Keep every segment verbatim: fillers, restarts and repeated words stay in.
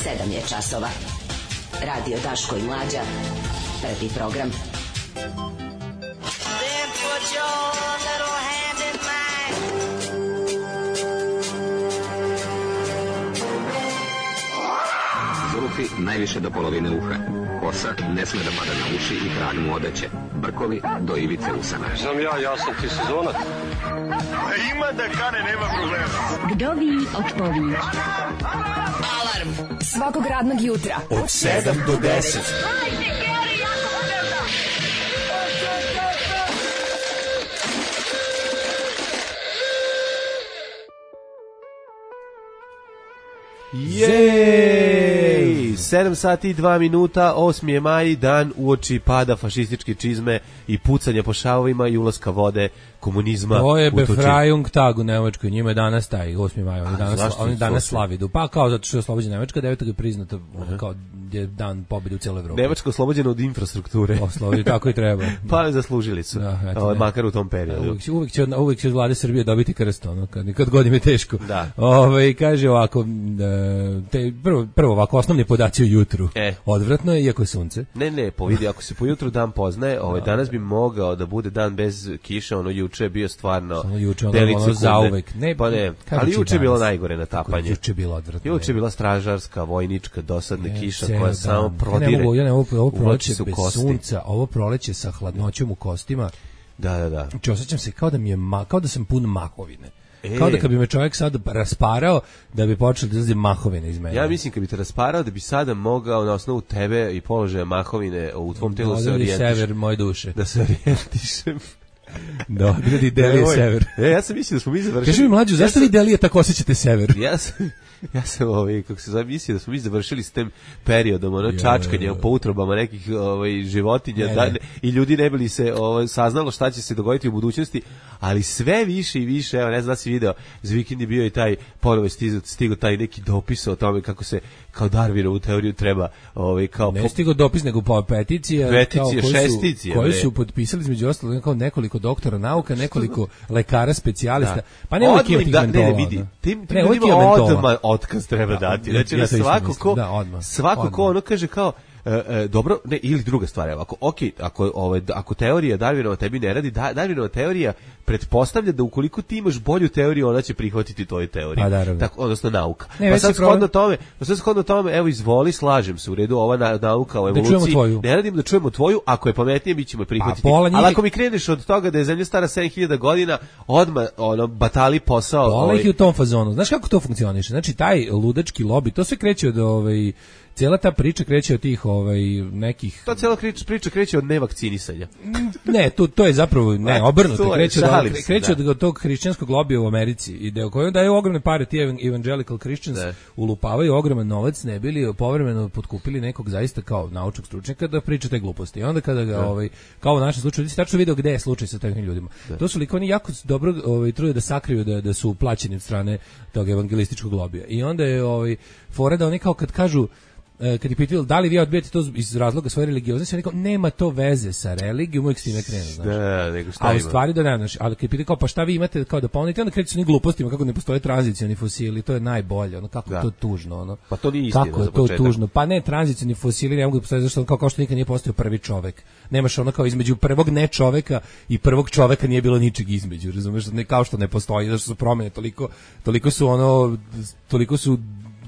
sedam je časova. Radio Daško i Mlađa. Prvi program. Then put your little hand in mine. Zulufi najviše do polovine uha. Kosa ne sme da pada na uši i trag mu odeće. Brkovi do ivice usana. Znam ja, ja sam ti sezonac. Ima da kane, nema problema. Kdo vi od povi? Alarm svakog radnog jutra od sedam do deset. Jej! sedam sati i dva minuta, osmi je maj, dan uoči pada fašističke čizme i pucanja po šavovima i ulaska vode komunizma. To je Befreiung Tag u Nemačkoj, njima je danas taj osmi maj, oni danas, oni danas slavidu. Pa kao zato što je oslobođena Nemačka, devetog je priznato uh-huh. kao je dan pobjede u cijeloj Evropi. Nemačka oslobođena od infrastrukture. Oslobođena, tako i treba. Pa zaslužili su, da, eto, o, makar u tom periodu. Uvijek, uvijek, će, uvijek će od vlade Srbije dobiti krst, ono, kad, kad god im je teško. Da. Ove, kaže ovako, te, prvo, prvo ovako, osnovni podaci o jutru. E. Odvratno je, iako je sunce. Ne, ne, po vidi, ako se po jutru dan poznaje, ovaj, danas bi mogao da bude dan bez kiše, ono juče je bio stvarno juče ono, ono zauvek. Ne, pa ne, ali juče je bilo najgore natapanje. Juče je bilo odvratno. Juče je bila stražarska, vojnička, dosadna ne, kiša ceo, koja da. samo prodire. Ja ne mogu, ja ne mogu, ovo proleće bez kosti. sunca, ovo proleće sa hladnoćom u kostima. Da, da, da. Znači, osjećam se kao da mi je ma, kao da sam pun mahovine. E. Kao da kad bi me čovjek sad rasparao, da bi počeo da izlazi mahovine iz mene. Ja mislim kad bi te rasparao, da bi sada mogao na osnovu tebe i položaja mahovine u tvom telu se orijentiš. Sever moje duše. Da se orijentišem. Da, odgradi Delije sever. E, ja sam mislio da smo mi završili. Kaži mi mlađu, zašto ja vi Delije tako osjećate sever? Ja sam, ja sam ovaj, kako se zove, mislio da smo mi završili s tim periodom, ono, čačkanje po utrobama nekih ovaj, životinja ne, da, ne. I ljudi ne bili se ovaj, saznalo šta će se dogoditi u budućnosti, ali sve više i više, evo, ne znam da si video, za vikend je bio i taj, ponovo je stigo, stigo taj neki dopis o tome kako se kao Darwinovu teoriju treba ovaj, kao... Ne stigo dopis, nego po peticija, peticije, šesticije, koji su potpisali između ostalog kao nekoliko doktora nauka, nekoliko lekara specijalista. Da. Pa ne uvijek ima tih da, mentola. Ne, ne, vidi, tim, tim ne, ljudima odmah otkaz treba dati. Znači, ja svako ko, da, odmah, svako odmah. ko ono kaže kao, E, e, dobro, ne, ili druga stvar, evo, ako, okay, ako, ovaj, ako teorija Darwinova tebi ne radi, da, Darwinova teorija pretpostavlja da ukoliko ti imaš bolju teoriju, ona će prihvatiti tvoju teoriju. Pa, tako, odnosno nauka. Ne, pa sad shodno tome, pa sad shodno tome, evo, izvoli, slažem se, u redu, ova na, nauka o evoluciji, da ne radim da čujemo tvoju, ako je pametnije, mi ćemo prihvatiti. Pa, njih... Ali ako mi kreneš od toga da je zemlja stara sedam hiljada godina, odmah, ono, batali posao. Pola ovaj... ih je u tom fazonu. Znaš kako to funkcioniše? Znači, taj ludački lobi, to sve kreće od ovaj... Cijela ta priča kreće od tih ovaj nekih. To cijela priča kreće od nevakcinisanja. Ne, to to je zapravo ne obrnuto, kreće od se, kreće da. od tog hrišćanskog lobija u Americi, ide u kojoj daju ogromne pare ti evangelical Christians, da. Ulupavaju ogroman novac, ne bili povremeno potkupili nekog zaista kao naučnog stručnjaka da priča te gluposti. I onda kada ga da. ovaj kao u našem slučaju, ti tačno video gde je slučaj sa takvim ljudima. Da. To su likovni jako dobro ovaj trude da sakriju da da su plaćeni od strane tog evangelističkog lobija. I onda je ovaj fora da oni kao kad kažu kad je pitao da li vi odbijate to iz razloga svoje religioznosti, on rekao nema to veze sa religijom, uvijek s time krenu, znaš. Da, nego šta a u ima? stvari da ne, znaš, ali kad je pitao kao pa šta vi imate kao da ponudite, onda kreću s onim glupostima kako ne postoje tranzicioni fosili, to je najbolje, ono kako da. to tužno, ono. Pa to nije istina. Kako je to tužno? Pa ne, tranzicioni fosili ne mogu da postoje zašto kao, kao što nikad nije postojao prvi čovek. Nemaš ono kao između prvog ne čoveka i prvog čoveka nije bilo ničeg između, razumeš, ne kao što ne postoji, zašto su promene toliko toliko su ono toliko su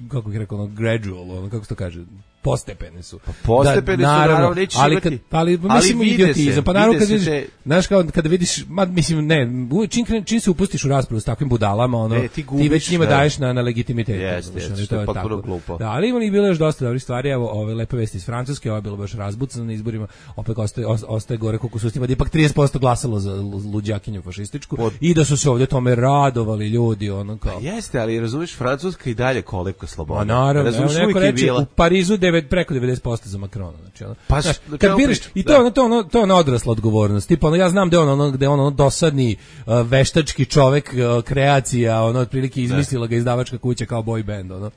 kako bih rekao, ono, gradual, ono, kako se to kaže, postepene su. Pa postepene da, su, naravno, naravno neće ali imati. Kad, ali, mislim, ali idiotizam. Pa naravno, kad vidiš, te... znaš, kao, kada vidiš, ma, mislim, ne, čim, čim se upustiš u raspravu s takvim budalama, ono, ne, ti, gubiš, ti već njima daješ na, na legitimitet. Jeste, jeste, što je potpuno glupo. Da, ali ima ih bilo još dosta dobrih stvari, evo, ove lepe vesti iz Francuske, ovo je bilo baš razbucano na izborima, opet ostaje, ostaje gore koliko su stima, da ipak trideset posto glasalo za luđakinju fašističku Pod... i da su se ovdje tome radovali ljudi, ono kao. Pa jeste, ali razumiješ, Francuska i dalje kolevka sloboda. A naravno, neko reče, u Parizu devet, preko devedeset posto za Makrona, znači ono. Pa znaš, kad biraš i to je ono to ono to je ona odrasla odgovornost. Tipa ono ja znam da on ono gde on ono dosadni uh, veštački čovek uh, kreacija, ono otprilike izmislila ga izdavačka kuća kao boy band, ono.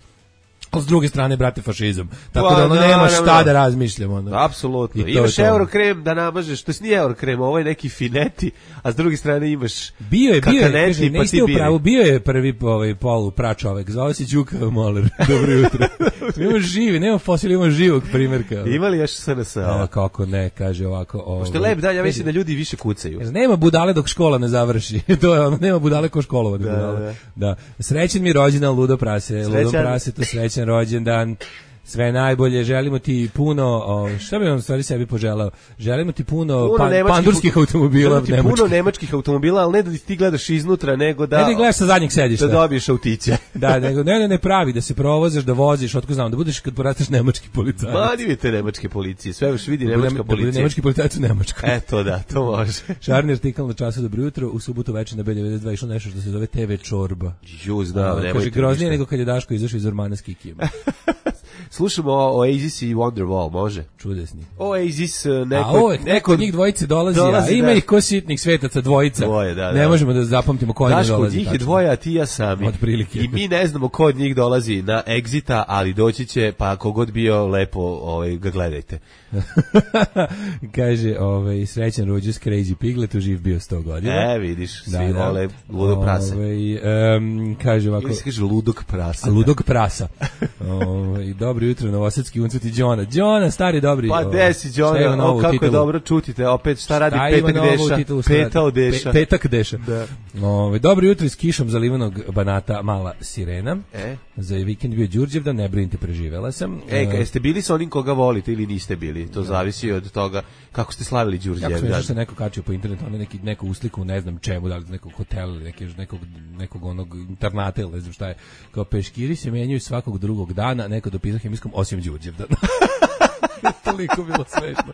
s druge strane, brate, fašizam. Tako Pa, da ono da, nema da, šta da. da razmišljamo. Ono. Apsolutno. I to Imaš je to. Eurokrem da namažeš, to nije Eurokrem, ovo je neki fineti, a s druge strane imaš Bio je, bio je, kakaneti, kaže, pa niste ti u biri. pravu, bio je prvi ovaj polu pračovek, zvao se Đuka Moler. Dobro jutro. Ima živi, nema fosil, ima živog primjerka. Ima li još S N S? A, kako ne, kaže ovako. Ovaj, Što je lep dan, ja mislim da kaže, ljudi više kucaju. nema budale dok škola ne završi. To je ono, nema budale ko školovane Da, budale. da. Da. Srećen mi rođendan, ludo prase, Srećan. ludo prase, to srećan rođendan. Sve najbolje, želimo ti puno, o, šta bi on stvari sebi poželao? Želimo ti puno, Puno pan, nemačkih pandurskih auto- automobila, Želim ti nemačkih. puno nemačkih automobila, ali ne da ti gledaš iznutra, nego da Ne da ih gledaš sa zadnjeg sedišta. da dobiješ autiće. Da, nego ne, ne, ne pravi, da se provozaš, da voziš, otko znam, da budeš kad porasteš nemački policajac. Ma, divite nemačke policije, sve još vidi Da bude- nemačka da bude policija. nemački policajac u Nemačkoj. Eto da, to može. Šarni artikal na času Dobro jutro, u subotu večer na B devedeset dva išlo nešto što se zove te ve čorba. Juz, da, A, nemojte kaže, groznije ništa. nego kad je Daško izašao iz Ormana s Kikijom. Slušamo o Oasis i Wonderwall, može? Čudesni. Oasis, uh, neko... A ovo je, neko od njih dvojice dolazi, dolazi, a ima da. ih ko sitnih svetaca dvojica. Dvoje, da, Ne da. možemo da zapamtimo ko ne Daško, od dolazi. njih je tačno. dvoje, a ti ja sami. Otprilike. I mi ne znamo ko od njih dolazi na Exita, ali doći će, pa kogod bio lepo, ovaj, ga gledajte. Kaže, ovaj, srećan rođus Crazy Piglet, živ bio sto godina. E, vidiš, svi vole ludo prase. Ovaj, em, kaže ovako, Ili se kaže ludog prasa. a ludog prasa. Ovaj, dobro jutro, novosadski uncut i Đona. Đona, stari dobri. Pa ovaj, gde si, šta ima Đona, novo o, u kako je titulu? dobro čutite, opet šta radi Šta ima Petak novo u Deša, titulu, šta radi? Petao Deša. Pe- Petak Deša. Da. Ove, dobro jutro iz kišom zalivenog Banata, mala sirena. E? Za vikend bio Đurđevdan, ne brinite, preživela sam. E, ka- jeste bili sa onim koga volite ili niste bili? To zavisi od toga kako ste slavili Kako se Đurđevdan. nešto se neko kačio po internetu, ono neki, neku usliku, ne znam čemu, da li nekog hotela ili neki, nekog, nekog onog internata ili ne znam šta je. Kao peškiri se menjaju svakog drugog dana, neko dopisao hemijskom osim Đurđevdan. Toliko bilo smešno.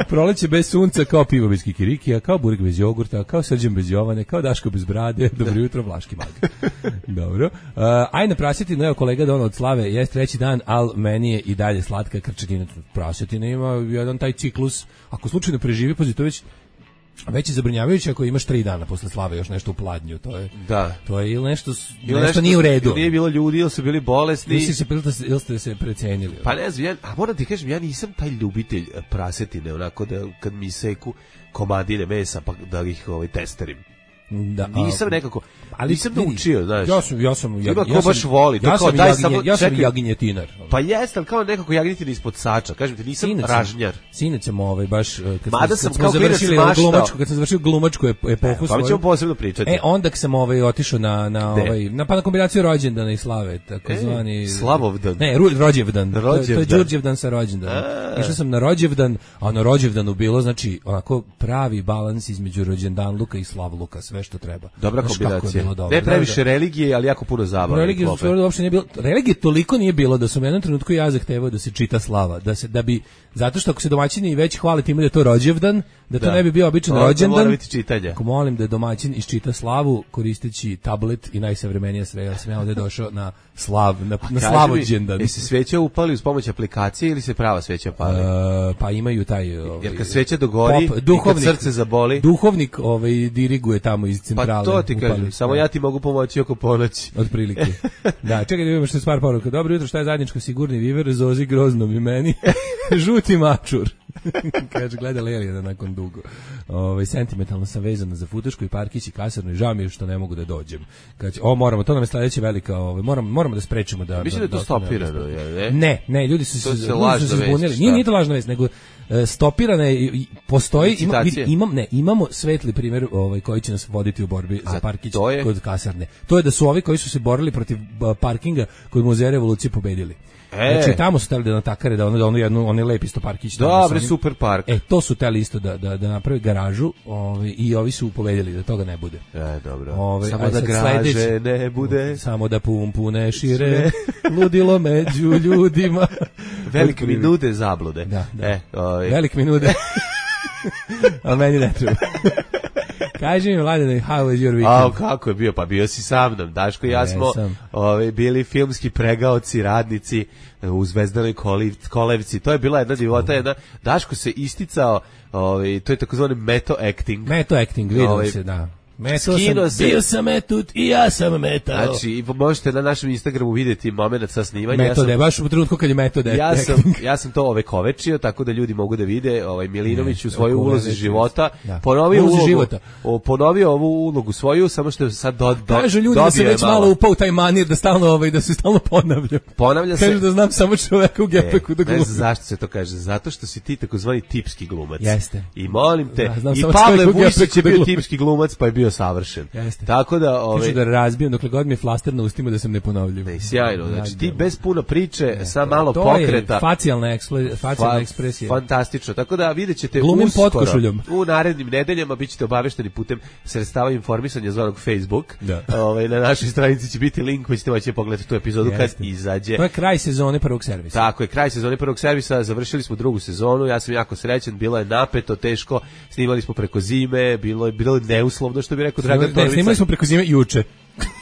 Proleće bez sunca, kao pivo bez kikirikija, kao burek bez jogurta, kao Srđan bez Jovane, kao Daško bez brade. Dobro jutro, Vlaški mag. Dobro. Uh, aj na prasetinu, evo kolega Don od Slave, jest treći dan, al meni je i dalje slatka krčetina. Prasetina ima jedan taj ciklus, ako slučajno preživi, pazi, to već već je zabrinjavajuće ako imaš tri dana posle slave još nešto u pladnju, to je Da. to je ili nešto s- Ili nešto, nije u redu. ili nije bilo ljudi, ili su bili bolesni. Ili ste se ili ste, ili ste se precenili. Pa ne znam, ja, a moram ti kažem, ja nisam taj ljubitelj eh, prasetine, onako da kad mi seku komadine mesa, pa da ih ovaj, testerim. Da, Nisam a, nekako, ali nisam vidi, naučio, znaš. Ja sam ja sam ja, Ima ko ja sam- baš voli, to Ja kao, sam daj jaginje- samo- ja sam čekaj. jaginjetinar. Pa jeste, ali kao nekako jagnjetina ispod sača. Kažem ti, nisam Sinac sam- ražnjar. Sinac sam ovaj baš eh, kad Mada smo, sam kad smo kao klinac završili maštao. glumačku, kad sam završio glumačku ep- epohu Pa svoju. mi ćemo posebno pričati. E onda kad sam ovaj otišao na na Gde? ovaj na pa na kombinaciju rođendana i slave, takozvani E, Slavovdan. Ne, ru, rođevdan. To, je- to je Rođevdan. Đurđevdan sa rođendanom. A. Išao sam na rođevdan, a na rođevdanu bilo znači onako pravi balans između rođendanluka i slavluka, sve što treba. Dobra Znaš kako je kombinacija. bilo dobro. Ne Da, previše da. religije, ali jako puno zabave. Religije klope. su uopšte nije bilo. Religije toliko nije bilo da sam u jednom trenutku ja zahtevao da se čita slava, da se da bi zato što ako se domaćini već hvale time da je to rođevdan, da to Da. ne bi bio običan Onda rođendan. mora biti čitanje. Ako molim da domaćin isčita slavu koristeći tablet i najsavremenije sredstva, sam ja ovde došao na slav, na, na Kaži mi, slavođendan. jesi sveća upali uz pomoć aplikacije ili se prava sveća pali? E, pa imaju taj ovaj, Jer kad sveća dogori pop- i kad duhovnik, srce zaboli, duhovnik ovaj diriguje tamo iz pa centrale. to ti kažem, upali. samo Da. ja ti mogu pomoći oko ponoći. Otprilike. Da, čekaj da vidimo što je stvar poruka. Dobro jutro, šta je zajedničko? Sigurni viver, Zozi groznom i meni. Žuti mačur. Kaže, gleda Lelijana nakon dugo. Ove, sentimentalno sam vezana za Futošku i Parkić i Kasarnu i žao mi je što ne mogu da dođem. Kaže, o, moramo, to nam je sledeća velika, ove, moramo, moramo da sprečimo da... Mislim da je to ostane stopirano, ovdje. je, ne? Ne, ne, ljudi su To se, se ljudi lažna su se vest, zbunili. šta? Nije, nije to lažna vest, nego e, stopirana je, i- i postoji, ima, Licitacije. vidi, imam, ne, imamo svetli primjer ovaj, koji će nas voditi u borbi za A Parkić to je? kod Kasarne. To je da su ovi koji su se borili protiv ba, parkinga kod Muzeja revolucije pobedili. E. Znači tamo su teli da natakare da ono da ono jednu onaj lep isto parkić tamo Dobre, sa onim- super park. E to su teli isto da da da naprave garažu, ovaj i ovi su pobedili da toga ne bude. E, dobro. Ove, Samo aj da sad graže sledeći. ne bude. Samo da pum pune šire, ludilo među ljudima. Velik mi nude zablude. Da, da. E, ovaj, Velik mi nude. Ali meni ne treba. Kaži mi, Mladene, how was your A weekend? kako je bio? Pa bio si sa mnom. Daško i ja smo Jesam. ovaj, bili filmski pregaoci, radnici e, u Zvezdanoj koliv- kolevci. To je bila jedna divota, jedna. Daško se isticao, ovaj, to je takozvani meto acting. Meto acting, vidio Ovaj, se, da. Metao sam, se. Bio sam metut i ja sam metao. Znači, možete na našem Instagramu vidjeti moment sa snimanja. Metode, ja sam, baš u trenutku kad je metode. Ja sam, ja sam to ovekovečio, tako da ljudi mogu da vide ovaj Milinović u svojoj ulozi života. Da. Ponovio ulogu, života. O, ponovio ovu ulogu svoju, samo što je sad do, do, Kažu ljudi da se već malo, malo upao taj manir, da stalno, ovaj, da se stalno ponavlja. Ponavlja se. Kažu da znam samo čoveka u gepeku da glumi. Ne znam zašto se to kaže, zato što si ti takozvani tipski glumac. Jeste. I molim te, da, i Pavle Vujsić je bio tipski glumac, pa je bio savršen. Jeste. Tako da, ovaj Kažu da razbijem dokle god mi je flaster na ustima da sam neponovljiv. Ne, sjajno. Znači ti bez puno priče, ne, sa malo to pokreta. Je facijalna ekspre, facijalna ekspresija. Fantastično. Tako da videćete glumim uskoro, potkošuljom. U narednim nedeljama bićete obavešteni putem sredstava informisanja zvanog Facebook. Da. Ovaj na našoj stranici će biti link, pa ćete moći pogledati tu epizodu Jeste. kad izađe. To je kraj sezone prvog servisa. Tako je, kraj sezone prvog servisa, završili smo drugu sezonu. Ja sam jako srećan, bilo je napeto, teško. Snimali smo preko zime, bilo je bilo neuslovno što bi rekao Dragan Torbica. Snimali smo preko zime juče.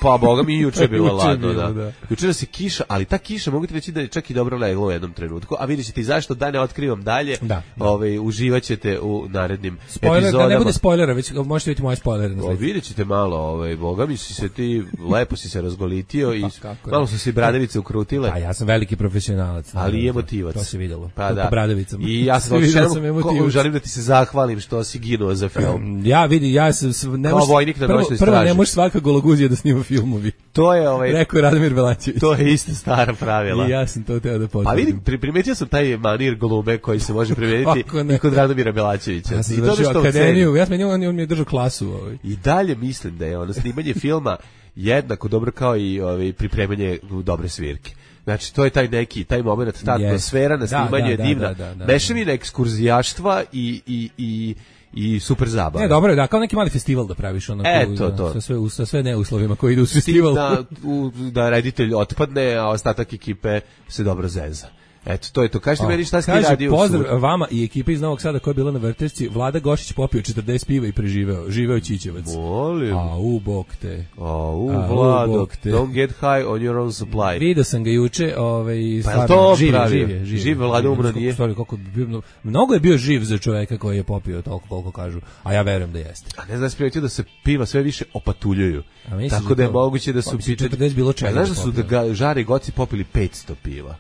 Pa boga mi juče je bilo juče ladno, bilo, da. da. Juče nas je kiša, ali ta kiša mogu ti reći da je čak i dobro leglo u jednom trenutku. A vidjet ćete i zašto, da ne otkrivam dalje. Da, da. Ovaj uživaćete u narednim spoiler, epizodama. Da ne bude spoilera, već možete vidjeti moje spoilere. O, vidjet ćete malo, ovaj boga mi si se ti lepo si se razgolitio i pa, malo su se bradavice ukrutile. A ja sam veliki profesionalac. Ali i emotivac. To se videlo. Pa da. Po bradavicama. I ja sam želim, želim da ti se zahvalim što si ginuo za film. Ja vidi, ja sam ne kao vojnik na noćnoj straži. Prvo ne može svaka gologuzija da snima filmovi. To je ovaj rekao Radomir Belačević. To je isto stara pravila. I ja sam to teo da potvrdim. Pa vidim, pri, primetio sam taj manir glume koji se može primeniti i kod Radomira Belačevića. Ja sam završio akademiju, ja sam on, on mi je držao klasu. Ovaj. I dalje mislim da je ono snimanje filma jednako dobro kao i ovaj, pripremanje dobre svirke. Znači, to je taj neki, taj moment, ta yes. atmosfera na snimanju da, da, je divna. Da, da, da, mešavina ekskurzijaštva i, i, i i super zabava. Ne, dobro je, da, kao neki mali festival da praviš onako, e, to, to. sa sve sa sve neuslovima koji idu u festival. Da, u, da reditelj otpadne, a ostatak ekipe se dobro zeza. Eto, to je to. Kažite meni šta ste radio. Pozdrav vama i ekipi iz Novog Sada koja je bila na Vrtešci. Vlada Gošić popio četrdeset piva i preživeo. Živeo Čičevac. Molim. A u bok te. A u Vlado. Don't get high on your own supply. Vidio sam ga juče, ovaj pa to živ, živ, živ, živ, živ Vlada umro nije. Stvari koliko bio, mnogo je bio živ za čoveka koji je popio toliko koliko kažu. A ja verujem da jeste. A ne znaš primetio da se piva sve više opatuljuju. Tako da je moguće da su piče bilo čega. Znaš da su da Žare i Goci popili petsto piva.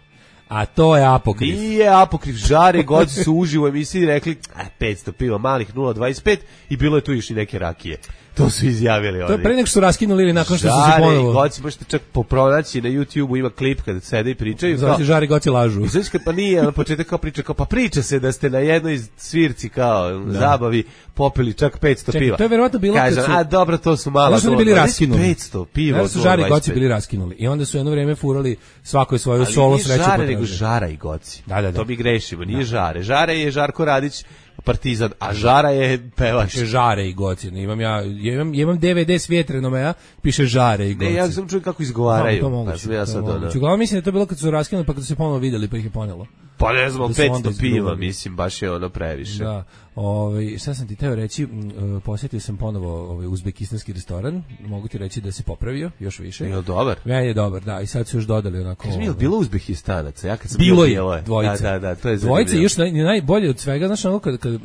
A to je apokrif. Nije apokrif, Žare Goci su uživo u emisiji rekli petsto piva malih nula dvadeset pet i bilo je tu još i neke rakije. To su izjavili oni. To je pre nego što raskinuli ili nakon što su se ponovo. Žare i Goci, možete čak popronaći na YouTubeu, ima klip kada sede i pričaju. Zove se Žare i Goci lažu. I znači kad pa nije, na početak kao priča, kao pa priča se da ste na jednoj svirci kao da. zabavi popili čak petsto Čekaj, piva. To je verovatno bilo Kažem, kad su... a dobro, to su mala. Su bili raskinuli. petsto piva. Da su Žare i Goci bili raskinuli. I onda su jedno vreme furali svako je svoju solo sreću. Ali Žare nego Žara i Goci. Da, da, da. To mi grešimo, nije da. Žare. Žare je Žarko Radić, Partizan, a Žara je pevač. Piše Žare i Goci. Imam ja, imam, imam D V D s Vjetrenomea, piše Žare i Goci. Ne, ja sam čuo kako izgovaraju. No, to moguće. Ja sad moguće. Uglavnom mislim da to bilo kad su raskinuli pa kad su se ponovo vidjeli pa ih je ponelo. Pa ne znam, petsto piva, mislim, baš je ono previše. Da. Ovaj šta sam ti teo reći, uh, posjetio sam ponovo ovaj uzbekistanski restoran, mogu ti reći da se popravio još više. Je dobar? Ja je dobar, da, i sad su još dodali onako. Kaži mi, je li bilo Uzbekistanaca? Ja kad sam bilo bio, je, dvojica. Da, da, da, to je dvojica još naj, najbolje od svega, znači ono kad, kad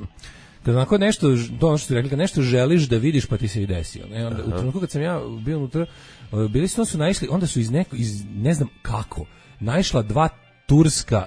kad onako nešto, to ono što ti rekli, kad nešto želiš da vidiš pa ti se i desi. Ne? Onda, u trenutku kad sam ja bio unutra, bili su, su naišli, onda su iz neko, iz ne znam kako, naišla dva turska,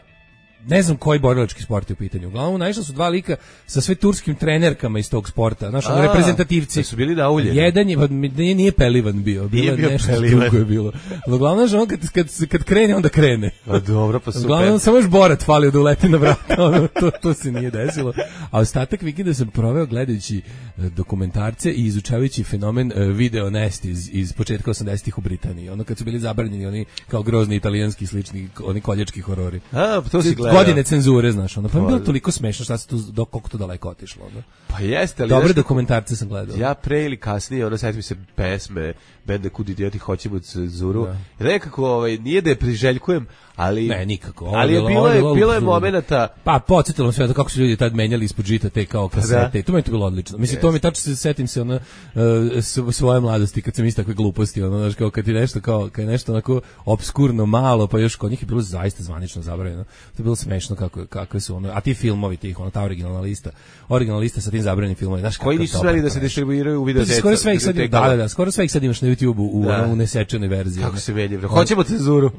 ne znam koji borilački sport je u pitanju. Uglavnom naišla su dva lika sa sve turskim trenerkama iz tog sporta, znači reprezentativci. Su bili nauljeni. Jedan je, nije, nije Pelivan bio, bilo bio nešto drugo je bilo. Uglavnom znači on kad, kad, kad krene, onda krene. A dobro, pa super. Uglavnom samo još Borat falio da uleti na vrata, ono, to, to se nije desilo. A ostatak vikenda sam proveo gledajući dokumentarce i izučavajući fenomen video nest iz, iz početka osamdesetih u Britaniji. Ono kad su bili zabranjeni oni kao grozni italijanski slični, oni koljački horori. A, to si gledao. Godine cenzure, znaš, ono, pa mi je bilo toliko smešno šta se tu, do, koliko to daleko otišlo, ono. Pa jeste, ali... Dobre dokumentarce sam gledao. Ja pre ili kasnije, ono, sjetim se pesme, bende Kud idioti hoćemo cenzuru. Da. Nekako, ovaj, nije da je priželjkujem, ali... Ne, nikako. Ali je bilo je, bilo je momenata... Pa, podsjetilo sve to kako su ljudi tad menjali ispod žita te kao kasete. Da. To mi je to bilo odlično. Mislim, yes. to mi tačno se setim se, ono, uh, svoje mladosti, kad sam isto takve gluposti, ono, znaš, kao kad je nešto, kao, kad je nešto onako obskurno malo, pa još kod njih je bilo zaista zvanično zabranjeno. To je bilo smešno kako kakve su ono, a ti filmovi tih, ono ta originalna lista, originalna lista sa tim zabranjenim filmovima, znaš koji nisu smeli da se distribuiraju u videoteca. Skoro sve ih sad, da, da, da, skoro sve ih sad imaš na YouTubeu u da. Ono, u nesečenoj verziji. Kako se menja, hoćemo cenzuru.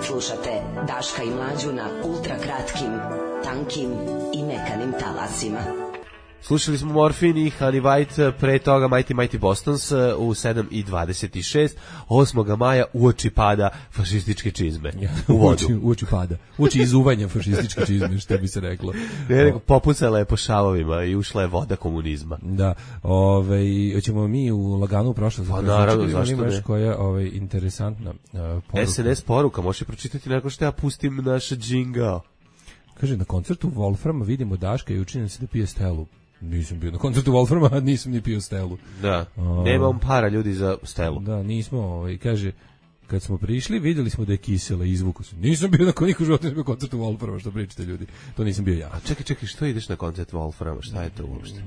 Slušate Daška i Mlađu na ultra kratkim, tankim i mekanim talasima. Slušali smo Morfin i Honey White, pre toga Mighty Mighty Bostons u sedam i dvadeset šest, osmog maja uoči pada fašističke čizme u vodu. Uoči, uoči pada, uoči izuvanja fašističke čizme, što bi se reklo. Ne, nego popucala je po šavovima i ušla je voda komunizma. Da, ovaj, hoćemo mi u laganu u prošlost. Pa naravno, zašto ne? Koja ovaj, interesantna uh, poruka. S N S poruka, možeš pročitati nakon što ja pustim naš džingao. Kaže, na koncertu Wolframa vidimo Daška i učinjen se da pije Stelu. Nisam bio na koncertu Wolframa, a nisam ni pio Stelu. Da, uh, nemam para ljudi za Stelu. Da, nismo, ovaj, kaže, kad smo prišli, vidjeli smo da je kisela, izvuku se. Nisam bio na koniku života, nisam bio na koncertu Wolframa, što pričate ljudi. To nisam bio ja. A čekaj, čekaj, što ideš na koncert Wolframa? Šta je to uopšte?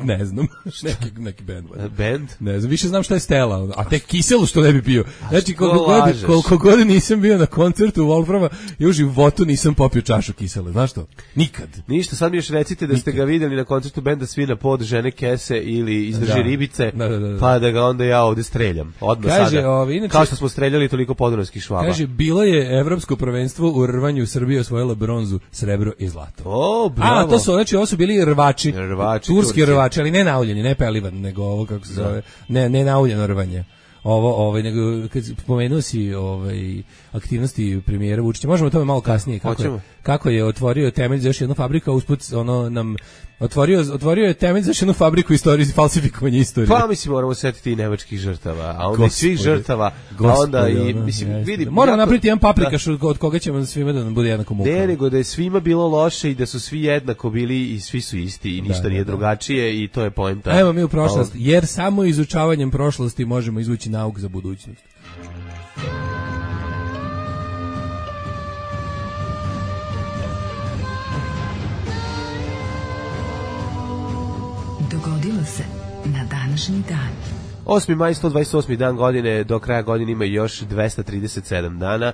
Ne znam, neki, neki band. Band? Ne znam, više znam šta je Stela, a tek kiselu što ne bi pio. Znači, koliko god, koliko god nisam bio na koncertu Wolframa, ja u životu nisam popio čašu kisele, znaš to? Nikad. Ništa, sad mi još recite da Nikad. Ste ga vidjeli na koncertu benda Svina pod žene kese ili izdrži da. Ribice, da, da, da, da. Pa da ga onda ja ovde streljam. Odmah kaže, sada. Ovi, inače, kao što smo streljali toliko podunavskih švaba. Kaže, bilo je evropsko prvenstvo u rvanju, Srbija osvojila bronzu, srebro i zlato. O, bravo. A, to su, znači, ovo su bili rvači, rvači turski Turci. Rvači, ali ne nauljeni, ne pelivan, nego ovo, kako se zove, ne, ne nauljeno rvanje. Ovo, ovaj, nego, kad spomenuo si ovaj, aktivnosti premijera Vučića, možemo o tome malo kasnije, kako je, kako je otvorio temelj za još jednu fabriku, a usput ono nam otvorio, otvorio je temelj za još jednu fabriku istorije, falsifikovanja istorije. Pa mislim, moramo setiti i nemačkih žrtava, a onda i svih žrtava, a onda i, mislim, ja, vidi... Moramo napraviti jedan paprikaš da, od koga ćemo svima da nam bude jednako muka. Ne, nego da je svima bilo loše i da su svi jednako bili i svi su isti i ništa da, nije da, drugačije i to je poenta. Evo mi u prošlost, jer samo izučavanjem prošlosti možemo izvući nauk za budućnost. Dogodilo se na današnji dan. osmi maj, sto dvadeset osmi dan godine, do kraja godine ima još dvesta trideset sedam dana,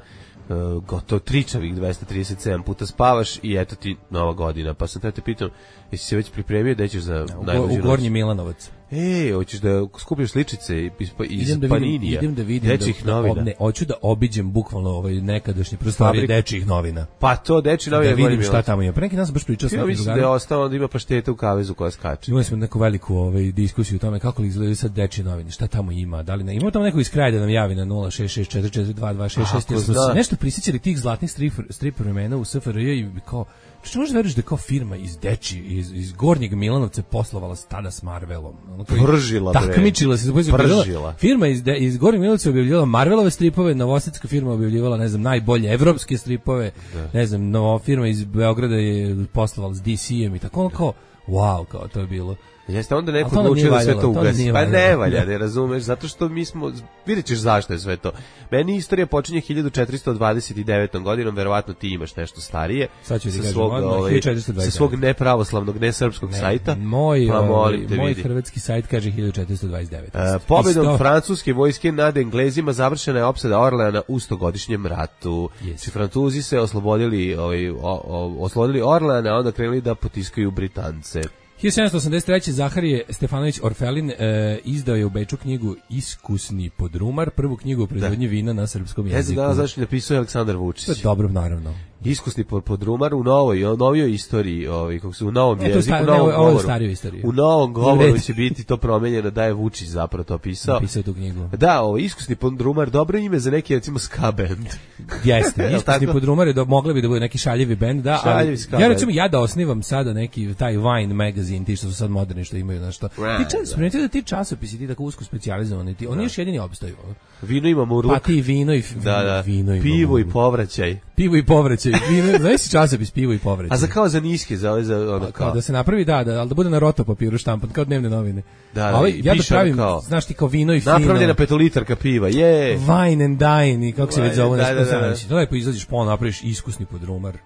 uh, gotovo tričavih dvesta trideset sedam puta spavaš i eto ti nova godina. Pa sam te pitam, jesi se već pripremio da ćeš za u, najluđu u Gornji Milanovac? E, hoćeš da skupiš sličice iz, iz idem da Paninija, vidim, idem da vidim dečjih da, novina. Da, ne, hoću da obiđem bukvalno ovaj nekadašnje prostorije dečjih novina. Pa to dečji novina. Da vidim šta tamo ima. Pre neki dan sam baš pričao sa nekim drugarima. Da je ostalo da ima pašteta u kavezu koja skače. Imali smo neku veliku ovaj, diskusiju o tome kako li izgledaju sad dečje novine, šta tamo ima, da li ne. Ima tamo neko iz kraja da nam javi na nula šest šest četiri četiri dva dva šest šest. Nešto prisjećali tih zlatnih strip, strip vremena u S F R J i kao što možeš veruješ da je kao firma iz Deči, iz, iz Gornjeg Milanovca poslovala tada s Marvelom. Ono Pržila, bre. Takmičila se. Pržila. Firma iz, de, iz Gornjeg Milanovca objavljivala Marvelove stripove, novosadska firma objavljivala, ne znam, najbolje evropske stripove, da. Ne znam, nova firma iz Beograda je poslovala s D C-em i tako, ono kao, wow, kao to je bilo. Jeste onda neko odlučio da sve to ugasi. Pa ne valja, ne razumeš, zato što mi smo, vidjet ćeš zašto je sve to. Meni istorija počinje hiljadu četiristo dvadeset devetom godinom, verovatno ti imaš nešto starije. Sad ću ti kažem, svog, ovaj, sa svog nepravoslavnog, nesrpskog ne, sajta. Moj, pa molim te, moj vidi. Hrvatski sajt kaže hiljadu četiristo dvadeset devet. Uh, pobedom Isto... francuske vojske nad Englezima završena je opsada Orleana u stogodišnjem ratu. Yes. Francuzi se oslobodili, ovaj, o, o, oslobodili Orleana, a onda krenuli da potiskaju Britance. hiljadu sedamsto osamdeset treće. Zaharije Stefanović Orfelin e, izdao je u Beču knjigu Iskusni podrumar, prvu knjigu o proizvodnji vina na srpskom jeziku. Ja znam zašto je napisao Aleksandar Vučić. To je dobro, naravno. Iskusni podrumar u novoj, u novijoj istoriji, ovaj, kako se u novom e, jeziku, sta, u novom ne, govoru. Stariju istoriju. U novom govoru će biti to promenjeno da je Vučić zapravo to pisao. Napisao tu knjigu. Da, ovo Iskusni podrumar, dobro ime za neki recimo ska band. Jeste, Iskusni podrumar je do, mogli bi da bude neki šaljivi bend, da. Šaljivi ali, ja recimo ja da osnivam sada neki taj Wine magazine, ti što su sad moderni što imaju nešto. Ti čas, da. da ti časopisi ti tako usko specijalizovani, ti, oni da. Još jedini opstaju. Vino imamo urluk. Pa ti vino i da, da. vino imamo. Pivo i povraćaj. Pivo i povraćaj. Vino, znaš si časopis pivo i povraćaj. A za kao za niske, za ove za ono kao. kao da se napravi da, da, al da bude na roto papiru štampan kao dnevne novine. Da, da. Ovaj, ja da pravim, kao, znaš ti kao vino i fino. Napravljena petolitarka piva. Je. Wine and dine, kako se već zove, da, da, da, da. Da lepo izađeš po napraviš iskusni podrumar.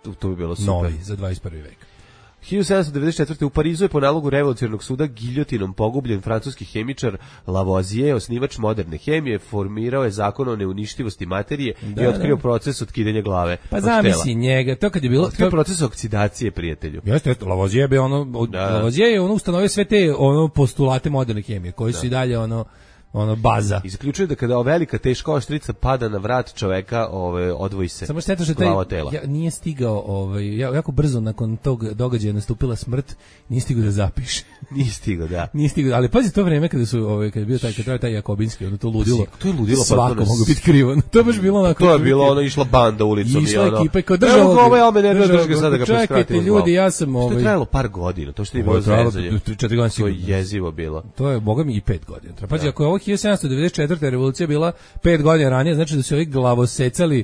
To, to bi bilo super. Novi za dvadeset prvi vek. hiljadu sedamsto devedeset četvrte. u Parizu je po nalogu revolucionarnog suda giljotinom pogubljen francuski hemičar Lavoisier, osnivač moderne hemije, formirao je zakon o neuništivosti materije da, i otkrio da. proces otkidanja glave. Pa zamisli njega, to kad je bilo... Otkrio to... proces oksidacije, prijatelju. Jeste, Lavoisier je ono, da. Lavoisier je ono ustanovio sve te ono postulate moderne hemije, koji su da. i dalje ono ono baza. I zaključuje da kada velika teška oštrica pada na vrat čoveka, ovaj odvoji se. Samo šteta što taj ja, nije stigao, ovaj jako brzo nakon tog događaja nastupila smrt, nije stigao da zapiše. Nije stigao, da. Nije stigao, ali pazi to vreme kada su ovaj kad je bio taj kad taj Jakobinski, ono to ludilo. To je ludilo, svako pa mogu biti krivo. To baš bilo onako. To je bilo ono išla banda ulicom išla i ono. Ekipa kao država. Evo ovaj ome ne drži ga sada ga preskratimo. Čekajte ljudi, ja sam ovaj. To je trajalo par godina, to što nije bilo zezanje. četiri godine to je jezivo bilo. To je bogami i pet godina. Pazi, ako je ovo hiljadu sedamsto devedeset četvrte. revolucija bila pet godina ranije, znači da su ovi glavosecali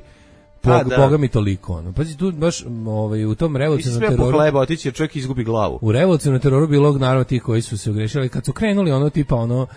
Bog, da. Boga mi toliko. Ono. Pazi, tu baš ovaj, u tom revolucionarnom teroru... po hleba otići jer čovjek izgubi glavu. U revolucionarnom teroru bilo naravno ti koji su se ogrešili. Kad su krenuli ono tipa ono...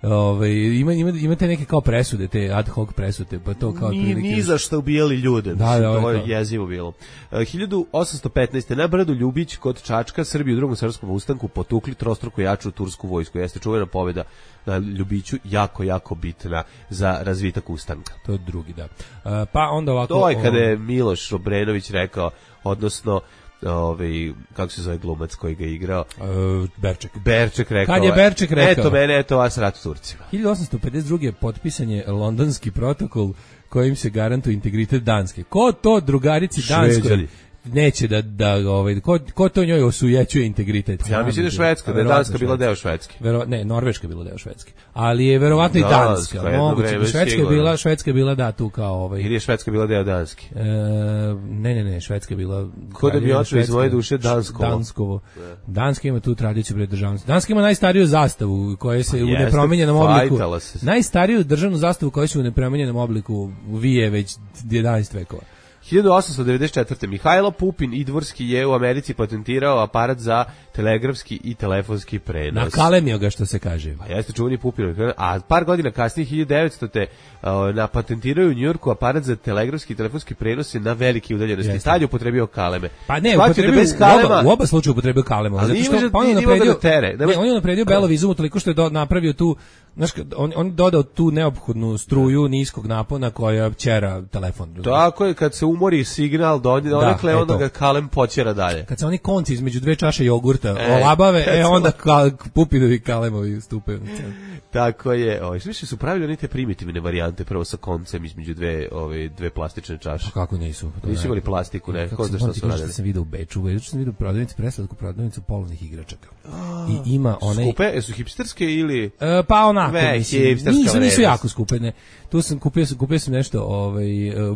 Ovaj ima ima imate neke kao presude, te ad hoc presude, pa to kao prilike. Ni za što ubijali ljude. Da, da, to je jezivo bilo. Uh, hiljadu osamsto petnaeste. na brdu Ljubić kod Čačka Srbi u drugom srpskom ustanku potukli trostruko jaču tursku vojsku. Jeste čuvena pobjeda na Ljubiću, jako jako bitna za razvitak ustanka. To je drugi, da. Uh, pa onda ovako to je kada je Miloš Obrenović rekao, odnosno ovaj kako se zove glumac koji ga igrao uh, Berček. Berček rekao. Kad je Berček rekao? Eto mene, eto vas rat Turcima. hiljadu osamsto pedeset druge. potpisan je Londonski protokol kojim se garantuje integritet Danske. Ko to drugarici Danskoj neće da da ovaj ko ko to njoj osujećuje integritet? Ja mislim da Švedska, da je Danska bila deo Švedske. Vero, ne, Norveška bila deo Švedske. Ali je verovatno i Danska. Moguće, Švedska je bila, Švedska je bila da tu kao ovaj. Ili je Švedska bila deo Danske? E, ne, ne, ne, Švedska je bila. Ko da bi otišao iz moje duše Danskovo. Danskovo. Danska ima tu tradiciju pred državnosti. Danska ima najstariju zastavu koja se u nepromijenjenom obliku. Najstariju državnu zastavu koja se u nepromijenjenom obliku vije već jedanaesti vekova. hiljadu osamsto devedeset četvrte. Mihajlo Pupin Idvorski je u Americi patentirao aparat za telegrafski i telefonski prenos. Nakalemio ga, što se kaže. Pa jeste čuveni Pupin, a par godina kasnije hiljadu devetstote. na patentiraju u Njujorku aparat za telegrafski i telefonski prenos na velike udaljenosti. Tad je upotrebio kaleme. Pa ne, upotrebio bez kalema. U oba slučaja upotrebio kalema. Ali zato što pa on je napredio tere. Ne, on je napredio Belovizumu toliko što je do, napravio tu, znaš, on on dodao tu neophodnu struju niskog napona koja ćera telefon. Tako je, kad se umori signal do onde donekle, da, onda ga kalem počera dalje. Kad se oni konci između dve čaše jogurta e, olabave, e onda ka, Pupinovi kalemovi stupaju. Tako je. Ovaj više su pravili one te primitivne varijante prvo sa koncem između dve ove dve plastične čaše. Pa kako nisu? Nisu imali plastiku, ne, ko zna šta su radili. Sam video u Beču, u Beču sam video prodavnicu, preslatku prodavnicu polovnih igračaka. I ima one skupe, su hipsterske ili e, pa onako, Ve, mislim, nisu, nisu jako skupe, ne. Tu sam kupio, sam kupio sam nešto, ovaj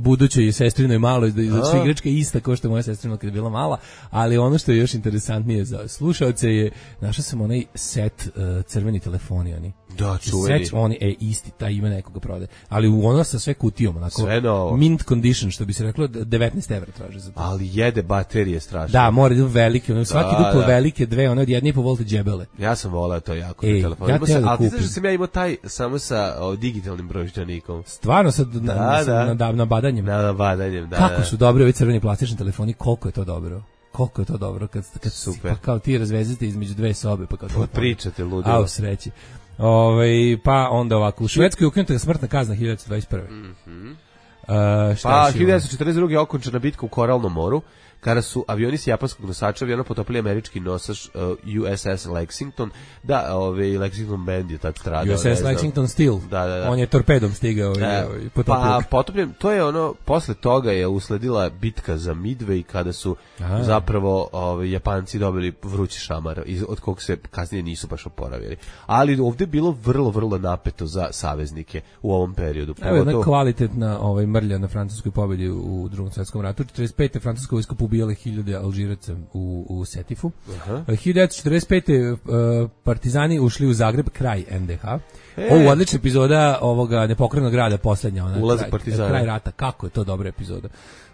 budućoj sestrinoj maloj za sve igračke ista kao što je moja sestrina kad je bila mala, ali ono što je još interesantnije za slušaoce je našao sam onaj set uh, crveni telefoni oni. Da, čuveni. Set oni e isti, taj ima nekoga prodaje, ali u ono sa sve kutijom, onako sve mint condition što bi se reklo, devetnaest evra traže za to. Ali jede baterije strašno. Da, mora da velike, ono svaki da, duplo da. velike, dve, one od jedne i po volta džebele. Ja sam voleo to jako e, telefon. Ja sam, da ali ti znaš da sam ja imao taj samo sa o, digitalnim brojčanikom. Stvarno sad na, da, da. na, na badanjem. Na, na badanjem, da. Kako da. su dobri ovi crveni plastični telefoni, koliko je to dobro. Koliko je to dobro kad kad super. Pa kao ti razvezete između dve sobe pa kao to pričate ludilo. A u sreći. Ovaj pa onda ovako u Švedskoj ukinuta smrtna kazna hiljadu devetsto dvadeset prve. Mhm. Uh, pa hiljadu devetsto četrdeset druge. okončana bitka u Koralnom moru, kada su avioni s japanskog nosača aviona potopili američki nosač uh, U S S Lexington, da, ovaj Lexington band je tad stradao. U S S Lexington Steel, da, da, da. On je torpedom stigao i e, potopio. Pa potopljen, to je ono, posle toga je usledila bitka za Midway, kada su Aha. zapravo ovaj, Japanci dobili vrući šamar, od kog se kasnije nisu baš oporavili. Ali ovdje je bilo vrlo, vrlo napeto za saveznike u ovom periodu. Evo jedna to... kvalitetna ovaj, mrlja na francuskoj pobjedi u drugom svjetskom ratu. četrdeset pete. francuska vojska ubijale hiljade Alžiraca u, u Setifu. Uh-huh. hiljadu devetsto četrdeset pete. Uh, partizani ušli u Zagreb, kraj N D H. E. Ovo odlična epizoda ovoga nepokrenog grada, posljednja. Ona, Ulazak kraj, partizana. Kraj rata, kako je to dobra epizoda.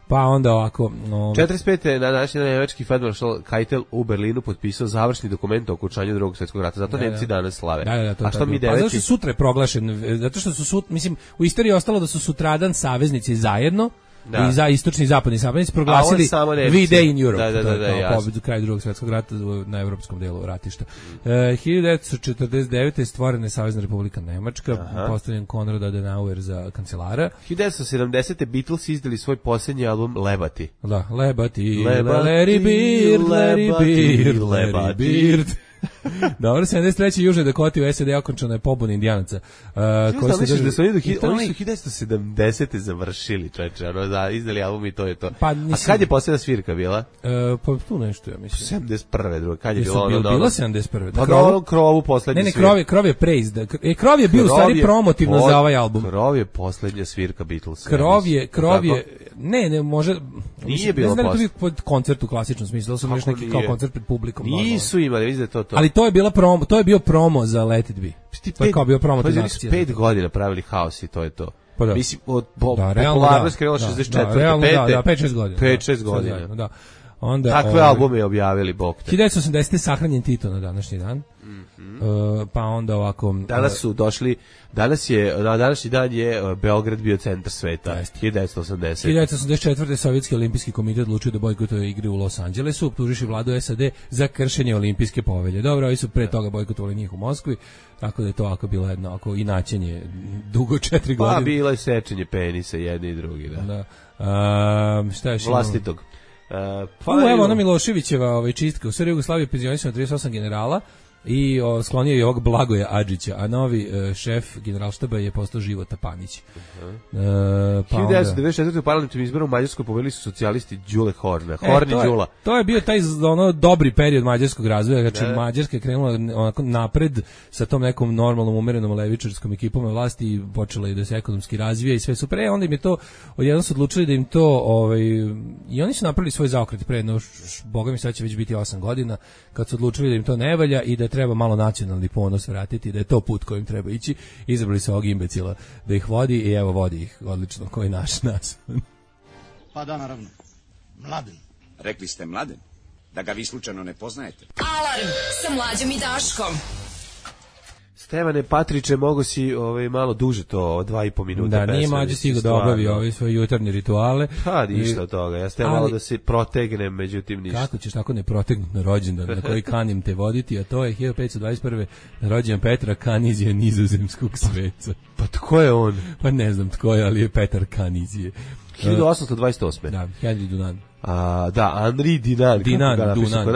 Pa onda ovako... No... četrdeset pete. na današnji dan nemački Feldmaršal Keitel u Berlinu potpisao završni dokument o okončanju drugog svjetskog rata. Zato da, Nemci danas slave. Da, da, to, A što mi deveti? Pa zato što sutra je proglašen, zato što su sut, mislim, u istoriji je ostalo da su sutradan saveznici zajedno, Da. I za istočni i zapadni saveznici proglasili V-Day in Europe. Da, da, da, da, kao pobedu kraj Drugog svjetskog rata na evropskom delu ratišta. Mm. E, hiljadu devetsto četrdeset devete. stvorena je Savezna Republika Nemačka, postavljen Konrad Adenauer za kancelara. hiljadu devetsto sedamdesete. Beatles izdali svoj posljednji album Lebati. Da, Lebati, Larry Bird, Larry Bird, Larry Bird. Dobro, sedamdeset treće. Južnoj Dakoti u S A D okončana je pobuna Indijanaca. Uh, koji su držali, da su oni, do, hi, oni su hiljadu devetsto sedamdesete završili, čoveče, ono, da, izdali album i to je to. Pa, nisam, a kad je posljedna svirka bila? Uh, pa tu nešto, ja mislim. sedamdeset prve. druga, kad je Jesu, bilo ono? Bilo, bilo sedamdeset prve. Pa na onom krovu poslednja svirka. Ne, ne, krov je, krov je praised. E, krov je bio u stvari promotivno pod, za ovaj album. Krov je poslednja svirka Beatlesa. Krov je, krov je, ne, ne, može... Nije mislim, bilo posle. Ne znam da to pod koncert u klasičnom smislu, da su nešto neki kao koncert pred publikom. Nisu imali, vidim da to to. Ali to je bila promo, to je bio promo za Let It Be. To je kao bio promotivna akcija. Pet godina pravili haos i to je to. Pa da. Mislim, od po, da, popularnost krenula šezdeset četvrte. Da, realno, da, da, pet šest godina. pet šest godina. Da. Onda, takve ovaj, albume objavili, bog te. hiljadu devetsto osamdesete. sahranjen Tito na današnji dan. Mm-hmm. uh, pa onda ovako... Danas su došli, danas je, na današnji dan je Beograd bio centar sveta. hiljadu devetsto osamdesete. hiljadu devetsto osamdeset četvrte. Sovjetski olimpijski komitet odlučio da bojkotuje igre u Los Angelesu, optužiši vladu S A D za kršenje olimpijske povelje. Dobro, ovi su pre toga bojkotovali njih u Moskvi, tako da je to ovako bilo jedno ako inačenje dugo četiri godine. Pa bilo je sečenje penisa jedni i drugi, da. Da. Uh, šta je vlastitog. Uh, pa U, evo ona Miloševićeva ovaj, čistka. U Srbiji Jugoslavije penzionisano trideset osam generala i o, sklonio je ovog Blagoja Adžića, a novi uh, šef generalštaba je postao Života Panić. Uh-huh. Uh, pa hiljadu devetsto devedeset četvrte. u parlamentarnom izboru u Mađarskoj pobedili su socijalisti Đule Horna. Horni e, Đula. To je bio taj ono dobri period mađarskog razvoja, znači ne. Mađarska je krenula onako napred sa tom nekom normalnom umerenom levičarskom ekipom na vlasti i počela je da se ekonomski razvija i sve super. E, onda im je to, odjednom su odlučili da im to, ovaj, i oni su napravili svoj zaokret pre, no, boga mi sad će već biti osam godina, kad su odlučili da im to ne valja i da treba malo nacionalni ponos vratiti, da je to put kojim treba ići. Izabrali su ovog imbecila da ih vodi i evo vodi ih odlično, koji naš nas. Pa da, naravno. Mladen. Rekli ste Mladen? Da ga vi slučajno ne poznajete? Alarm sa Mlađom i Daškom. Stevane Patriče, mogo si ovaj, malo duže to, dva i po minuta. Da, nije Mađo stigao da obavi ove svoje jutarnje rituale. Pa, ništa od toga. Ja ste malo da se protegnem, međutim ništa. Kako ćeš tako ne protegnuti na rođendan na koji kanim te voditi, a to je hiljadu petsto dvadeset prve. na rođendan Petra Kanizije nizozemskog sveca. Pa tko je on? Pa ne znam tko je, ali je Petar Kanizije. hiljadu osamsto dvadeset osme. Da, Henry Dunan. A, da, Henri Dinan. Dinan, Dunan,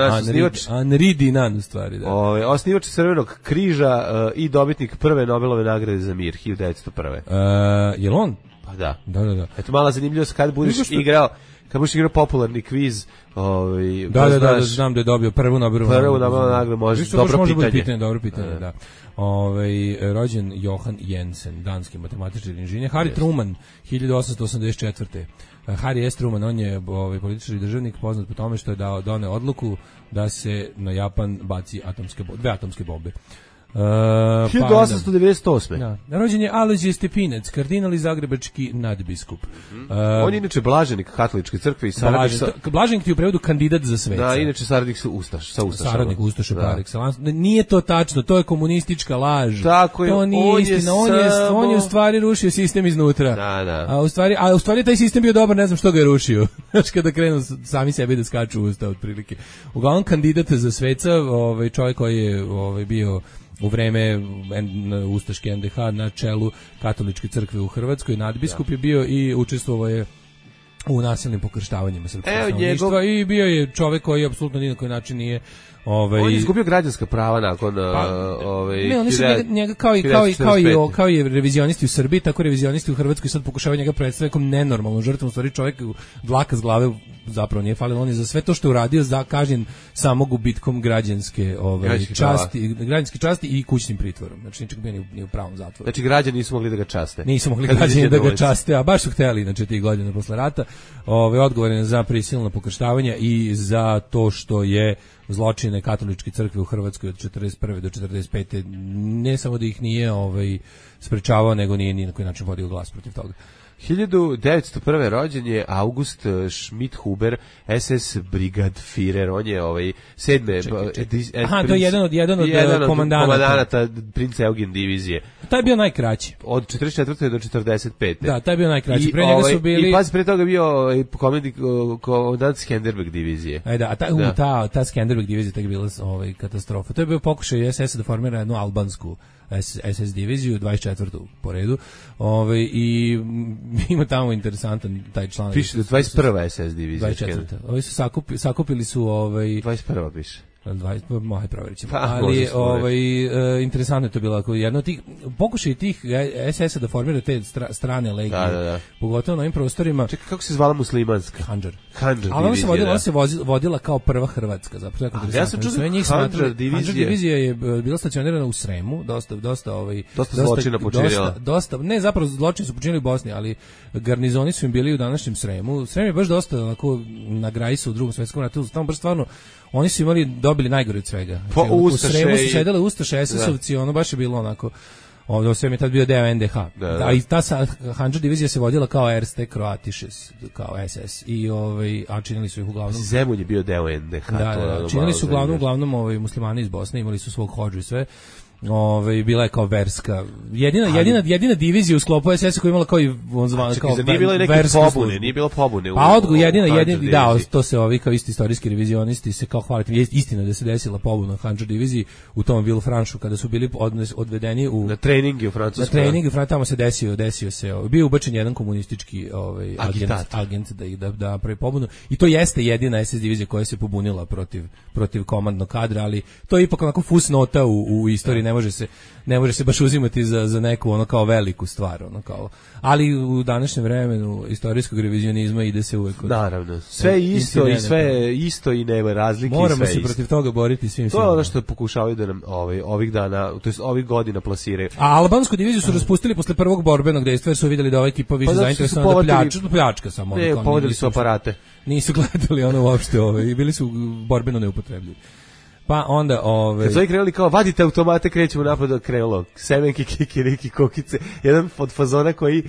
Henri Dinan u stvari, da. Ove, osnivač Crvenog križa uh, i dobitnik prve Nobelove nagrade za mir, hiljadu devetsto prve. Uh, je li on? Pa da. Da, da, da. Eto, mala zanimljivost, kad budeš što... igrao, kad budeš igrao popularni kviz, ovaj, da, da, da, da, znam da je dobio prvu Nobelovu prvu Nobelovu nagradu, može, dobro može pitanje. pitanje. Dobro pitanje, da. Ove, rođen Johan Jensen, danski matematičar i inženjer. Harry yes. Truman, hiljadu osamsto osamdeset četvrte. Harry S. Truman, on je ovaj, političar i državnik, poznat po tome što je dao doneo odluku da se na Japan baci atomske bombe, dve atomske bombe. Uh, hiljadu osamsto devedeset osme. Da. Rođen je Alojzije Stepinac, kardinal i zagrebački nadbiskup. Mm-hmm. Uh, on je inače blaženik katoličke crkve i saradnik sa... Blaženik ti u prevodu kandidat za sveca. Da, inače saradnik sa Ustaš, sa Ustašama. Saradnik Ustaša par excellence. Nije to tačno, to je komunistička laž. Tako je, to nije on istina, je on je, samo... on je u stvari rušio sistem iznutra. Da, da. A u stvari, a u stvari taj sistem bio dobar, ne znam što ga je rušio. Znaš, kada krenu sami sebi da skaču u usta otprilike. Uglavnom kandidat za sveca, ovaj čovjek koji je ovaj bio u vreme ustaške en de ha na čelu katoličke crkve u Hrvatskoj, nadbiskup ja. je bio i učestvovao je u nasilnim pokrštavanjima srpskog stanovništva njegov... i bio je čovjek koji apsolutno ni na koji način nije ovaj on je izgubio građanska prava nakon pa, ovaj ne, oni su njega, njega kao i kao i kao i kao i revizionisti u Srbiji, tako revizionisti u Hrvatskoj sad pokušavaju njega predstaviti kao nenormalnu žrtvu, u stvari čovjek dlaka s glave zapravo nije falilo, on je za sve to što je uradio za kažnjen samo gubitkom građanske ovaj časti, građanske časti i kućnim pritvorom. Znači ničeg bio ni u pravom zatvoru. Znači građani nisu mogli da ga časte. Nisu mogli građani da ga časte, a baš su hteli, znači tih godina posle rata. Ovaj odgovoran za prisilno pokrštavanje i za to što je zločine katoličke crkve u Hrvatskoj od četrdeset prve do četrdeset pete ne samo da ih nije ovaj sprečavao, nego nije ni na koji način vodio glas protiv toga. hiljadu devetsto prve rođen je August Schmidt-Huber, es es Brigadführer, on je ovaj sedme čekaj, čekaj. Aha, to je jedan od jedan od, jedan od komandanata. komandanata princa Eugen divizije. taj je bio najkraći. Od četrdeset četvrte do četrdeset pete. Da, taj je bio najkraći. I, pre njega ovaj, su bili... I pazi, pre toga bio i komedi komandant Skenderbeg divizije. Ajde, a ta, da. u, ta, ta Skenderbeg divizija tek bila ovaj, katastrofa. To je bio pokušaj es es da formira jednu albansku es es diviziju, dvadeset četvrtu po redu. Ovaj, i ima tamo interesantan taj članak. Piše da dvadeset prva es es divizija. dvadeset četvrta. Ovi su sakupi, sakupili su... Ovaj, dvadeset prva piše. dvadeset, moj provjerit ćemo. Pa, ali ovaj, e, interesantno je to bilo ako jedno od tih pokušaj tih es es da formira te stra, strane legije, da, da, da. pogotovo na ovim prostorima. Čekaj, kako se zvala muslimanska? Handžar. Handžar ali ona se vodila, da. ona se vozila, vodila kao prva Hrvatska, zapravo. A, ja sam čuo Handžar divizija. Handžar divizija je bila stacionirana u Sremu, dosta dosta ovaj dosta, dosta zločina počinila. Dosta, dosta, ne, zapravo zločini su počinili u Bosni, ali garnizoni su im bili u današnjem Sremu. Srem je baš dosta onako na granici u Drugom svetskom ratu, tamo baš stvarno oni su imali, dobili najgore od svega. Po znači, u Sremu su i... sedele Ustaše, es esovci, ono baš je bilo onako, ovdje sve mi je tad bio deo en de ha. Da, da. A i ta Handžar divizija se vodila kao Erste Croatiches, kao es es. I, ovaj, a činili su ih uglavnom... Zemun je bio deo en de ha. Da, to da, činili su uglavnom, uglavnom ovaj, muslimani iz Bosne, imali su svog hodžu i sve. Ove, bila je kao verska. Jedina ali, jedina jedina divizija u sklopu es es koja imala kao i on zvan kao nije bilo neke pobune, nije bilo pobune. Pa odgo jedina jedina da, to se ovi kao isti istorijski revizionisti se kao hvaliti istina da se desila pobuna u Handžar diviziji u tom Villefranchu kada su bili odnes, odvedeni u na treninge u Francuskoj. Na treningu u Francuskoj tamo se desio, desio se, ovaj, bio ubačen jedan komunistički ovaj agent, agent da da da pravi pobunu i to jeste jedina es es divizija koja se pobunila protiv protiv komandnog kadra, ali to je ipak onako fusnota u u istoriji. Ne može se ne može se baš uzimati za za neku ono kao veliku stvar, ono kao. Ali u današnjem vremenu istorijskog revizionizma ide se uvek od, naravno. Sve isto i sve isto i nema razlike. Moramo i sve se protiv toga boriti svim To je ono što pokušavaju da nam ovaj ovih dana, to jest ovih godina plasiraju. A albansku diviziju su raspustili posle prvog borbenog dejstva jer su videli da ova ekipa više pa zainteresovana da pljačka, pljačka samo. Ne, povodili su aparate. Nisu gledali ono uopšte ove i bili su borbeno neupotrebljivi. Pa onda ove kad su krenuli kao vadite automate, krećemo napad od krenulo semenke, kikiriki, kokice, jedan od fazona koji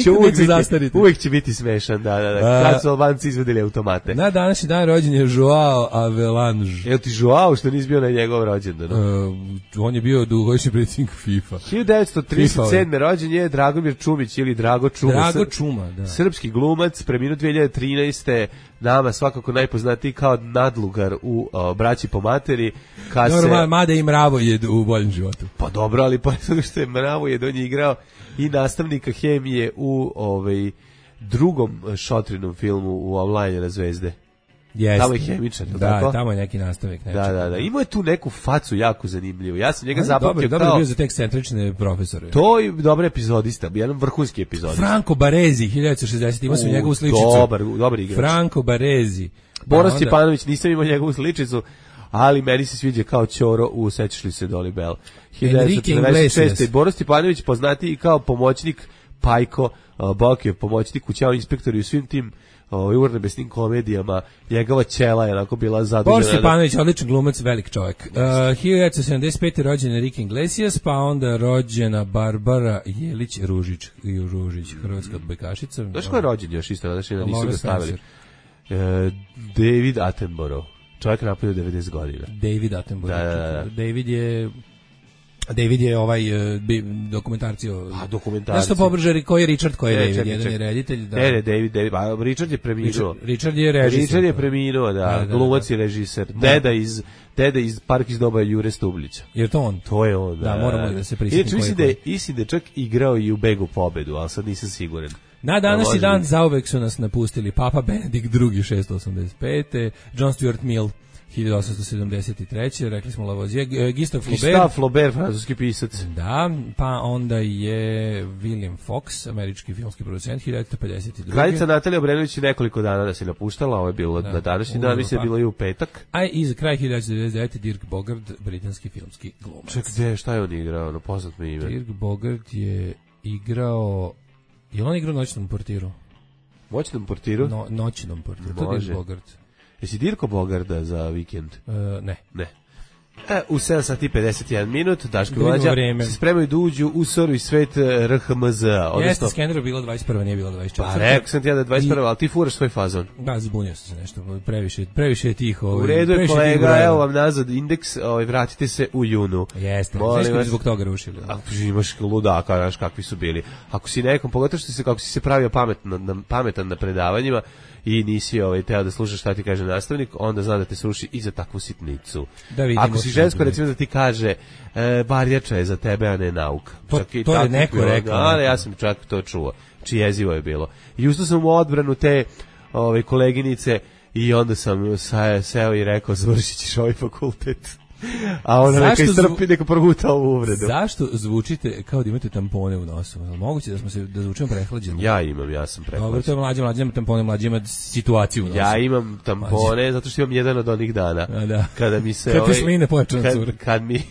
će uvijek, biti, uvijek će biti smešan, da, da, da. Kad su Albanci izvedili automate. Na današnji dan rođen je Joao Avelange. Jel ti Joao što nisi bio na njegov rođendan? Uh, on je bio dugogodišnji predsjednik FIFA. hiljadu devetsto trideset sedme rođen je Dragomir Čumić ili Drago Čuma. Drago Čuma, da. Srpski glumac, preminuo dve hiljade trinaeste nama svakako najpoznatiji kao nadlugar u o, Braći po materi. Normalno, mada i Mravo je u boljem životu. Pa dobro, ali pored toga što je Mravo je on je igrao i nastavnika hemije u ovaj drugom Šotrinom filmu u Online na zvezde. Jeste. Tamo je hemičar, da, tako? tamo je neki nastavnik. Da, da, da. Imao je tu neku facu jako zanimljivu. Ja sam njega zapamtio kao... Dobro bio za te ekscentrične profesore. To je dobar epizodista, jedan vrhunski epizodista. Franco Baresi, hiljadu devetsto šezdeset, imao sam njegovu sličicu. Dobar, dobar igrač. Franco Baresi. Boris Stjepanović, nisam imao njegovu sličicu, ali meni se sviđa kao Ćoro u Sećaš li se Dolly Bell. hiljadu devetsto četrdeset šeste. Boris Stjepanović poznati kao pomoćnik Pajko, uh, Bokijev pomoćnik u Ćao inspektoru i u svim tim ovaj urnebesnim komedijama, njegova ćela je onako bila zadužena. Boris Stjepanović, odličan glumac, velik čovjek. Uh, hiljadu devetsto sedamdeset pete. rođen Enrique Iglesias, pa onda rođena Barbara Jelić Ružić, i Ružić, hrvatska odbojkašica. Znaš ko je rođen još isto, znači da nisu ga stavili? Uh, David Attenborough, čovjek napravio devedeset godina. David Attenborough. Da, da, da. David je... David je ovaj uh, dokumentarci o... A, dokumentarci. Nešto pobrže, koji je Richard, koji je ne, David, čekaj, jedan čekaj. je reditelj. Da. Ne, ne, David, David, a Richard je preminuo. Richard, Richard je režisir. Richard je preminuo, da, da, da glumac i režiser. Da. Deda iz, deda iz Park iz doba Jure Stublića. Je to on? To je on, da. Da, moramo da se prisjetimo. Inače, mislim da je, mislim da je čak igrao i u Begu pobedu, ali sad nisam siguran. Na današnji dan biti. Zauvek su nas napustili Papa Benedikt drugi. šesto osamdeset pete. John Stuart Mill hiljadu osamsto sedamdeset treće. Rekli smo Lavoisier, Gustave Flaubert. Gustave Flaubert, francuski pisac. Da, pa onda je William Fox, američki filmski producent, hiljadu devetsto pedeset druge. Kraljica Natalija Obrenović je nekoliko dana da se napuštala, ovo je bilo da, na današnji dan, mislim je bilo i u petak. A i za kraj hiljadu devetsto devedeset devete. Dirk Bogarde, britanski filmski glumac. Ček, gde, šta je on igrao, no poznat mi ime? Dirk Bogarde je igrao, je on igrao Noćnom portiru? Noćnom portiru? No, noćnom portiru, to je Dirk Bogarde. Jesi Dirko Bogarda za vikend? Uh, ne. Ne. E, u sedam sati i pedeset jedan minut, Daško i Mlađa se spremaju da uđu u soru i svet R H M Z-a. Jeste, Skenderu bilo dvadeset prva, nije bilo dvadeset četvrta. Pa rekao sam ti ja da je dvadeset prva, ali ti furaš svoj fazon. Da, zbunio sam se nešto, previše, previše je tiho. U redu je, kolega, evo vam nazad indeks, ovaj, vratite se u junu. Jeste, znaš koji zbog toga rušili. A, imaš ludaka, znaš kakvi su bili. Ako si nekom, pogotovo što si, kako si se pravio pametan na, pametan na predavanjima, i nisi ovaj teo da slušaš šta ti kaže nastavnik, onda zna da te sruši i za takvu sitnicu. Da ako si žensko, recimo da ti kaže e, barjača je za tebe, a ne nauka. To, čak i to je neko bilo, rekao. Ali ja sam čak to čuo. Či jezivo je bilo. I ustao sam u odbranu te ove, koleginice i onda sam sa, seo i rekao završit ćeš ovaj fakultet. A ona neka istrpi, neka proguta ovu uvredu. Zašto zvučite kao da imate tampone u nosu? Moguće da smo se da zvučimo prehlađeni? Ja imam, ja sam prehlađen. Dobro, to je mlađe, mlađe ima tampone, mlađe ima situaciju u nosu. Ja imam tampone mlađe. Zato što imam jedan od onih dana. A, da. Kada mi se... Kad ovaj, te sline počne kad, kad mi...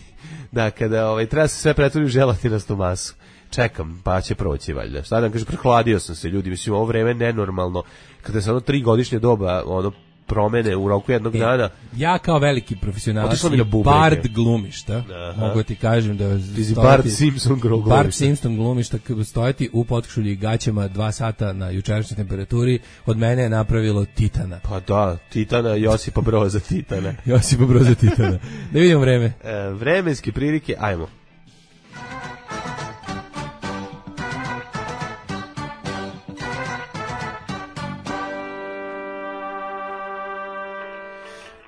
Da, kada ovaj, treba se sve pretvori u želatinastu masu. Čekam, pa će proći valjda. Šta da kaže, prehladio sam se, ljudi, mislim, ovo vreme nenormalno. Kada se ono tri godišnje doba, ono, promene u roku jednog e, dana. Ja kao veliki profesionalac i Bard glumišta, aha, mogu ti kažem da stojati, Bart Simpson glumišta. Bart Simpson glumišta, stojati u potkošulji i gaćama dva sata na jučerašnjoj temperaturi, od mene je napravilo Titana. Pa da, Titana, Josipa Broza Titana. Josipa Broza Titana. Da vidimo vreme. E, vremenske prilike, ajmo.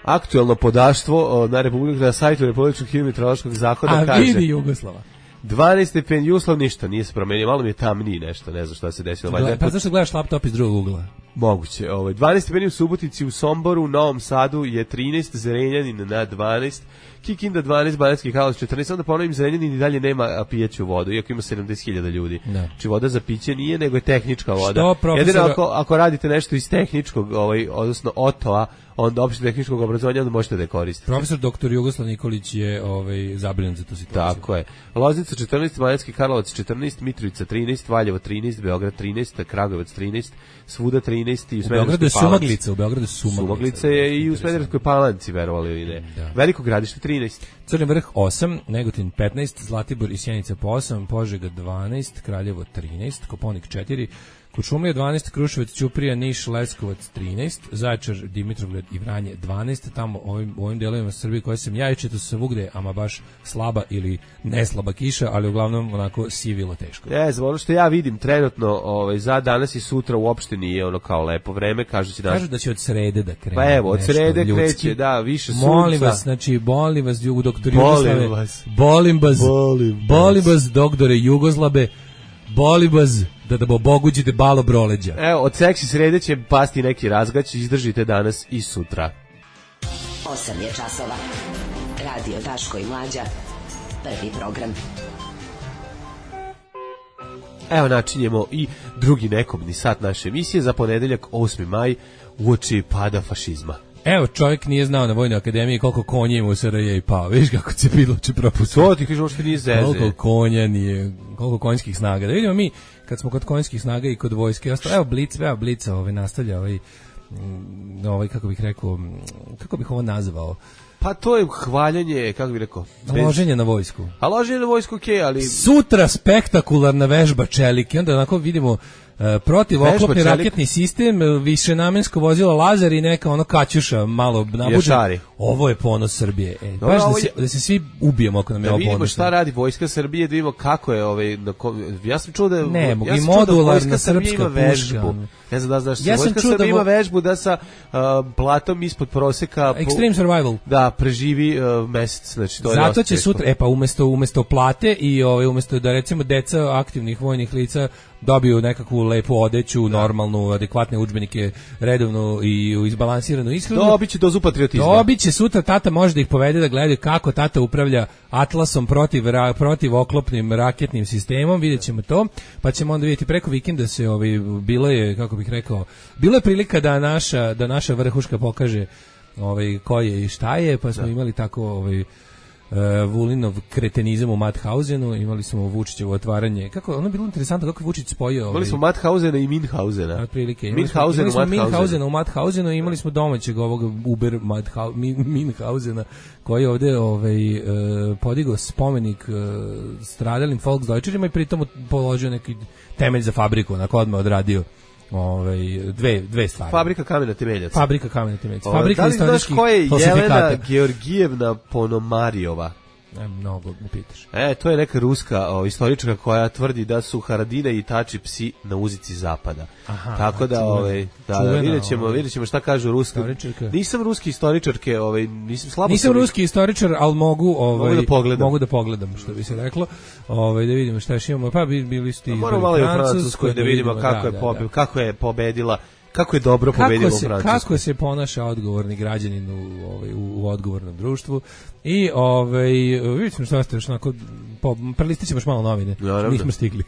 Aktuelno podaštvo na Republiku, na sajtu Republičkog hidrometeorološkog zakona kaže... A vidi Jugoslava. dvanaest stepeni Jugoslav, ništa, nije se promenio, malo mi je tamniji nešto, ne znam šta se desilo. Gleda, pa zašto gledaš laptop iz drugog ugla? Moguće. Ovaj, dvanaest stepeni u Subotici, u Somboru, u Novom Sadu je trinaest, Zrenjanin na dvanaest, Kikinda dvanaest, Banatski Karlovac četrnaest, onda ponovim Zrenjanin i dalje nema pijeću vodu, iako ima sedamdeset hiljada ljudi. Da. Či voda za piće nije, nego je tehnička voda. Što, profesor... Jedino ako, ako radite nešto iz tehničkog, ovaj, odnosno otoa, onda opšte tehničkog obrazovanja, onda možete da je koristite. Profesor doktor Jugoslav Nikolić je ovaj, zabrinut za tu situaciju. Tako je. Loznica četrnaest, Banatski Karlovac četrnaest, Mitrovica trinaest, Valjevo trinaest, Beograd trinaest, Kragujevac trinaest, svuda trinaest i u Smederevskoj Palanci. U Beogradu je Sumaglica, u Beogradu je Sumaglica. Sumaglica je i u Smederevskoj Palanci, verovali ili ne. Da. Veliko Gradište trinaest. Crni vrh osam, Negotin petnaest, Zlatibor i Sjenica po osam, Požega dvanaest, Kraljevo trinaest, Koponik četiri, Kuršumlija dvanaest, Kruševac, Ćuprija, Niš, Leskovac trinaest, Zaječar, Dimitrovgrad i Vranje dvanaest, tamo ovim, ovim delovima Srbije koje sam ja i četo se svugde, ama baš slaba ili neslaba kiša, ali uglavnom onako sivilo teško. Je, za ono što ja vidim trenutno ovaj, za danas i sutra uopšte nije ono kao lepo vreme, kažu će, kažu da će od srede da krene. Pa evo, od srede ljudski. Kreće, da, više sunca. Molim vas, znači, molim vas, doktor Jugoslave. Bolim vas. Bolim vas, bolim, bolim vas, doktore Jugoslabe, bolim vas, da da boguđite balo broleđa. Evo, od seksi srede će pasti neki razgać, izdržite danas i sutra. osam je časova. Radio Daško i Mlađa. Prvi program. Evo, načinjemo i drugi nekobni sat naše emisije za ponedeljak osmi maj uoči pada fašizma. Evo, čovjek nije znao na Vojnoj akademiji koliko konja ima u S R J i pao. Viš kako se bilo će propustiti. To ti kažeš, što nije zeze. Koliko konja nije, koliko konjskih snaga. Da vidimo mi, kad smo kod konjskih snaga i kod vojske, evo Blic, evo Blica ovaj, nastavlja ovaj, ovaj, kako bih rekao, kako bih ovo nazvao, pa to je hvaljanje, kako bih rekao, bez... loženje na vojsku. A loženje na vojsku, okej, okay, ali... Sutra spektakularna vežba čelike, onda onako vidimo Uh, protiv oklopni raketni sistem, višenamensko vozilo Lazar i neka ono kaćuša malo nabuđena. Ovo je ponos Srbije. E, no, baš da se, je... da se svi ubijemo ako nam je da ovo ponos. Da vidimo šta radi vojska Srbije, da vidimo kako je ovaj, na ko... ja sam čuo da ne, ja i modularna srpska puška. Ne znam da znaš, ja vojska Srbije ima vežbu da sa uh, platom ispod proseka Extreme po... Survival. Da, preživi uh, mesec, znači to je zato će sutra, e pa umesto umesto plate i ovaj umesto da recimo deca aktivnih vojnih lica dobiju nekakvu lepu odeću, da. Normalnu, adekvatne udžbenike, redovnu i izbalansiranu ishranu. Dobiće dozu patriotizma. Dobiće sutra, tata može da ih povede da gledaju kako tata upravlja Atlasom protiv, ra, protiv oklopnim raketnim sistemom, vidjet ćemo to, pa ćemo onda vidjeti preko vikenda se, ovaj, bilo je, kako bih rekao, bilo je prilika da naša, da naša vrhuška pokaže ovaj, ko je i šta je, pa smo da. Imali tako... Ovaj, Uh, Vulinov kretenizam u Mauthausenu, imali smo Vučićevo otvaranje. Kako ono bilo interesantno kako je Vučić spojio. Ovaj, imali smo Mauthausena i Minhausena. Otprilike. Imali smo, imali smo Minhausena u Mauthausenu, imali smo domaćeg ovog Uber Minhausena koji je ovde ovaj uh, podigao spomenik uh, stradalim Volksdeutscherima i pritom položio neki temelj za fabriku, onako odmah odradio. Ovaj dve dve stvari. Fabrika kamena temeljaca. Fabrika kamena temeljaca. Fabrika istorijskih falsifikata. Da li znaš ko je Jelena Georgijevna Ponomarijova? Ne, mnogo me pitaš. E, to je neka ruska o, istoričarka koja tvrdi da su Haradina i Tači psi na uzici zapada. Aha, tako da, ovaj, da, da videćemo, videćemo šta kažu ruski. Nisam ruski istoričarke, ovaj, nisam slabo. Nisam ruski istoričar, al mogu, ovaj, mogu da pogledam, mogu da pogledam, što bi se reklo. Ovaj da vidimo šta još imamo. Pa bili ste i malo u Francuskoj da vidimo kako je pobedila, kako je pobedila. Kako je dobro pobedilo u Francusku. Kako se ponaša odgovorni građanin u, ovaj, u, u odgovornom društvu. I ovaj, vidimo što ste još onako, po, prelistit ćemo još malo novine. Naravno. Nismo stigli.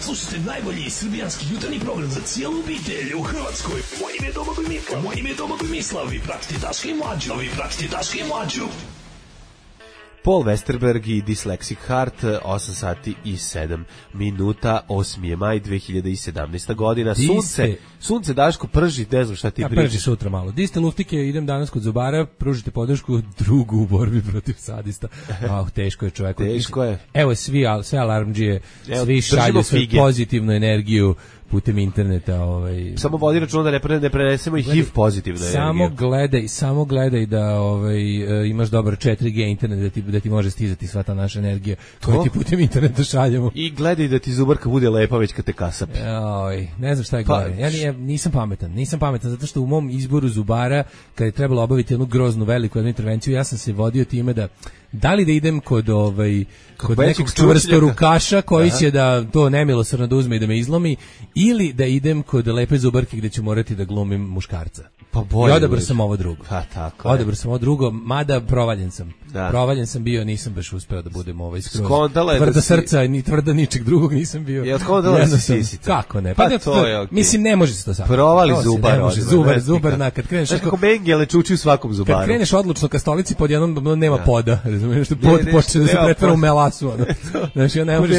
Slušajte najbolji srbijanski jutarnji program za cijelu obitelj u Hrvatskoj. Moje ime je Domagoj Mislav. Moje ime je Domagoj Mislav. Vi pratite Daška i Mlađu. Vi pratite Daška i Mlađu. Paul Westerberg i Dyslexic Heart, osam sati i sedam minuta, osmi je maj dve hiljade sedamnaesta godina. Sunce, sunce Daško prži, ne znam šta ti ja, pričaš. Prži sutra malo. Di ste luftike, idem danas kod zubara, pružite podršku drugu u borbi protiv sadista. Oh, teško je čovjeku. Teško je. Evo svi, sve alarmdžije, svi šalju svoju pozitivnu energiju putem interneta, ovaj samo vodi računa da ne, pre, ne prenesemo i H I V pozitivno energiju. Samo gledaj, samo gledaj da ovaj imaš dobar četiri G internet da ti da ti može stizati sva ta naša energija koju ti putem interneta šaljemo. I gledaj da ti zubarka bude lepa već kad te kasapi. Oj, ne znam šta je gore. Pa, ja nisam pametan, nisam pametan zato što u mom izboru zubara kad je trebalo obaviti jednu groznu veliku jednu intervenciju, ja sam se vodio time da da li da idem kod ovaj kod nekog čvrsto rukaša koji će da to nemilosrdno da uzme i da me izlomi ili da idem kod lepe zubarke gde ću morati da glumim muškarca. Pa bolje. I odabrao sam ovo drugo. Pa tako. Odabrao sam ovo drugo, mada provaljen sam. Da. Provaljen sam bio, nisam baš uspeo da budem ovaj skroz. Tvrda da si... srca, ni tvrda ničeg drugog nisam bio. Je odkondala da si sisica. Kako ne? Pa, pa to je okay. Mislim, ne može se to sad. Provali zubar. Može, zubar, zubar, na, kad kreneš... Znaš kako mengele čuči u svakom zubaru. Kad kreneš odlučno ka stolici, pod jednom nema poda. Razumiješ što pod počne da se pretvara u melasu. Znaš, ja ne možeš...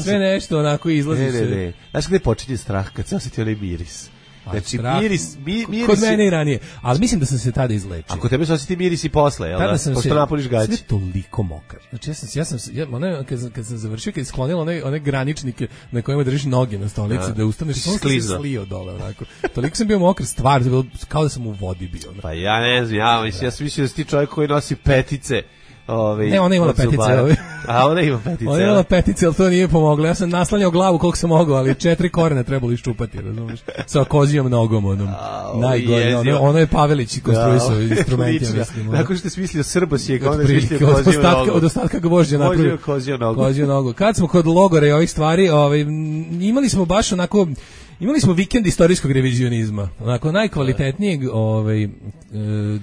Sve nešto onako izlazi se. Ne, ne, ne. Znaš gde počinje strah kad se osjeti onaj miris? Znači, miris, mi, miris... Kod mene i ranije. Ali mislim da sam se tada izlečio. Ako tebe se osjeti miris i posle, jel da? Pošto se, napoliš gaći. Sve toliko mokar. Znači, ja sam, ja sam, ja, one, kad, sam, kad sam završio, kad je sklonilo one, one graničnike na kojima držiš noge na stolici, ja. Da ustaneš, on se slio dole, onako. Toliko sam bio mokar, stvar, kao da sam u vodi bio. Onako. Pa ja ne znam, ja, mislim, ja sam mislio da si ti čovjek koji nosi petice. Ovi, ne, ona imala petice. Ovi. A ona ima petice. Ona imala petice, ali to nije pomoglo. Ja sam naslanjao glavu koliko sam mogao, ali četiri korena trebalo iščupati, razumiješ? Sa kozijom nogom, onom. Najgore. Ono, ono je Pavelić konstruisao instrumentima, mislim. Nakon što je smislio Srbosijeg, onda je smislio koziju nogu. Od ostatka gvožđa napravio. Koziju nogu. Koziju nogu. Kad smo kod logora i ovih stvari, ovaj, imali smo baš onako... Imali smo vikend istorijskog revizionizma, onako najkvalitetnijeg, ovaj,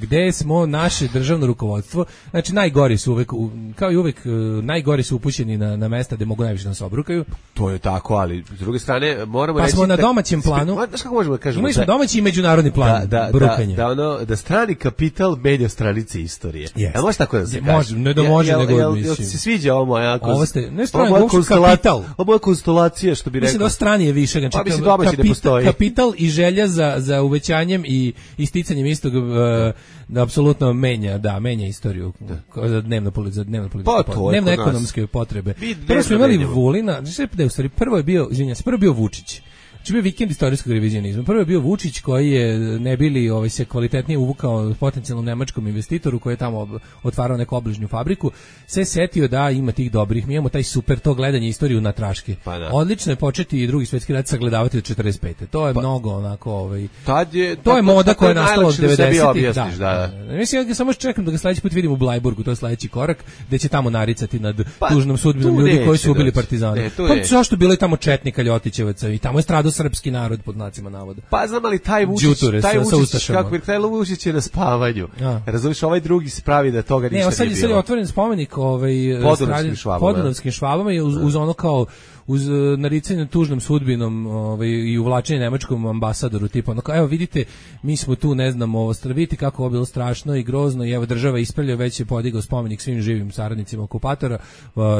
gde smo naše državno rukovodstvo, znači najgori su uvek, kao i uvek, najgori su upućeni na, na mesta gde mogu najviše da se obrukaju. To je tako, ali s druge strane moramo pa reći... Pa smo na domaćem planu, znaš kako možemo da kažemo? Imali smo domaći i međunarodni plan da, da, brukanja. Da, da, ono, da strani kapital menja stranice istorije. Yes. Ja, može tako da se kaže? Može, ne da može, ja, nego jel, mislim. Jel se sviđa ovo moja... Ovo ste, ne strani, ovo kapital. Ovo je konstelacija, što bi rekao. Mislim da strani je više, znači, pa mislim domaći ne postoji. Kapital i želja za za uvećanjem i isticanjem istog uh, apsolutno menja, da, menja istoriju da. za dnevno za dnevno političke pa, dnevno ekonomske potrebe. Prvo smo imali Vulina, znači u stvari prvo je bio, izvinjavam se, prvo je bio Vučić. Znači bio vikend istorijskog revizionizma. Prvo je bio Vučić koji je ne bili ovaj se kvalitetnije uvukao potencijalnom nemačkom investitoru koji je tamo otvarao neku obližnju fabriku, se setio da ima tih dobrih, mi imamo taj super to gledanje istoriju na traške. Pa da. Odlično je početi i Drugi svjetski rat sagledavati od četrdeset pete. To je pa, mnogo onako ovaj tad je to tako, je moda koja je nastala od devedesetih. Da, da, da. Mislim ja samo čekam da ga sledeći put vidim u Blajburgu, to je sledeći korak, gde će tamo naricati nad pa, tužnom sudbinom ljudi koji su ubili partizane. Ne, pa zašto bilo je tamo četnika Ljotićevaca i tamo je stradao srpski narod pod znacima navoda. Pa znam, ali taj Vučić, Đuture, taj sa, Vučić, sa kako bi taj Vučić je na spavanju. Ja. Razumiješ, ovaj drugi se pravi da toga ništa ne, sad, nije sad bilo. je otvoren spomenik ovaj, Podunavskim švabama. Podunavskim švabama i uz, uz ono kao uz naricanje tužnom sudbinom ovaj, i uvlačenje nemačkom ambasadoru, tipa ono kao, evo vidite, mi smo tu, ne znam, ovo, vidite kako ovo bilo strašno i grozno i evo država ispravlja, već je podigao spomenik svim živim saradnicima okupatora,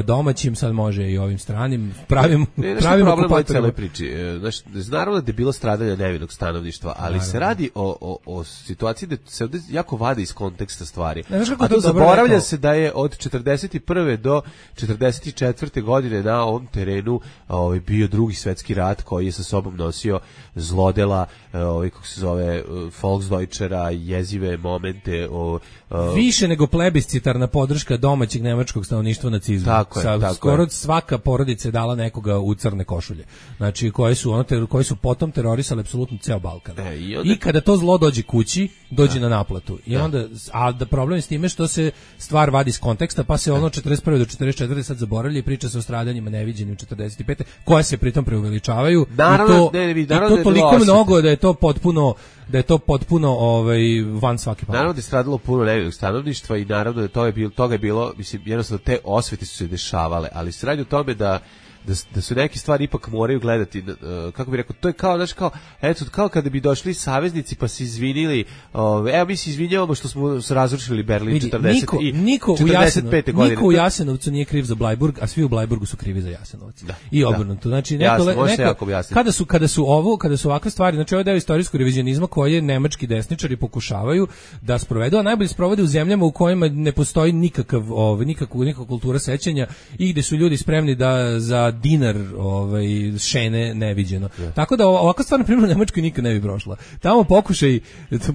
domaćim, sad može i ovim stranim, pravim, ne, pravim okupatorima. Priči. Znaš, naravno da je bilo stradanje nevinog stanovništva, ali naravno se radi o, o, o situaciji da se ovdje jako vade iz konteksta stvari. Ne, a to zaboravlja se da je od četrdeset prve do četrdeset četvrte godine na ovom terenu ovaj bio drugi svetski rat koji je sa sobom nosio zlodela, ovaj kako se zove Volksdeutschera, jezive momente, o, o, više nego plebiscitarna podrška domaćeg nemačkog stanovništva nacizmu. Tako je, Sa, tako skoro je. svaka porodica je dala nekoga u crne košulje. Znači koji su ono ter, koji su potom terorisali apsolutno ceo Balkan. E, i, onda... I kada to zlo dođe kući, dođe da. na naplatu. I da. onda a da problem je s time što se stvar vadi iz konteksta, pa se ono četrdeset prve do četrdeset četvrte sad zaboravlja i priča se o stradanjima neviđenim četrdeset pete koje se pritom preuveličavaju. Naravno, I to, ne, ne, i to toliko mnogo da je to potpuno da je to potpuno ovaj van svake pameti. Naravno da je stradalo puno nevinog stanovništva i naravno da to je bilo, toga je bilo, mislim, jednostavno te osvete su se dešavale, ali se radi o tome da Da, da su neke stvari ipak moraju gledati, uh, kako bih rekao, to je kao, znaš, kao, eto, kao kada bi došli saveznici pa se izvinili, uh, evo mi se izvinjavamo što smo razrušili Berlin vidi, četrdeset niko, i niko četrdeset pete godine. Niko u Jasenovcu nije kriv za Blajburg, a svi u Blajburgu su krivi za Jasenovac. Da, I obrnuto. Znači, neko, jasno, neko, kada su kada su ovo, kada su ovakve stvari, znači ovo je deo istorijskog revizionizma koje nemački desničari pokušavaju da sprovedu, a najbolje sprovode u zemljama u kojima ne postoji nikakav, ovaj, nikakva nikakva kultura sećanja i gde su ljudi spremni da za dinar ovaj šene neviđeno. Yeah. Tako da ovakva stvar na primjer u Nemačkoj nikad ne bi prošla. Tamo pokušaj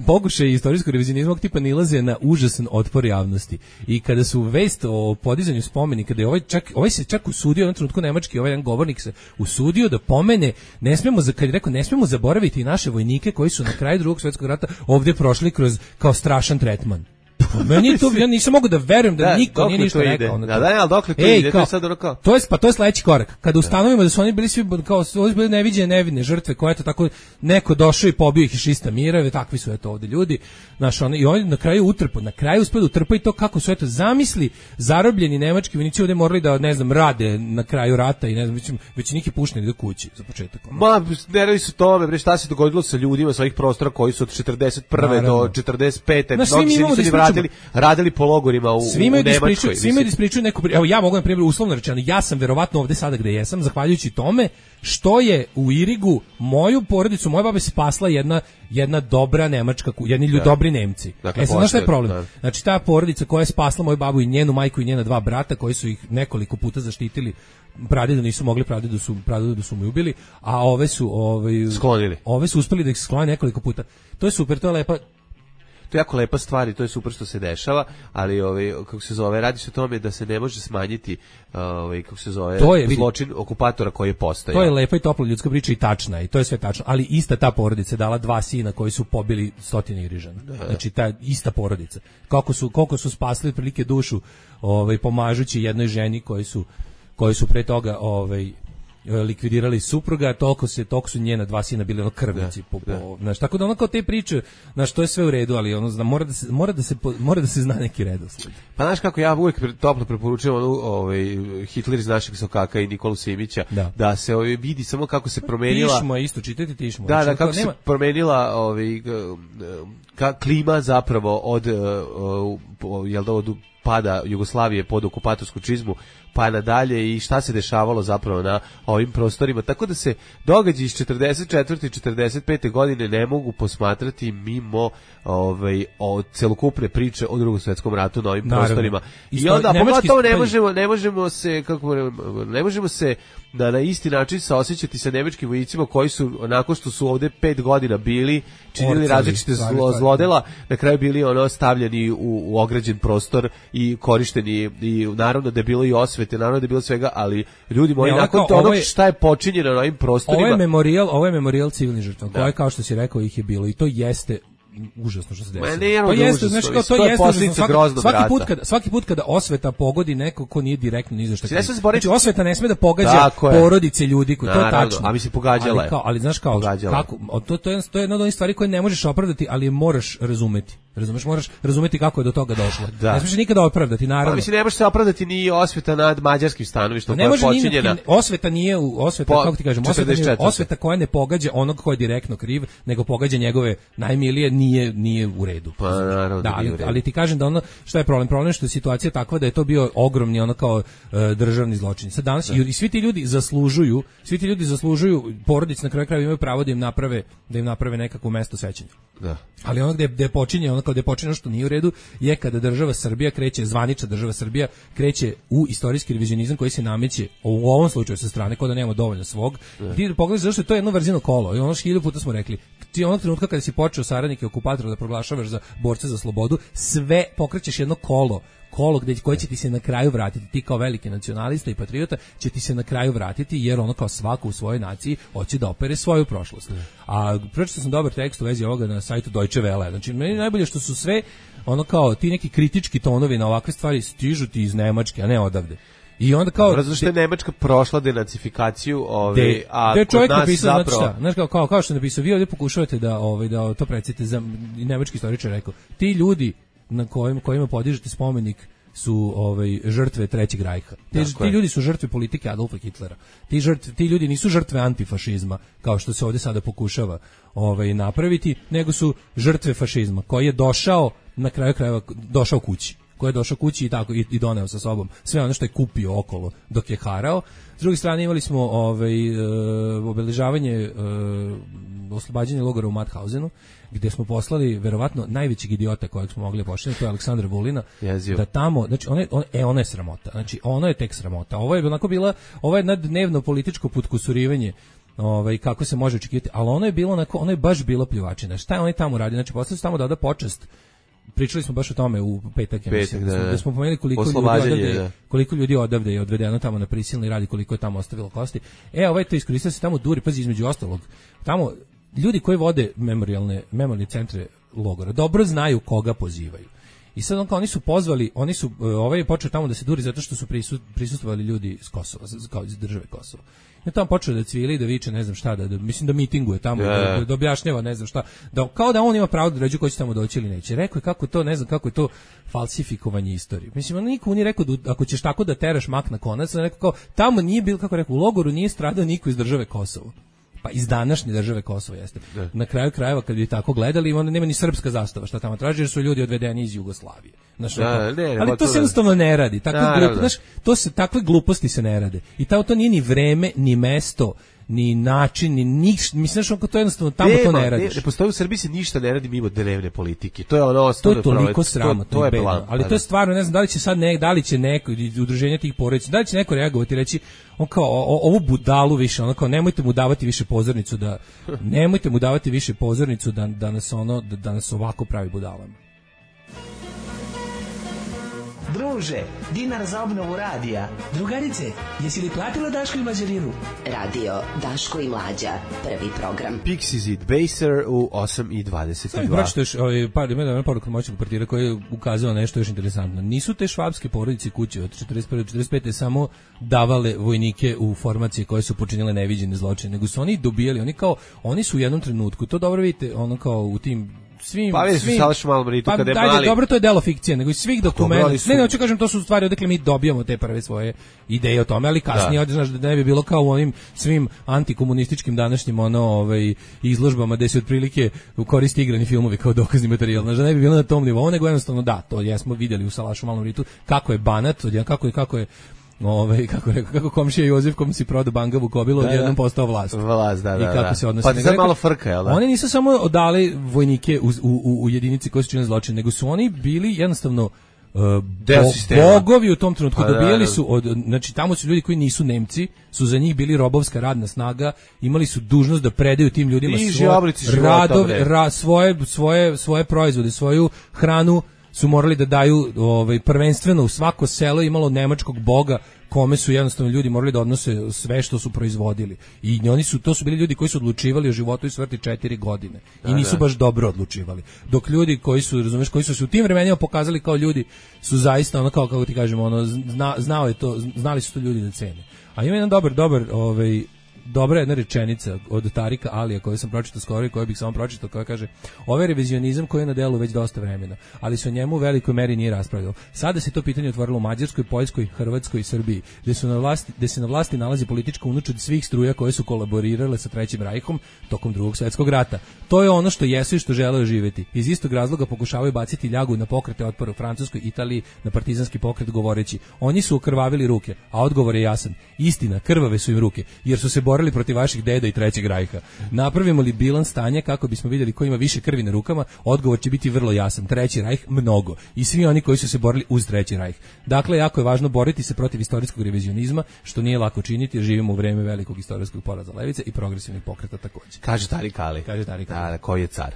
pokušaj istorijskog revizionizma tipa nilaze na užasan otpor javnosti. I kada su vest o podizanju spomenika, da je ovaj čak ovaj se čak usudio na trenutku nemački ovaj jedan govornik se usudio da pomene, ne smemo za kad je rekao ne smemo zaboraviti i naše vojnike koji su na kraju Drugog svjetskog rata ovdje prošli kroz kao strašan tretman. Meni to ja nisam mogu da verujem da, da niko nije ništa rekao. Da, da, ali dokle to Ej, ide, kao, to je sad ono kao. To je pa to je sledeći korak. Kada ustanovimo da su oni bili svi kao su bili neviđene nevine žrtve, koje eto tako neko došao i pobio ih iz šista mirave, takvi su eto ovde ljudi. Naš oni i oni na kraju utrpu, na kraju uspeli utrpati to kako su eto zamisli zarobljeni nemački vojnici ovde morali da ne znam rade na kraju rata i ne znam već već neki pušteni do kući za početak. Ma ne radi se tome, bre, šta se dogodilo sa ljudima sa ovih prostora koji su od četrdeset prve do četrdeset pete mnogi se nisu radili, radili po logorima u, svi u Nemačkoj. Svi me ispričaju neku, evo ja mogu na primjer uslovno rečeno, ja sam verovatno ovde sada gde jesam zahvaljujući tome što je u Irigu moju porodicu, moje babe spasla jedna jedna dobra nemačka, jedni ljudi dobri Nemci. Dakle, e sad, znaš šta je problem? Da. Znači ta porodica koja je spasla moju babu i njenu majku i njena dva brata koji su ih nekoliko puta zaštitili, pradedu nisu mogli, pradedu su pradedu su mu ubili, a ove su ovaj sklonili. Ove su uspeli da ih sklone nekoliko puta. To je super, to je lepa. To je jako lepa stvar i to je super što se dešava, ali ovaj kako se zove, radi se o tome da se ne može smanjiti ovaj kako se zove to je, vidi, zločin okupatora koji je postojao. To je lepa i topla ljudska priča i tačna i to je sve tačno, ali ista ta porodica dala dva sina koji su pobili stotine Irižana. Znači ta ista porodica. Kako su koliko su spasili prilike dušu ovaj pomažući jednoj ženi koji su koji su pre toga ovaj likvidirali supruga, toliko se toliko su njena dva sina bili ono krvnici po, po, znaš, tako da ono kao te priče, znaš, to je sve u redu, ali ono zna, mora da se mora da se mora da se zna neki redosled. Pa znaš kako ja uvijek toplo preporučujem onu ovaj Hitler iz našeg sokaka i Nikolu Simića da, da se ovaj vidi samo kako se promenila. Tišmo isto čitati tišmo. Da, da kako se nema... promenila ovaj ka, klima zapravo od uh, jel da od pada Jugoslavije pod okupatorsku čizmu pa nadalje i šta se dešavalo zapravo na ovim prostorima, tako da se događaji iz četrdeset četvrte i četrdeset pete godine ne mogu posmatrati mimo ovaj od celokupne priče o Drugom svetskom ratu na ovim Naravno. prostorima. I onda pogotovo ne možemo ne možemo se kako ne možemo se da na isti način saosećati sa nemačkim vojnicima koji su nakon što su ovde pet godina bili činili različite zlo, zlodela, na kraju bili ono stavljeni u, u ograđen prostor i korišteni i naravno da je bilo i osvete, naravno da je bilo svega, ali ljudi moji, nakon toga šta je počinjeno na ovim prostorima. Ovo je memorijal, ovo je memorijal civilnih žrtava, koje kao što si rekao ih je bilo i to jeste užasno što se desilo. Ne, to jeste, znači kao to jeste posljedica groznog svaki rata. put kada svaki put kada osveta pogodi neko ko nije direktno ni za šta. Znači, znači osveta ne sme da pogađa porodice ljudi koji to je tačno. A mi se pogađala ali, kao, ali znaš kao pogađala. kako to to je to je jedna od onih stvari koje ne možeš opravdati, ali je moraš razumeti. Razumeš, moraš razumeti kako je do toga došlo. Da. Ne smiješ nikada opravdati, naravno. Pa mislim ne može se opravdati ni osveta nad mađarskim stanovištem koja je počinjena. Osveta nije u osveta po, kako ti kažem, osveta, nije, osveta koja ne pogađa onog ko je direktno kriv, nego pogađa njegove najmilije, nije nije u redu. Pa naravno, da, ali, ali ti kažem da ono šta je problem, problem je što je situacija takva da je to bio ogromni ono kao uh, državni zločin. Sad danas i, i svi ti ljudi zaslužuju, svi ti ljudi zaslužuju, porodice na kraju krajeva imaju pravo da im naprave da im naprave nekakvo mesto sećanja. Da. Ali ono gde gde počinje ono kao gde počinje što nije u redu je kada država Srbija kreće, zvanična država Srbija kreće u istorijski revizionizam koji se nameće u ovom slučaju sa strane kao da nemamo dovoljno svog. Da. Ti pogledaš zašto je to jedno vrzino kolo i ono što hiljadu puta smo rekli. Ti onog trenutka kada si počeo saradnike okupatora da proglašavaš za borce za slobodu, sve pokrećeš jedno kolo kolo gde koje će ti se na kraju vratiti, ti kao veliki nacionalista i patriota će ti se na kraju vratiti jer ono kao svako u svojoj naciji hoće da opere svoju prošlost. Ne. A pročitao sam dobar tekst u vezi ovoga na sajtu Deutsche Welle. Znači meni najbolje što su sve ono kao ti neki kritički tonovi na ovakve stvari stižu ti iz Nemačke, a ne odavde. I onda kao razumno što je Nemačka prošla denacifikaciju, ovaj a de čovjek kod nas napisao zapravo znači, znaš kao kao kao što je napisao, vi ovdje pokušavate da ovaj da to predstavite za nemački istoričar rekao. Ti ljudi na kojim kojima podižete spomenik su ovaj žrtve trećeg rajha. Ti, ti ljudi su žrtve politike Adolfa Hitlera. Ti žrtve, ti ljudi nisu žrtve antifašizma kao što se ovdje sada pokušava ovaj napraviti, nego su žrtve fašizma koji je došao na kraju krajeva došao kući. Koji je došao kući i tako i, i doneo sa sobom sve ono što je kupio okolo dok je harao. S druge strane imali smo ovaj e, obeležavanje e, oslobađanje logora u Mauthausenu, gdje smo poslali verovatno najvećeg idiota kojeg smo mogli pošaljati, to je Aleksandra Vulina, Jezio. Da tamo, znači ona je, on, e ona je sramota. Znači ono je tek sramota. Ovo je onako bila, ovo je dnevno političko potkusurivanje. Ovaj kako se može očekivati, ali ono je bilo onako, ono je baš bilo pljuvačina. Šta je on tamo radi? Znači poslali su tamo da oda počast. Pričali smo baš o tome u petak, petak da, da smo pomenuli koliko ljudi odavde, da. koliko ljudi odavde je odvedeno tamo na prisilni rad i koliko je tamo ostavilo kosti. E, ovaj to iskoristio se tamo duri, pazi između ostalog. Tamo ljudi koji vode memorijalne memorijalne centre logora dobro znaju koga pozivaju. I sad on kao oni su pozvali, oni su ovaj je počeo tamo da se duri zato što su prisustvovali ljudi iz Kosova, kao iz države Kosovo. I tamo počeo da cvili, da viče, ne znam šta, da, da mislim da mitinguje tamo, yeah. da, da objašnjava, ne znam šta, da, kao da on ima pravo da ređu ko će tamo doći ili neće. Rekao je kako to, ne znam kako je to falsifikovanje istorije. Mislim, on niko nije rekao da ako ćeš tako da teraš mak na konac, rekao kao, tamo nije bilo, kako rekao, u logoru nije stradao niko iz države Kosovo. Pa iz današnje države Kosovo jeste. Da. Na kraju krajeva kad bi tako gledali, onda nema ni srpska zastava šta tamo traži, jer su ljudi odvedeni iz Jugoslavije. Znaš, da, ne, ne, ali to se jednostavno ne radi. Takve glup, znaš, to se takve gluposti se ne rade. I ta, to nije ni vreme, ni mesto, ni način, ni ništa. Mislim što to jednostavno tamo nema, to ne radiš. Ne, ne postoji u Srbiji se ništa ne radi mimo dnevne politike. To je ono osnovno. To je toliko sramotno, to, to je plan, ali to je stvarno, ne znam da li će sad ne, da li će neko udruženje tih porodica, da li će neko reagovati i reći on kao o, ovu budalu više, ono kao nemojte mu davati više pozornicu da nemojte mu davati više pozornicu da da nas ono da, da nas ovako pravi budalama. Druže, dinar za obnovu radija. Drugarice, jesi li platila Daško i Mlađarinu? Radio Daško i Mlađa, prvi program. Pixies It Baser u osam i dvadeset dva. Pročito još ovaj, par, ima jedan poruka moćnog partira koji je ukazao nešto još interesantno. Nisu te švabske porodice kuće od četrdeset prve do četrdeset pete samo davale vojnike u formacije koje su počinile neviđene zločine, nego su oni dobijali, oni kao, oni su u jednom trenutku, to dobro vidite, ono kao u tim svim pa svim Salaš Malmritu pa, kada je dajde, mali. Dobro, to je delo fikcije, nego iz svih dokumenta. Su... Ne, ne, hoću kažem, to su stvari odakle mi dobijamo te prve svoje ideje o tome, ali kasnije da. Znaš da ne bi bilo kao u onim svim antikomunističkim današnjim ono ovaj izložbama gde se otprilike koristi igrani filmovi kao dokazni materijal. Znaš da ne bi bilo na tom nivou, nego jednostavno da, to jesmo videli u Salašu Malmritu kako je banat, kako je kako je Ove, kako rekao, kako komšija Jozef kom si prodao bangavu kobilu, odjednom postao vlast. Vlast, da, da. I kako da. se odnosi. Pa ti sad malo frka, jel da? Oni nisu samo odali vojnike u, u, u jedinici koje su činili zločin, nego su oni bili jednostavno uh, bo, bogovi u tom trenutku. Pa, dobijali su, od, znači tamo su ljudi koji nisu Nemci, su za njih bili robovska radna snaga, imali su dužnost da predaju tim ljudima svoje radove, ra, svoje, svoje, svoje proizvode, svoju hranu, su morali da daju ovaj prvenstveno u svako selo imalo nemačkog boga kome su jednostavno ljudi morali da odnose sve što su proizvodili. I oni su to su bili ljudi koji su odlučivali o životu i smrti četiri godine. I nisu baš dobro odlučivali. Dok ljudi koji su, razumeš, koji su se u tim vremenima pokazali kao ljudi su zaista ono kao kako ti kažemo, ono zna, znao je to, znali su to ljudi da cene. A ima jedan dobar dobar ovaj dobra jedna rečenica od Tarika Alija koju sam pročitao skoro i koju bih samo pročitao, koja kaže: ovaj revizionizam koji je na delu već dosta vremena, ali se o njemu u velikoj meri nije raspravljalo. Sada se to pitanje otvorilo u Mađarskoj, Poljskoj, Hrvatskoj i Srbiji, gde su na vlasti, gde se na vlasti nalazi politička unučad svih struja koje su kolaborirale sa Trećim rajhom tokom Drugog svjetskog rata. To je ono što jesu i što žele živjeti. Iz istog razloga pokušavaju baciti ljagu na pokrete otpora u Francuskoj, Italiji, na partizanski pokret govoreći: oni su okrvavili ruke, a odgovor je jasan. Istina, krvave su im ruke, jer su se borili protiv vaših deda i Trećeg rajha. Napravimo li bilans stanja kako bismo vidjeli ko ima više krvi na rukama? Odgovor će biti vrlo jasan. Treći rajh mnogo. I svi oni koji su se borili uz Treći rajh. Dakle, jako je važno boriti se protiv istorijskog revizionizma, što nije lako činiti jer živimo u vreme velikog istorijskog poraza levice i progresivnih pokreta također. Kaže Tarik Ali. Kaže Tarik Ali. Da, koji je car.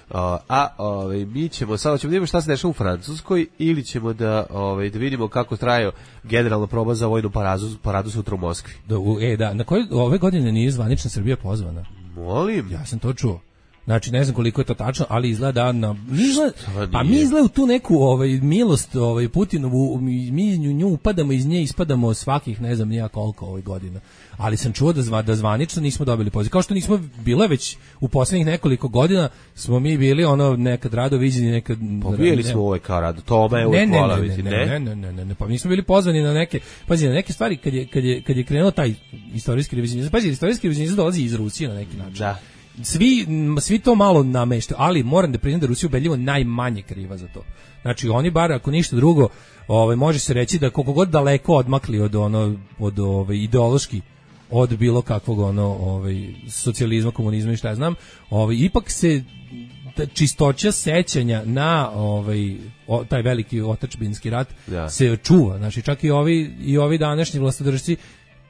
Uh, a ovaj mi ćemo sada ćemo da vidimo šta se dešava u Francuskoj ili ćemo da ovaj da vidimo kako traje generalna proba za vojnu paradu paradu sutra u Moskvi. Da, u, e da, na kojoj ove godine nije zvanična Srbija pozvana. Molim, ja sam to čuo. Znači ne znam koliko je to tačno, ali izgleda na izgleda, pa mi izgleda u tu neku ovaj milost ovaj Putinovu, mi, mi nju upadamo, iz nje ispadamo svakih ne znam nija koliko ovih godina. Ali sam čuo da zva, da zvanično nismo dobili poziv. Kao što nismo bile već u poslednjih nekoliko godina smo mi bili ono nekad rado viđeni, nekad pobijeli smo ovaj kao rado. Tome je ne, hvala ne, vidite, ne, ne, ne, ne, ne, ne, pa nismo bili pozvani na neke, pazi, na neke stvari kad je kad je kad je krenuo taj istorijski revizionizam. Pazi, istorijski revizionizam dolazi iz Rusije na neki način. Da. Svi, svi to malo nameštaju, ali moram da priznam da Rusija ubedljivo najmanje kriva za to. Znači oni bar ako ništa drugo, ovaj može se reći da koliko god daleko odmakli od ono od ovaj ideološki od bilo kakvog ono ovaj socijalizma, komunizma i šta ja znam, ovaj ipak se čistoća sećanja na ovaj o, taj veliki otadžbinski rat ja. se čuva. Znači čak i ovi i ovi današnji vlastodržci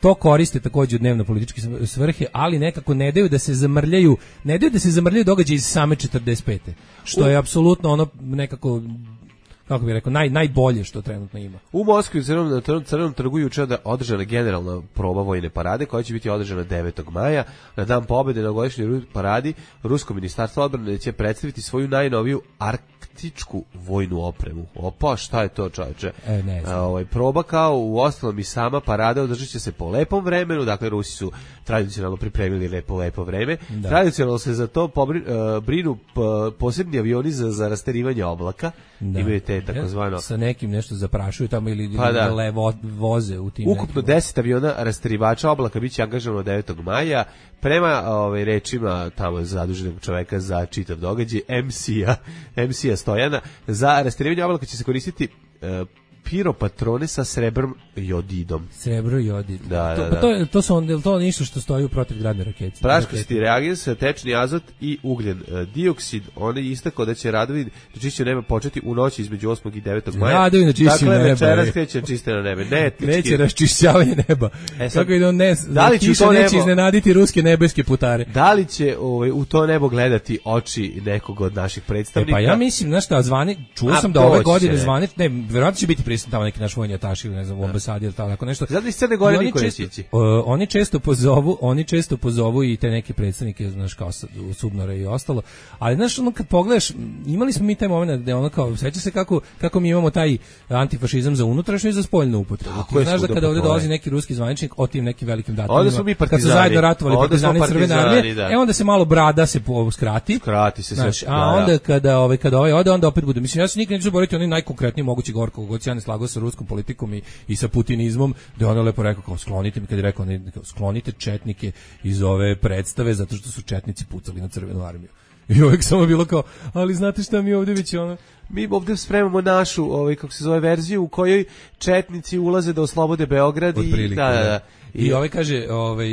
to koriste takođe u dnevno političke svrhe, ali nekako ne daju da se zamrljaju, ne daju da se zamrljaju događaji iz same četrdeset pete. Što je apsolutno ono nekako, kako bih rekao, naj, najbolje što trenutno ima. U Moskvi u Crvenom, na Crvenom trgu juče da održana generalna proba vojne parade koja će biti održana devetog maja. Na dan pobede na godišnjoj paradi Rusko ministarstvo odbrane će predstaviti svoju najnoviju arktičku vojnu opremu. Opa, šta je to, čoveče? E, ne znam. Ovaj proba kao u ostalom i sama parada održat će se po lepom vremenu, dakle Rusi su tradicionalno pripremili lepo lepo vreme. Da. Tradicionalno se za to pobri, uh, brinu p, posebni avioni za, za rasterivanje oblaka. Da. Imaju te takozvano sa nekim nešto zaprašuju tamo ili, pa da. ili vo, voze u tim. Ukupno nekim. deset aviona rasterivača oblaka biće angažovano devetog maja. Prema ovaj rečima tamo zaduženog čoveka za čitav događaj em ce-a, em ce-a Stojana, za rasterivanje oblaka će se koristiti uh, piropatrone sa srebrom jodidom. Srebro jodid. Da, to, da, pa da. to, to su onda to ništa što stoji u protivgradnoj raketi. Praškosti reagens, tečni azot i ugljen dioksid. On je istakao da će radovi na čišćenju neba početi u noći između osmog i devetog maja. Radovi na čišćenju dakle, neba. Dakle, večeras kreće čišćenje nebe. Ne, neće raščišćavanje neba. E sad, kako ide on ne, da li će to nebo, neće iznenaditi ruske nebeske putare. Da li će ovaj, u to nebo gledati oči nekog od naših predstavnika? E pa ja mislim, znaš šta, zvani, čuo sam da ove godine zvani, ne, verovatno će biti prisutan tamo neki naš vojni ataš ili ne znam, u ambasadi ili tako nešto. Zato iz Crne Gore niko neće ići. Oni često pozovu, oni često pozovu i te neke predstavnike, znaš, kao Subnore i ostalo. Ali znaš, ono kad pogledaš, imali smo mi taj momenat gde ono kao, seća se kako kako mi imamo taj antifašizam za unutrašnju i za spoljnu upotrebu. Ti znaš da kada ovde dolazi neki ruski zvaničnik o tim nekim velikim datumima, onda smo mi partizani, kad su zajedno ratovali partizani Crvene armije, da. E onda se malo brada se skrati. Skrati se znaš, sve. a onda da, da. kada ovaj kada ovaj ode onda opet bude. Mislim ja se nikad neću zaboraviti onaj najkonkretniji mogući govor kako se ja ne slagao sa ruskom politikom i, i sa putinizmom, da on je lepo rekao kao sklonite mi, kad je rekao ne, sklonite četnike iz ove predstave zato što su četnici pucali na Crvenu armiju. I uvijek samo bilo kao, ali znate šta mi ovdje već ono... Mi ovdje spremamo našu, ovaj, kako se zove, verziju u kojoj četnici ulaze da oslobode Beograd i... Da, da, da. I, I ovaj kaže, ovaj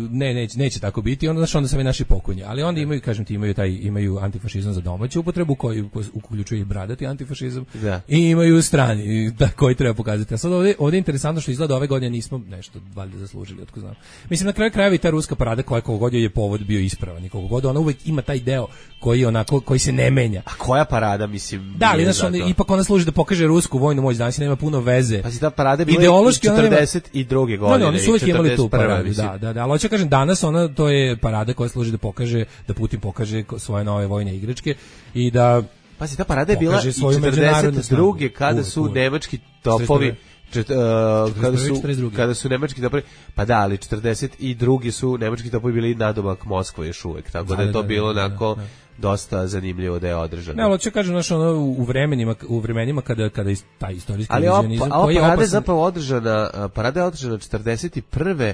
ne neće neće tako biti, onda znači onda se naši pokonje. Ali onda imaju, kažem ti, imaju taj imaju antifašizam za domaću upotrebu koji uključuje i bradati antifašizam. Da. I imaju strani da koji treba pokazati. A sad ovdje ovdje je interesantno što izgleda ove godine nismo nešto valjda zaslužili, otko znam. Mislim na kraju krajeva i ta ruska parada koja kogod je povod bio ispravan i kogod ona uvek ima taj deo koji onako koji se ne menja. A koja parada, mislim? Da, ali znaš, on, ipak ona služi da pokaže rusku vojnu moć, danas nema puno veze. Pa si ta parada je bila i četrdeset druge godine. Da, oni su uvijek imali tu paradu, da, da, da, ali hoću kažem, danas ona, to je parada koja služi da pokaže, da Putin pokaže svoje nove vojne igračke i da pa si ta parada je bila i četrdeset druge kada su nemački topovi Čet, uh, kada su kada su nemački topovi, pa da, ali četrdeset druge su nemački topovi bili nadomak Moskve još uvek, tako da, da je to da, bilo da, onako da, da. dosta zanimljivo da je održano. Ne, ali hoću kažem, znaš, ono, u vremenima u vremenima kada kada taj istorijski vizionizam koji je parada je zapravo održana, parada je održana četrdeset prve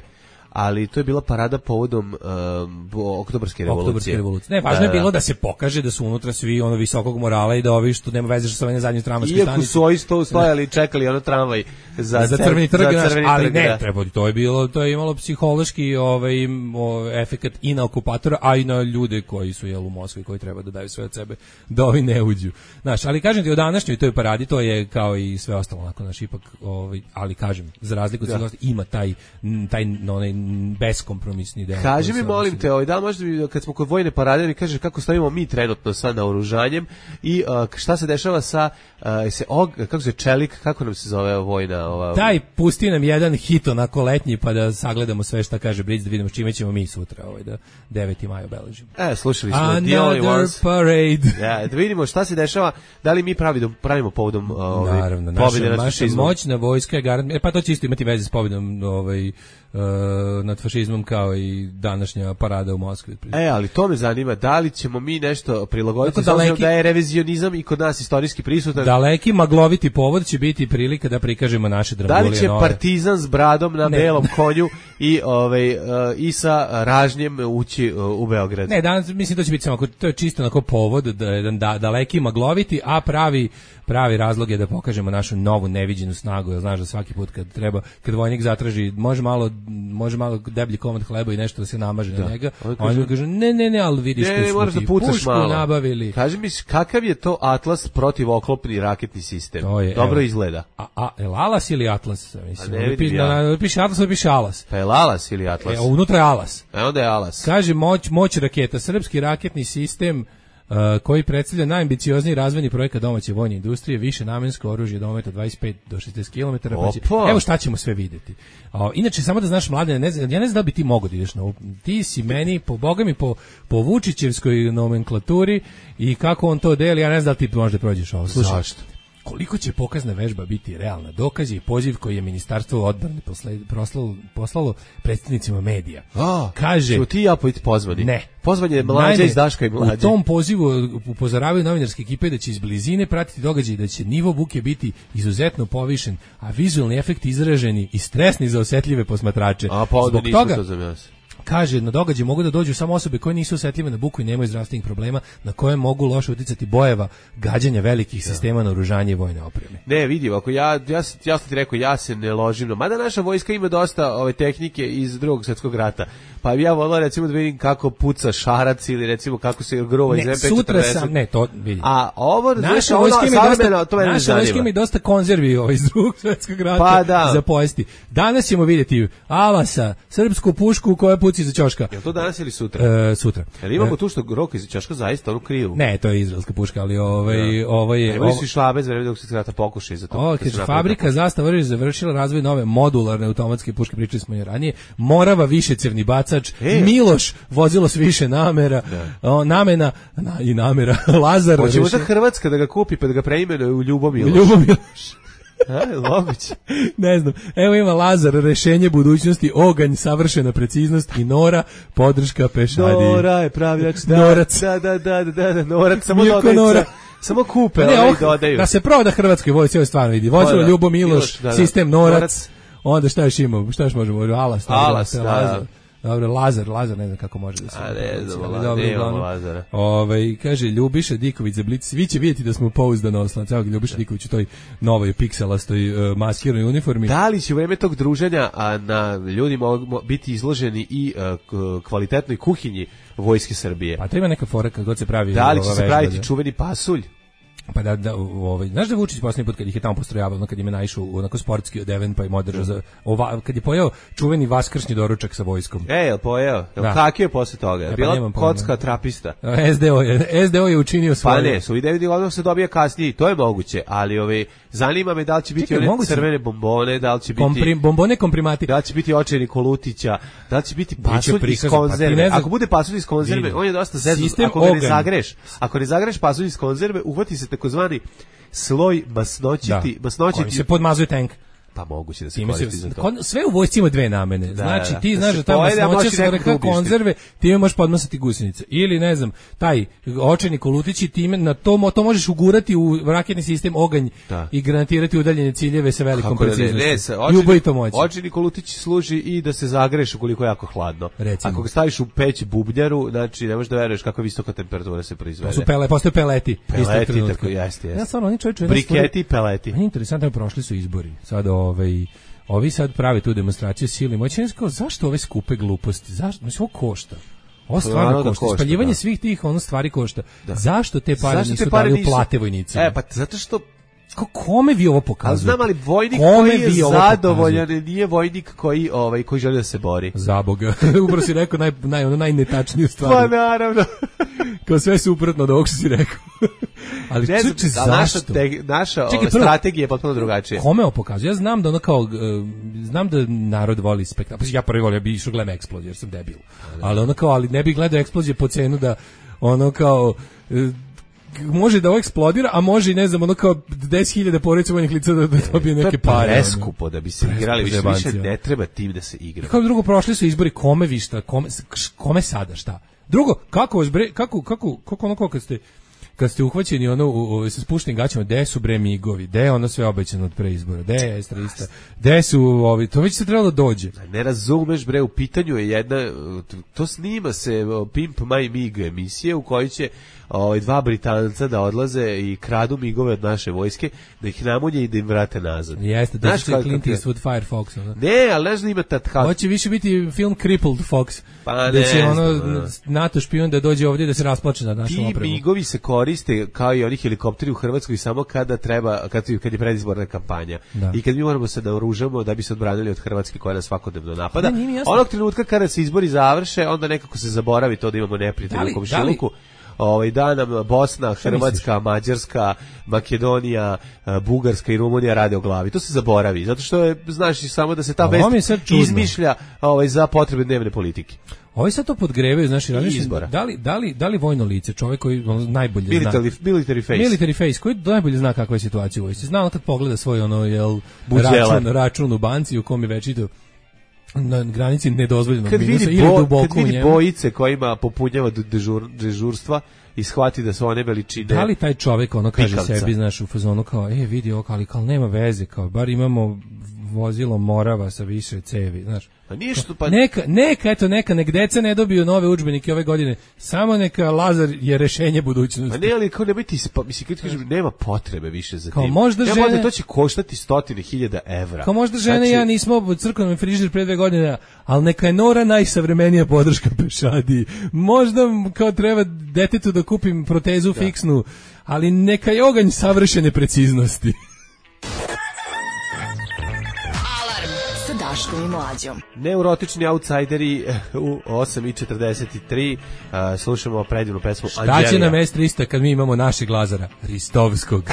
ali to je bila parada povodom um, oktobarske revolucije. Oktobarske revolucije. Ne, važno je bilo da se pokaže da su unutra svi ono visokog morala i da ovi što nema veze sa ovim zadnjim tramvajskim stanicama. Iako su ovi sto stojali i čekali ono tramvaj za, za crveni trg, za crveni ali trg, ne, da. Treba, to je bilo, to je imalo psihološki ovaj, ovaj efekat i na okupatora, a i na ljude koji su jel u Moskvi, koji treba da daju sve od sebe da ovi ne uđu. Znaš, ali kažem ti o današnjoj toj paradi, to je kao i sve ostalo, onako, naš ipak, ovaj, ali kažem, za razliku od svega ima taj, taj onaj beskompromisni deo. Kaži mi, molim te, ovaj, da možda mi, kad smo kod vojne parade, mi kaže kako stavimo mi trenutno sa naoružanjem i uh, šta se dešava sa uh, se og, kako se čelik, kako nam se zove vojna ova. Daj, pusti nam jedan hit onako letnji pa da sagledamo sve šta kaže Bric, da vidimo čime ćemo mi sutra ovaj da deveti maj obeležimo. E, slušali smo The Only Ones Parade. Ja, da vidimo šta se dešava, da li mi pravi pravimo povodom ovaj naravno, pobjede nad fašizmom. Moćna vojska je garant, e, pa to će isto imati veze s pobjedom ovaj Uh, nad fašizmom kao i današnja parada u Moskvi. E, ali to me zanima, da li ćemo mi nešto prilagoditi, daleki, da je revizionizam i kod nas istorijski prisutan. Daleki magloviti povod će biti prilika da prikažemo naše dragulije nove. Da li će nove. Partizan s bradom na ne. belom konju i ovaj uh, i sa ražnjem ući uh, u Beograd? Ne, danas mislim to će biti samo to je čisto onako povod da jedan da, daleki magloviti, a pravi pravi razlog je da pokažemo našu novu neviđenu snagu. Jer znaš da svaki put kad treba, kad vojnik zatraži, može malo može malo deblji komad hleba i nešto da se namaže da. na njega, on kaže, kaže ne, ne, ne, ali vidiš ne, što smo ti pušku malo. nabavili. Kaži mi, kakav je to Atlas protivoklopni raketni sistem? Je, dobro evo, izgleda. A, a el Alas ili Atlas? Mislim, ne piše, ja. na, piše Atlas, ili piše Alas. Pa el Alas ili Atlas? E, unutra je Alas. E, onda je Alas. Kaže, moć, moć raketa, srpski raketni sistem Uh, koji predstavlja najambiciozniji razvojni projekat domaće vojne industrije, više namensko oružje dometa dvadeset pet do šezdeset kilometara. Pa će, evo šta ćemo sve vidjeti. Uh, inače, samo da znaš, mlade, ne znam, ja ne znam da bi ti mogo da ideš na ovo. Ti si meni, po boga mi, po, po Vučićevskoj nomenklaturi i kako on to deli, ja ne znam da ti možda prođeš ovo. Slušaj, zašto? Koliko će pokazna vežba biti realna? Dokaz je i poziv koji je Ministarstvo odbrane poslalo, poslalo predstavnicima medija. A, kaže, ću ti ja pojiti pozvani? Ne. Pozvan je Mlađa iz Daška i Mlađe. U tom pozivu upozoravaju novinarske ekipe da će iz blizine pratiti događaj, da će nivo buke biti izuzetno povišen, a vizualni efekti izraženi i stresni za osetljive posmatrače. A pa onda nismo to za nas. Kaže, na događaj mogu da dođu samo osobe koje nisu osetljive na buku i nemaju zdravstvenih problema, na koje mogu loše uticati bojeva gađanja velikih ja. sistema naoružanja i vojne opreme. Ne, vidi, ako ja, ja, ja sam ti rekao, ja se ne ložim, no, mada naša vojska ima dosta ove tehnike iz drugog svjetskog rata, pa bi ja volao recimo da vidim kako puca šarac ili recimo kako se grova iz em pe četrdeset. Sutra sam, ne, to vidi. A ovo, naša vojska ima dosta, to naša vojska ima dosta konzervi ovaj, iz drugog svjetskog rata pa da. za pojesti. Danas ćemo vidjeti Alasa, srpsku pušku koja puci za ćoška. Je to danas ili sutra? E, sutra. Jel imamo e, tu što roka iz ćoška zaista onu krivu? Ne, to je izraelska puška, ali ovaj, ja. ovo je... Imali su i šlabe za vreme dok se rata pokušaj za to. O, kaže, fabrika Zastava oružja završila razvoj nove modularne automatske puške, pričali smo i ranije. Morava višecevni bacač, e. Miloš vozilo s više namera, o, namena na, i namera, Lazar. Hoće možda Hrvatska da ga kupi pa da ga preimenuje u Ljubomiloš. Ljubomiloš. A, moguće. Ne znam. Evo ima Lazar, rešenje budućnosti, oganj, savršena preciznost i Nora, podrška pešadiji. Nora je pravljač. Da, Norac. Da, da, da, da, da, Norac. Samo dodaju. Samo kupe, ne, ovaj dodaju. Da se proda Hrvatskoj vojsci, ovo stvarno vidi. Vozilo Ljubo Miloš, da, da. Sistem Norac. Norac. Onda šta još imamo? Šta još možemo? Alas. Alas, da, da. Dobro, Lazar, Lazar, ne znam kako može da se... A ne znam, nemamo Lazara. Ove, kaže, Ljubiša Diković za Blic, svi će vidjeti da smo pouzdano oslanci. Evo ga, Ljubiša Diković u toj novoj pikselastoj uh, maskiranoj uniformi. Da li će u vreme tog druženja a, na ljudi mogu biti izloženi i uh, kvalitetnoj kuhinji Vojske Srbije? Pa to ima neka fora kad god se pravi... Da li će se praviti čuveni pasulj? Pa da, da ovaj, znaš da Vučić posljednji put kad ih je tamo postrojavao, ono kad im je naišao onako sportski odeven pa im održao za, ova, kad je pojeo čuveni vaskršnji doručak sa vojskom. E, jel pojeo? Jel kakio je posle toga? E, pa bila kocka trapista? S D O je, S D O je učinio svoje. Pa ne, su ideju da odmah se dobije kasnije, to je moguće, ali ove, zanima me da li će biti Čekaj, one crvene bombone, da li će biti... Komprim, bombone komprimati. Da li će biti očajni Kolutića, da li će biti pasulj iz konzerve. Pa ako bude pasulj iz konzerve, on je dosta zezan, ako ga ne zagreš, ako ne zagreš pasulj iz konzerve, uhvati se takozvani sloj masnoćiti, da. masnoćiti. Kojim se podmazuje tank. Pa moguće da se koristi za to. Sve u vojsci ima dve namene. Da, znači ti da, znaš da tamo masnoća se reka konzerve, ti možeš podmasati gusenice. Ili ne znam, taj očajni kolutići time na to to možeš ugurati u raketni sistem oganj da. I granatirati udaljene ciljeve sa velikom preciznošću. I ubojito moći. Očajni kolutić služi i da se zagreš ukoliko je jako hladno. Recimo. Ako ga staviš u peć bubnjaru, znači ne možeš da veruješ kakva visoka temperatura se proizvede. To su pele, postoje peleti. Peleti tako jeste, jeste. Ja stvarno oni čovječe. Briketi, peleti. Interesantno, prošli su izbori. Sad ovaj ovi sad prave tu demonstraciju sile moći. Kao, zašto ove skupe gluposti? Zašto? Mislim, ovo košta. Ovo stvarno košta. košta. Spaljivanje da. Svih tih ono stvari košta. Da. Zašto te pare zašto nisu te pare dali nisu... u plate vojnicima? E, pa zato što Ko, kome vi ovo pokazujete? Ali znam, ali vojnik kome koji je zadovoljan nije vojnik koji, ovaj, koji želi da se bori. Za Boga. Upravo si rekao naj, naj, ono najnetačniju stvar. Pa naravno. Kao sve suprotno od ovog što si rekao. Ali ne znam, čuči, zašto? Naša, te, naša Čekaj, prvo, strategija je potpuno drugačija. Kome ovo pokazuje? Ja znam da ono kao, uh, znam da narod voli spektakl. Ja prvi volim, ja bi išao gledam eksploziju jer sam debil. Ali ono kao, ali ne bih gledao eksplozije po cenu da ono kao... Uh, može da ovo eksplodira, a može i ne znam, ono kao deset hiljada porodica vojnih lica da, da dobije neke pare. To je preskupo da bi se preskupo igrali, više, više ne treba tim da se igra. Kao drugo, prošli su izbori, kome vi šta, kome, kome sada šta? Drugo, kako vas bre, kako, kako, kako ono kao kad ste, kad ste uhvaćeni ono u, u, sa spuštenim gaćama, gde su bre migovi, gde je ono sve obećano od pre izbora, gde je S trista, gde su ovi, to već se trebalo da dođe. Ne razumeš bre, u pitanju je jedna, to snima se Pimp My Mig emisije u kojoj će ovaj dva Britanca da odlaze i kradu migove od naše vojske, da ih namunje i da im vrate nazad. Jeste, da će Clint Eastwood Firefox. Ono. Ne, ali znaš da ima tad kao... Hoće više biti film Crippled Fox. Pa da ne će ono znam, NATO špijun da dođe ovdje da se rasplače nad našom opremom. Ti migovi se koriste kao i oni helikopteri u Hrvatskoj samo kada treba, kad, kad je predizborna kampanja. Da. I kad mi moramo se naoružamo da bi se odbranili od Hrvatske koja nas svakodnevno napada. Ne, onog trenutka kada se izbori završe, onda nekako se zaboravi to da imamo neprijatelja u komšiluku. Ovaj da nam Bosna, Hrvatska, Mađarska, Makedonija, Bugarska i Rumunija rade o glavi. To se zaboravi, zato što je, znaš, samo da se ta vest izmišlja ovaj, za potrebe dnevne politike. Ovi sad to podgrevaju, znaš, da li, da li, da li vojno lice, čovjek koji on najbolje military, zna... Military face. Military face, koji najbolje zna kakva je situacija u vojsci. Zna on kad pogleda svoj ono, jel, račun, račun u banci u kom je večito na granici nedozvoljenog kad minusa vidi ili bo, duboko kad vidi bojice kojima popunjava dežur, dežurstva i shvati da su one veličine. Da li taj čovjek ono kaže pikavca. Sebi, znaš, u fazonu kao, e, vidi ovo, ali kao nema veze, kao, bar imamo vozilo Morava sa više cevi, znaš. Pa ništa, pa... Neka, neka, eto, neka, nek deca ne dobiju nove udžbenike ove godine, samo neka Lazar je rešenje budućnosti. Pa ne, ali kao ne biti, pa, mislim, kad kažem, nema potrebe više za kao tim. Možda nema žene... potrebe, to će koštati stotine hiljada evra. Kao možda žene znači... ja nismo u crkvenom frižider pre dve godine, ali neka je Nora najsavremenija podrška pešadi. Možda kao treba detetu da kupim protezu da. Fiksnu, ali neka je oganj savršene preciznosti. Daškom i Mlađom. Neurotični outsideri u osam i četrdeset tri. Uh, slušamo predivnu pesmu Anđelija. Šta će nam S trista kad mi imamo našeg Lazara? Ristovskog.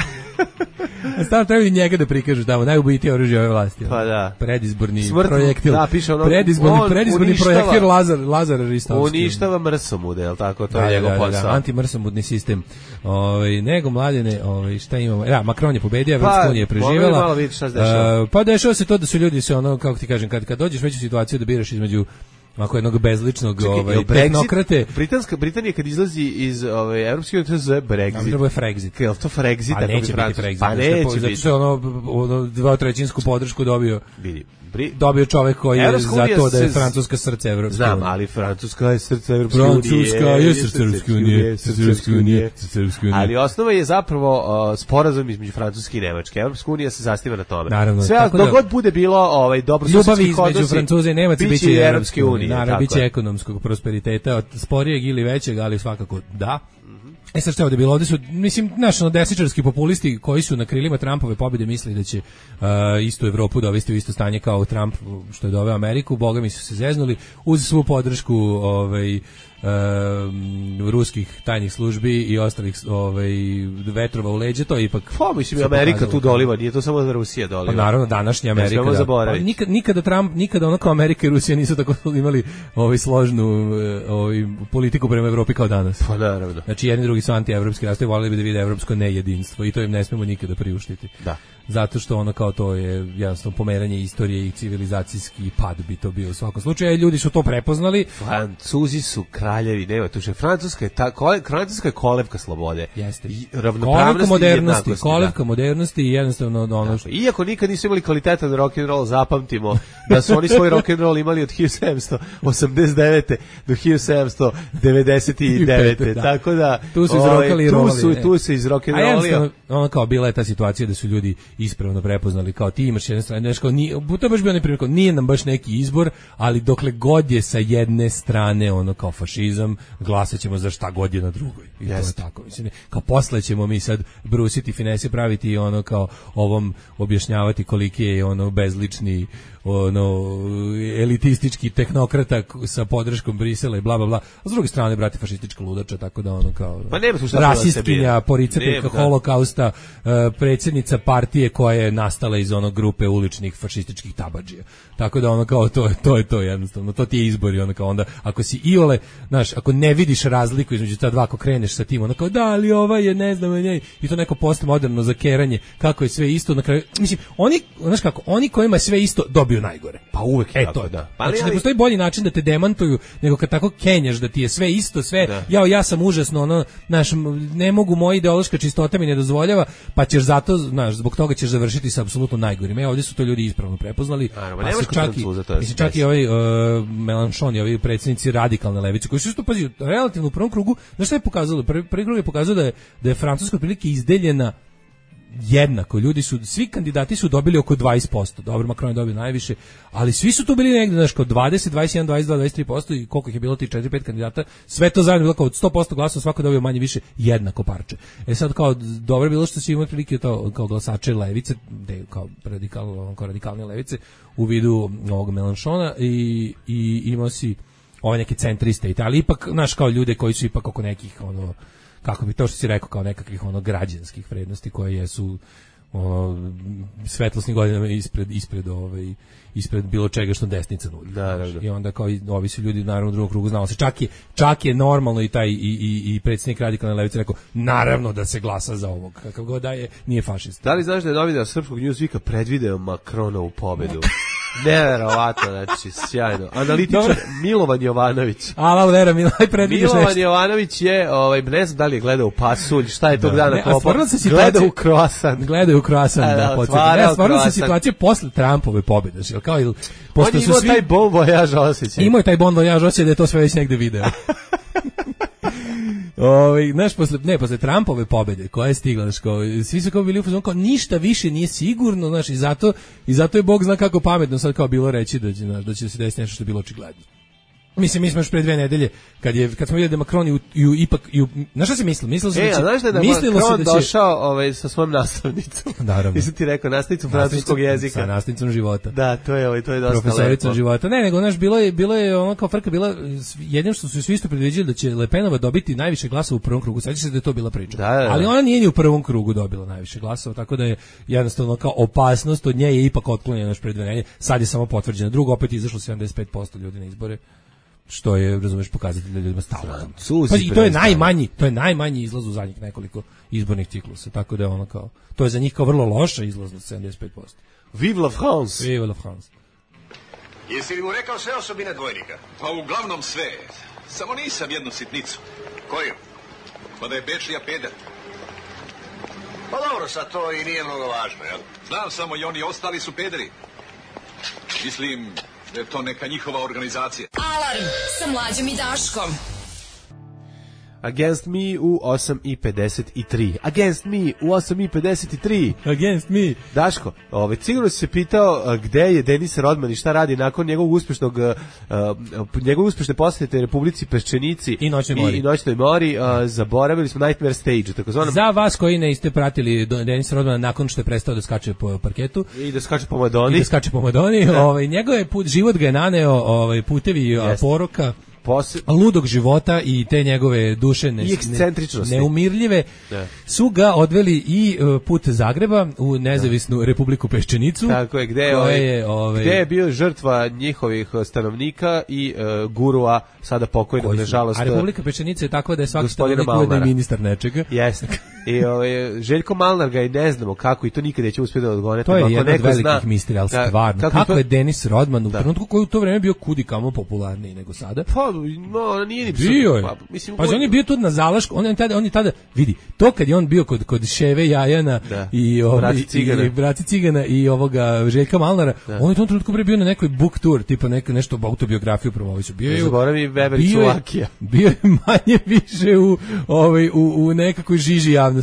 Stavno treba i njega da prikažu tamo, najubojitije oružje ove vlasti. Pa da. Predizborni Smrt, projektil. Da, piše ono, predizborni, predizborni uništava, projektil Lazar, Lazar Ristovski. Uništava mrsomude, je li tako? To da, je njegov da, posao. Da, antimrsomudni sistem. Ove, nego mladene, ove, šta imamo? Ja, Macron je pobedio, Evropska pa, unija je preživjela. Malo vidjeti šta se dešava. Uh, pa dešava se to da su ljudi se ono, kako ti kažem, kad, kad dođeš već u situaciju da biraš između ako jednog bezličnog Čekaj, ovaj tehnokrate. Britanska Britanija kad izlazi iz ove evropske unije to se zove Brexit. Ovo je Frexit. Jel to Frexit? Pa neće biti Frexit. Pa neće zato što je ono, ono dvotrećinsku podršku dobio. Vidi. Bri... Dobio čovjek koji je za to da je Francuska srce Evropske unije. Znam, ali Francuska je srce Evropske unije. Francuska je srce Evropske unije. Srce Evropske unije. Ali osnova je zapravo uh, sporazum između Francuske i Nemačke. Evropska unija se zasniva na tome. Naravno. Sve dok da, god bude bilo ovaj dobro ljubavi između Francuza i Nemaca biće i Evropske unije. Naravno, biće ekonomskog prosperiteta, sporijeg ili većeg, ali svakako da. E sad što je ovde bilo? Ovde su, mislim, naši desničarski populisti koji su na krilima Trumpove pobjede mislili da će uh, istu Evropu dovesti u isto stanje kao Trump što je doveo Ameriku, boga mi su se zeznuli uz svu podršku ovaj, Um, ruskih tajnih službi i ostalih ovaj, vetrova u leđe, to je ipak... Pa, mislim, Amerika tu doliva, nije to samo Rusija doliva. Pa naravno, današnja Amerika, da. Pa, nikad, nikada Trump, nikada onako Amerika i Rusija nisu tako imali ovaj, složnu ovaj, politiku prema Evropi kao danas. Pa naravno. Znači, jedni drugi su anti-evropski rastovi, volili bi da vide evropsko nejedinstvo i to im ne smemo nikada priuštiti. Da. Zato što ono kao to je jednostavno pomeranje istorije i civilizacijski pad bi to bio u svakom slučaju. Ljudi su to prepoznali. Francuzi su kraljevi, nema tu še. Francuska je, ta, kole, Francuska je kolevka slobode. Jeste. Ravnopravnosti modernosti, i kolevka modernosti i jednostavno ono što... Iako nikad nisu imali kvalitetan rock and roll, zapamtimo da su oni svoj rock and roll imali od hiljadu sedamsto osamdeset devete do hiljadu sedamsto devedeset devete. Da. Tako da tu su izrokali i tu su tu se iz rock and roll. Ono kao bila je ta situacija da su ljudi ispravno prepoznali kao ti imaš jedne strane, nešto nije, to je baš bio onaj primjer, nije nam baš neki izbor, ali dokle god je sa jedne strane ono kao fašizam, glasat ćemo za šta god je na drugoj. I yes. To je tako. Mislim, kao posle ćemo mi sad brusiti finese, praviti i ono kao ovom objašnjavati koliki je ono bezlični ono elitistički tehnokrata sa podrškom Brisela i bla bla bla. A s druge strane brate fašistička ludača, tako da ono kao pa nema tu šta rasistkinja, poricateljka holokausta, uh, predsjednica partije koja je nastala iz onog grupe uličnih fašističkih tabadžija. Tako da ono kao to je to je to jednostavno. To ti je izbor i ono kao onda ako si iole, znaš, ako ne vidiš razliku između ta dva, ako kreneš sa tim, ono kao da ali ova je ne znam njej i to neko postmoderno zakeranje kako je sve isto na kraju. Mislim, oni, znaš kako, oni kojima je sve isto dobiju najgore. Pa uvek je e, tako, to, da. Pa znači, ali... ne postoji bolji način da te demantuju nego kad tako kenjaš da ti je sve isto, sve, da. ja, ja sam užasno, ono, znaš, ne mogu, moja ideološka čistota mi ne dozvoljava, pa ćeš zato, znaš, zbog toga ćeš završiti sa apsolutno najgorim. E, ovdje su to ljudi ispravno prepoznali. Naravno, pa nemaš čak i, mislim, čak i ovaj uh, Mélenchon i ovi predsjednici radikalne levice, koji su isto, pazi, relativno u prvom krugu, znaš šta je pokazalo? Prvi, prvi krug je pokazao da je, da je Francuska otprilike izdeljena jednako, ljudi su, svi kandidati su dobili oko dvadeset posto, dobro, Macron je dobio najviše, ali svi su tu bili negdje, znaš, kod dvadeset, dvadeset jedan, dvadeset dva, dvadeset tri posto i koliko ih je bilo ti četiri pet kandidata, sve to zajedno bilo kao od sto posto glasova, svako dobio manje više jednako parče. E sad kao, dobro je bilo što svi imali prilike to, kao glasače levice, de, kao, radikal, kao radikalne levice, u vidu ovog Mélenchona i, i imao si ove neke centriste, ali ipak, znaš, kao ljude koji su ipak oko nekih, ono, kako bi to što si rekao kao nekakvih ono građanskih vrednosti koje jesu ono, svetlosni godinama ispred ispred ovaj ispred bilo čega što desnica nudi. Da, da, da. I onda kao i ovi su ljudi naravno u drugom krugu znalo se čak je čak je normalno i taj i i i predsjednik radikalne levice rekao naravno da se glasa za ovog kakav god da je nije fašista. Da li znaš da je novinar srpskog Newsweeka predvideo Macronovu pobedu? Neverovatno, znači, sjajno. Analitičar Dobre. Milovan Jovanović. Ala, vera, Milovan predvidiš Milovan nešto. Jovanović je, ovaj, ne znam da li je gledao u pasulj, šta je tog da. dana kopao. Gledao u croissant. Gledao u croissant, da, da podsjetim. Ne, stvarno se situacija posle Trumpove pobjede, znači, kao il On je imao svi... taj bon voyage osjećaj. Imao je taj bon voyage osjećaj da je to sve već negde video. Ovaj, znaš, posle, ne, posle Trumpove pobede koja je stigla, znaš, kao, svi su kao bili u fazonu, kao ništa više nije sigurno, znaš, i zato, i zato je Bog zna kako pametno sad kao bilo reći da će, znaš, da će se desiti nešto što je bilo očigledno. Mislim, mi smo još pre dve nedelje, kad, je, kad smo vidjeli da Macron i, i ipak, i, znaš šta si mislio? Mislilo se e, da će... znaš da je da Macron da će... došao ovaj, sa svojom nastavnicom? Naravno. Nisam ti rekao, nastavnicom francuskog jezika. Sa nastavnicom života. Da, to je, ovaj, to je dosta profesoricom lepo. života. Ne, nego, znaš, bilo je, bilo je ono kao frka, bila, jedino što su svi isto predviđali da će Le Penova dobiti najviše glasova u prvom krugu, sad će se da je to bila priča. Da, da, da. Ali ona nije ni u prvom krugu dobila najviše glasova, tako da je jednostavno kao opasnost od nje je ipak otklonjena još pre dve nedelje. Sad je samo potvrđena. Drugo, opet izašlo sedamdeset pet posto ljudi na izbore. Što je, razumeš, pokazatelj da ljudima stalo. Pa i to je najmanji, to je najmanji izlaz u zadnjih nekoliko izbornih ciklusa, tako da je ono kao, to je za njih kao vrlo loša izlaznost, sedamdeset pet posto. Vive la France! Vive la France! Jesi li mu rekao sve osobine dvojnika? Pa uglavnom sve, samo nisam jednu sitnicu. Koju? Pa da je Bečija peder. Pa dobro, sad to i nije mnogo važno, jel? Znam samo i oni ostali su pederi. Mislim... da je to neka njihova organizacija. Alarm sa Mlađom i Daškom. Against Me u osam i pedeset tri. Against Me u osam i pedeset tri. Against Me. Daško, ovaj, sigurno si se pitao gde je Denis Rodman i šta radi nakon njegovog uspešnog, uh, njegove uspešne posete Republici Peščenici i Noćnoj mori. I, i Noćnoj mori. Uh, zaboravili smo Nightmare Stage, takozvanom. Za vas koji ne ste pratili Denis Rodmana nakon što je prestao da skače po parketu i da skače po Madoni, i da skače po Madoni, ovaj, njegov put, život ga je naneo ovaj, putevi yes. poroka, Posle... ludog života i te njegove duše ne, ne, neumirljive da. Su ga odveli i uh, put Zagreba u nezavisnu da. Republiku Peščenicu. Tako je, gde je, ovaj, je, ovaj... gde je bio žrtva njihovih stanovnika i uh, gurua, sada pokojnog, nažalost. A Republika Peščenica je takva da je svaki stanovnik ujedno ministar nečega. Jeste. I ovaj, Željko Malnar ga i ne znamo kako, i to nikad neće uspjeti da odgovore. To je jedan od velikih misterija, ali stvarno. Kako, kako to... je Denis Rodman u trenutku koji u to vreme bio kudi kamo popularniji nego sada? Pa, no, nije ni bio je. Pa, mislim, pa on je bio tu na Zalašku, on je tada, on je tada, vidi, to kad je on bio kod, kod Ševe Jajana da. i, ovaj, i Braci Cigana i ovoga Željka Malnara, da. On je u tom trenutku bio na nekoj book tour, tipa neka, nešto autobiografiju promoviću. Bio je, zaboravi Weber Čuvakija. Bio je manje više u, ovaj, u, u nekakoj žiži javnosti.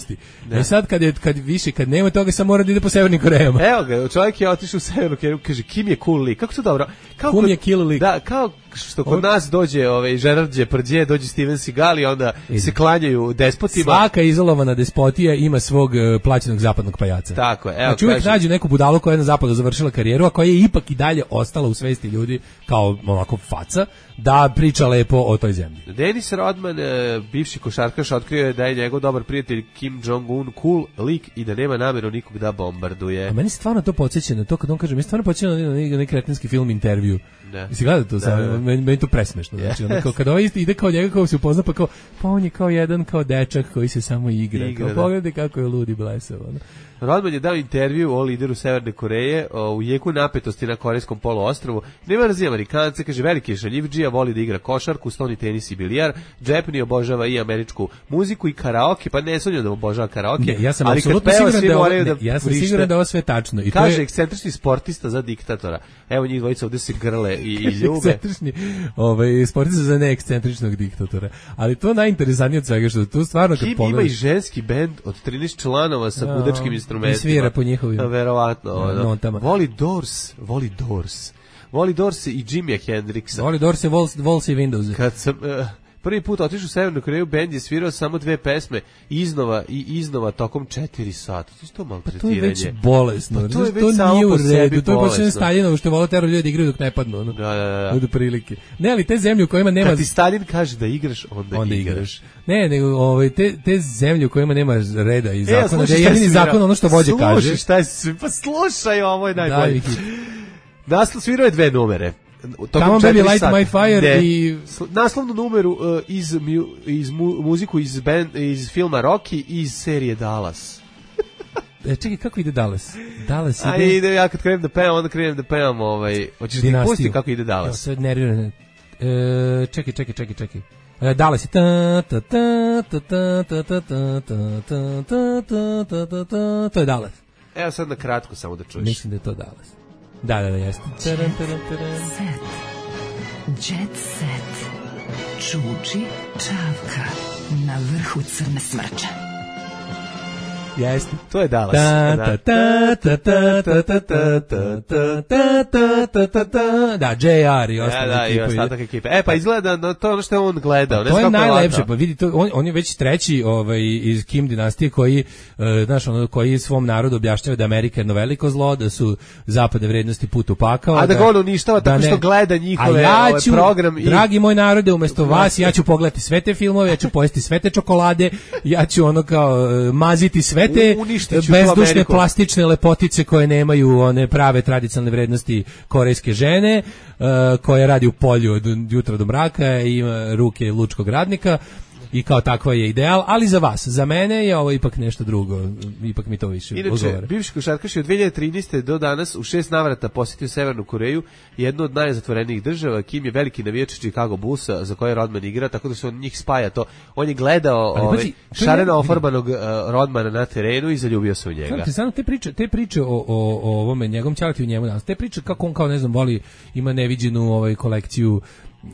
Da. I sad kad, je, kad više, kad nema toga, sam mora da ide po Severnim Korejama. Evo ga, čovjek je otišao u Severnu Koreju, kaže, Kim je cool lik, kako to dobro? Kao Kim je kill lik. Da, kao što kod nas dođe ovaj Gerard Depardieu, dođe Steven Seagal i onda Idi. se klanjaju despotima. Svaka izolovana despotija ima svog uh, plaćenog zapadnog pajaca. Tako je. Evo, znači uvijek nađu neku budalu koja je na zapadu završila karijeru, a koja je ipak i dalje ostala u svesti ljudi kao onako faca, da priča lepo o toj zemlji. Denis Rodman, bivši košarkaš, otkrio je da je njegov dobar prijatelj Kim Jong-un cool lik i da nema namjeru nikog da bombarduje. A meni stvarno to podsjeća na to kad on kaže, mi stvarno podsjeća na neki kretenski film Intervju. Da. Jesi gledao to? Da, sam, da. Meni, meni to presmešno. Znači, ono, kao, kada ovaj ide kao njega, kao se upozna, pa kao, pa on je kao jedan kao dečak koji se samo igra. igra kao, pogledaj kako je ludi blesav. Ono. Rodman je dao intervju o lideru Severne Koreje o, u jeku napetosti na korejskom poluostrvu. Nema razine Amerikanca, kaže, veliki je šaljivdžija, voli da igra košarku, stoni tenis i bilijar, džepni obožava i američku muziku i karaoke, pa ne sumnjam da obožava karaoke. Ne, ja sam apsolutno siguran da, ovo, ne, da ja sam siguran da ovo sve tačno. I kaže, to je ekscentrični sportista za diktatora. Evo njih dvojica ovdje se grle i, i ljube. Ekscentrični ovaj, sportista za neekscentričnog diktatora. Ali to najinteresantnije od svega što tu stvarno kad pogledaš. Kim ima i ženski bend od trinaest članova sa no, budačkim instrumentima. I svira po njihovim verovatno ono. Voli Doors, voli Doors. Voli Doors i Jimmy Hendrixa. Voli Doors i Walls i Windows. Kad sam uh, prvi put otišao u Severnu Koreju, bend je svirao samo dve pesme iznova i iznova tokom četiri sata. To je to maltretiranje. Pa to je već bolesno. Pa to je već to samo nije po sebi to je počinje Staljinovo što vole tero ljudi igraju dok ne padnu. Ono. Da, da, da. Od prilike. Ne, ali te zemlje u kojima nema... Kad ti Stalin kaže da igraš, onda, onda igraš. igraš. Ne, nego ovaj, te, te zemlje u kojima nema reda i zakona, e, da je jedini zakon ono što vođe kaže. Slušaj šta je, pa slušaj, ovo je najbolje. Naslov svirao je dve numere. Come on baby light my fire de, i naslovnu numeru uh, iz, iz mu, muziku iz, band, iz filma Rocky i iz serije Dallas. E, čekaj, kako ide Dallas? Dallas ide... A ide, ja kad krenem da pevam, onda krenem da pevam ovaj, hoćeš ti pustiti kako ide Dallas? Evo, sve nervirane. E, čekaj, čekaj, čekaj, čekaj. E, Dallas je ta ta ta ta ta ta ta ta ta ta ta ta ta ta. To je Dallas. Evo sad na kratko samo da čuješ. Mislim da je to Dallas. Da, da, da, jeste. Jet set. Jet set. Čuči čavka na vrhu crne smrče. Jeste, to je Dallas. Ta ta ta ta ta ta ta ta ta ta ta ta ta. Da, J R i ostale ekipe. Da, i ostatak ekipe. E, pa izgleda, no, to je ono što je on gledao. To je najlepše, pa vidi, to, on, on je već treći ovaj, iz Kim dinastije koji, uh, znaš, ono, koji svom narodu objašnjava da Amerika je jedno veliko zlo, da su zapadne vrednosti put u pakao. A da, da ga on uništava tako što gleda njihove ja ću, ovaj program. I... Dragi moj narode, umjesto vas, ja ću pogledati sve te filmove, ja ću pojesti sve te čokolade, ja ću ono kao uh, maziti sve te bezdušne plastične lepotice koje nemaju one prave tradicionalne vrednosti korejske žene, uh, koja radi u polju od jutra do mraka i ima ruke lučkog radnika i kao takva je ideal, ali za vas, za mene je ovo ipak nešto drugo, ipak mi to više odgovara. Inače, bivši košarkaš je od dve hiljade trinaeste do danas u šest navrata posjetio Severnu Koreju, jednu od najzatvorenijih država. Kim je veliki navijač Chicago Bullsa za koje Rodman igra, tako da se on njih spaja to. On je gledao ovaj, šareno ofarbanog uh, Rodmana na terenu i zaljubio se u njega. Znate, samo te priče, te priče o, o, o ovome njegovom ćalati u njemu danas, te priče kako on kao ne znam voli, ima neviđenu ovaj kolekciju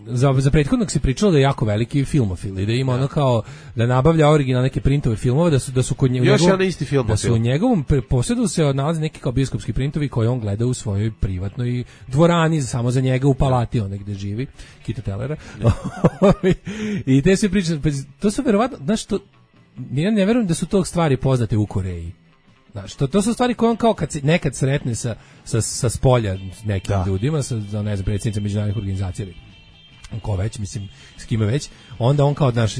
za, za prethodnog se pričalo da je jako veliki filmofil i da ima ja. ono kao da nabavlja originalne neke printove filmova, da su da su kod njega još jedan isti film, da su u njegovom posjedu se nalaze neki kao bioskopski printovi koje on gleda u svojoj privatnoj dvorani samo za njega u palati onde gde živi Kita Tellera. I te se priče, to su verovatno, znaš što, ja ne verujem da su to stvari poznate u Koreji. Znaš, to, to su stvari koje on kao kad se nekad sretne sa, sa, sa spolja nekim da. ljudima, sa, ne znam, predsjednicama međunarodnih organizacija, ko već, mislim, s kime već, onda on kao, znaš,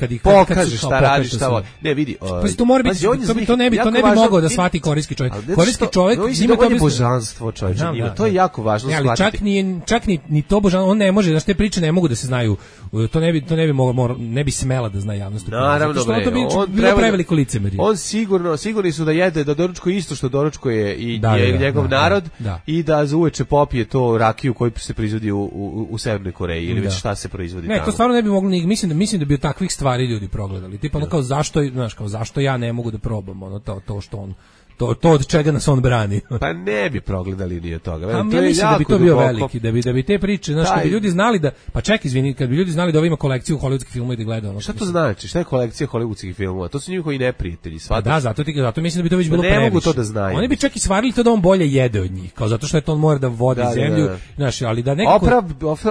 kad ih pokaže šta radi, šta voli. Ne, vidi. Pa to mora biti, to, to ne bi, to ne bi mogao da shvati korejski čovjek. Korejski čovjek ima to božanstvo, čovječe, ima. To je jako važno shvatiti. Čak ni čak ni ni to božanstvo, on ne može, znaš, te priče ne mogu da se znaju. To ne bi to ne bi moglo, ne bi smela da zna javnost. Naravno, bre, on bilo preveliko licemerje. On sigurno, sigurni su da jede, da doručkuje isto što doručkuje i njegov narod i da za uveče popije to rakiju koju se proizvodi u u Severnoj Koreji ili već šta se proizvodi tamo. Ne, to stvarno ne bi moglo ni, mislim da mislim da bi takvih stvari ljudi progledali. Tipa ono kao zašto, znaš, kao zašto ja ne mogu da probam ono to to što on to to od čega nas on brani. Pa ne bi progledali ni od toga. Velim, to ja mislim da bi to bio duboko. Veliki, da bi da bi te priče, znaš, kad bi ljudi znali da pa ček, izvini, kad bi ljudi znali da ovo ima kolekciju hollywoodskih filmova i da gledaju ono. Šta to znači? Šta je kolekcija hollywoodskih filmova? To su njihovi neprijatelji, svađa. Da, zato ti zato mislim da bi to već bilo previše. Ne mogu to da znaju. Oni bi čak i svarili to da on bolje jede od njih, kao zato što je to on mora da vodi da, zemlju, da, da. Znaš, ali da nekako Oprav,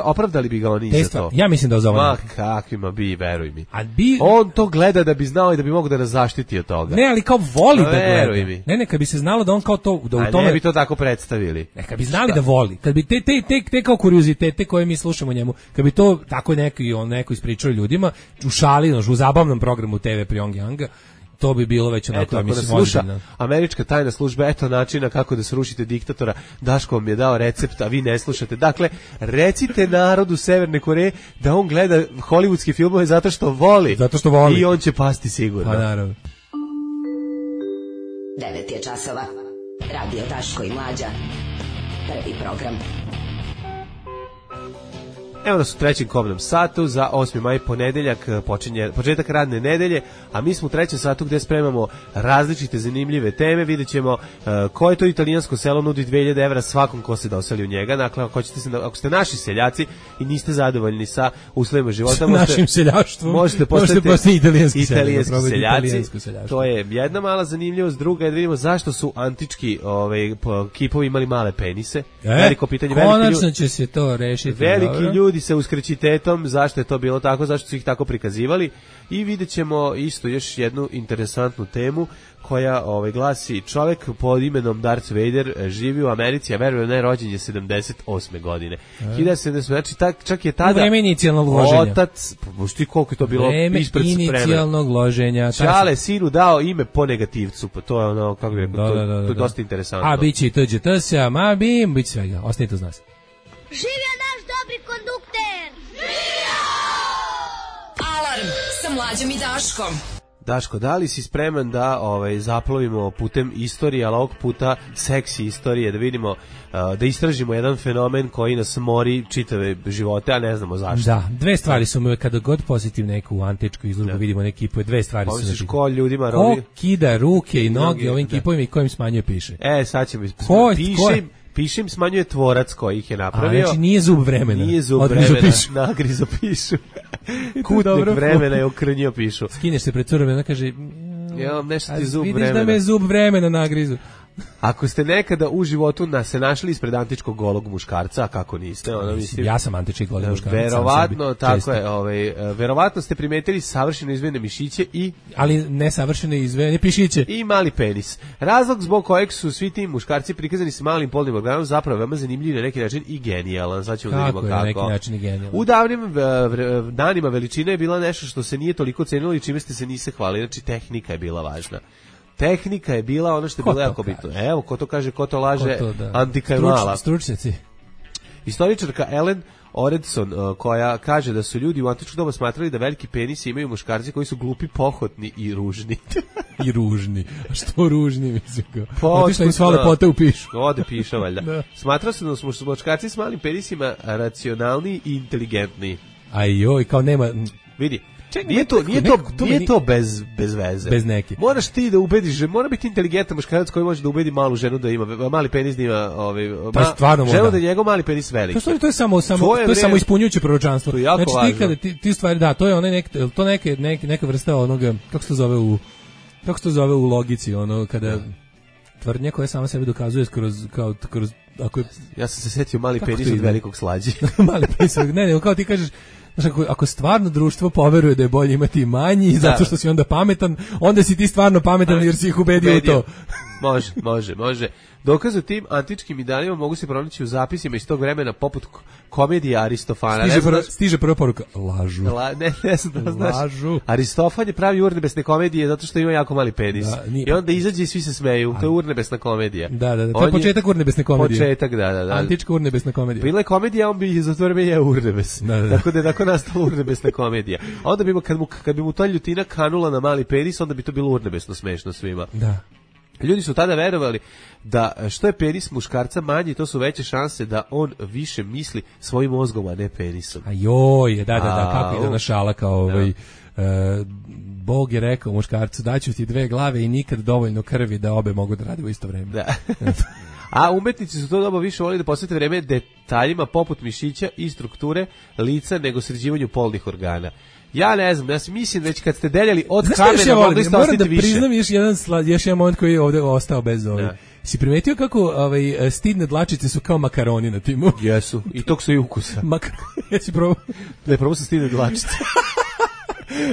opravdali bi ga oni za to. Ja mislim da za Ma kakvima bi, veruj mi. A bi on to gleda da bi znao i da bi mogao da nas zaštiti od toga. Ne, ali kao voli da gleda. Ne, ne, kad bi se znalo da on kao to da u tome ne bi to tako predstavili. Neka bi znali da voli. Kad bi te te te, te kao kuriozitete koje mi slušamo njemu, kad bi to tako neki on neko ispričao ljudima, u šali, u zabavnom programu te ve Pyongyanga, to bi bilo već onako, eto, mislim, sluša američka tajna služba, eto načina kako da srušite diktatora, Daško vam je dao recept, a vi ne slušate. Dakle, recite narodu Severne Koreje da on gleda hollywoodske filmove zato što voli. Zato što voli. I on će pasti sigurno. Pa naravno. devet je časova. Radio Daško i Mlađa. Prvi program. Evo nas u trećem kobnom satu za osmi maj, ponedeljak, počinje, početak radne nedelje, a mi smo u trećem satu gde spremamo različite zanimljive teme. Vidjet ćemo uh, koje to italijansko selo nudi dve hiljade evra svakom ko se doseli u njega. Dakle, ako, se, ako ste naši seljaci i niste zadovoljni sa uslovima života, možete, našim seljaštvom, možete postati možete italijanski, italijanski seljaci. seljaci. To je jedna mala zanimljivost. Druga je da vidimo zašto su antički ovaj, kipovi imali male penise. E, Veliko pitanje. Konačno ljudi, će se to rešiti. Veliki dobro. Ljudi se uskrćitetom, zašto je to bilo tako, zašto su ih tako prikazivali, i vidjet ćemo isto još jednu interesantnu temu koja ovaj, glasi: čovjek pod imenom Darth Vader živi u Americi, a veruje ne, rođen je sedamdeset osme godine. E. hiljadu sedamsto, znači tak, čak je tada... U vreme inicijalnog loženja. Otac, pošti koliko je to bilo vreme ispred spreme. Vreme inicijalnog loženja. Čale sinu dao ime po negativcu, pa to je ono, kako bi rekao, da, to, da, da, da. to je dosta interesantno. A biće i to će to se, a ma bim, bit svega, ostanite uz nas. Živio naš dobri kondukter! Živio! Alarm sa Mlađom i Daškom. Daško, da li si spreman da ovaj, zaplovimo putem istorije, ali ovog puta seksi istorije, da vidimo, uh, da istražimo jedan fenomen koji nas mori čitave živote, a ne znamo zašto. Da, dve stvari su mi, kada god posjetim neku antičku izložbu, vidimo neke kipove, dve stvari su. Pomisliš ko ljudima robi? Ko kida ruke i noge ovim kipovima i kojim smanjuje piše. E, sad ćemo pišem. Pišem smanjuje tvorac koji ih je napravio. A, znači nije zub vremena. Nije zub vremena, nagrizo pišu. Kutnik vremena je okrnjio pišu. Skineš se pred curom i ona kaže... Ja, nešto ti zub vidiš vremena. Vidiš da me zub vremena nagrizu. Ako ste nekada u životu na, se našli ispred antičkog golog muškarca, a kako niste, ono mislim, ja sam antički golog muškarac. Verovatno, tako često. Je, ovaj, verovatno ste primetili savršeno izvijene mišiće i ali ne savršeno izvijene pišiće i mali penis. Razlog zbog kojeg su svi ti muškarci prikazani sa malim polnim organom zapravo veoma zanimljiv na neki način i genijalan. Sad ćemo da vidimo kako. Na neki način i genijalan. U davnim danima veličina je bila nešto što se nije toliko cenilo i čime ste se niste hvalili, znači tehnika je bila važna. Tehnika je bila ono što je bilo jako bitno. Evo, ko to kaže, ko to laže, ko to, da. Antika je Struč, mala. Stručnjaci. Istoričarka Ellen Oredson, uh, koja kaže da su ljudi u antičko doba smatrali da veliki penisi imaju muškarci koji su glupi, pohotni i ružni. I ružni. A što ružni, mislim ga? Otišla im sva lepote u pišu. Ode piša, valjda. Da. Smatrao se da su muškarci s malim penisima racionalniji i inteligentniji. A joj, kao nema... Vidi, Ček, nije to, nije to, nije to bez, bez veze. Bez neke. Moraš ti da ubediš, mora biti inteligentan muškarac koji može da ubedi malu ženu da ima, mali penis da ima, ovaj, pa stvarno ženu da je njegov mali penis veliki. To, to je samo, samo, to je, to je samo ispunjujuće proročanstvo. Znači ti kada, ti, ti stvari, da, to je onaj nek, to neke, neke, neka vrsta onoga, kako se to zove u, kako se to zove u logici, ono, kada tvrdnja koja sama sebe dokazuje kroz, kao, kroz, ako je... Ja sam se setio mali penis od velikog slađi. Mali penis, ne, ne, kao ti kažeš, znaš, ako, ako stvarno društvo poveruje da je bolje imati manji, da, zato što si onda pametan, onda si ti stvarno pametan jer si ih ubedio, ubedio. u to. Može, može, može. Dokaz o tim antičkim idealima mogu se pronaći u zapisima iz tog vremena poput komedije Aristofana. Stiže, prva, stiže prva poruka, lažu. La, ne, ne znam da znaš. Lažu. Aristofan je pravi urnebesne komedije zato što ima jako mali penis. Da, I onda izađe i svi se smeju. To je urnebesna komedija. Da, da, da. To je početak urnebesne komedije. Početak, da, da, da. Antička urnebesna komedija. Bila je komedija, on bi za to vreme je urnebes. Da, da. Tako da je tako nastala urnebesna komedija. A onda bi mu, kad, mu, kad bi mu ta ljutina kanula na mali penis, onda bi to bilo urnebesno smešno svima. Da. Ljudi su tada verovali da što je penis muškarca manji, to su veće šanse da on više misli svojim mozgom, a ne penisom. A joj, da, da, da, kako ide ona šala kao ovaj, uh, Bog je rekao muškarcu, daću ti dve glave i nikad dovoljno krvi da obe mogu da rade u isto vreme. Da. A umetnici su to doba više volili da posvete vreme detaljima poput mišića i strukture lica nego sređivanju polnih organa. Ja ne znam, ja mislim već kad ste deljali od kamena, ja mogli ste ostati više. Moram da priznam još jedan, još jedan moment koji je ovde ostao bez ovaj. Da. Si primetio kako ovaj, stidne dlačice su kao makaroni na timu? Jesu, i tog su i ukusa. Makar... Jesi probao? Da je probao sa stidne dlačice.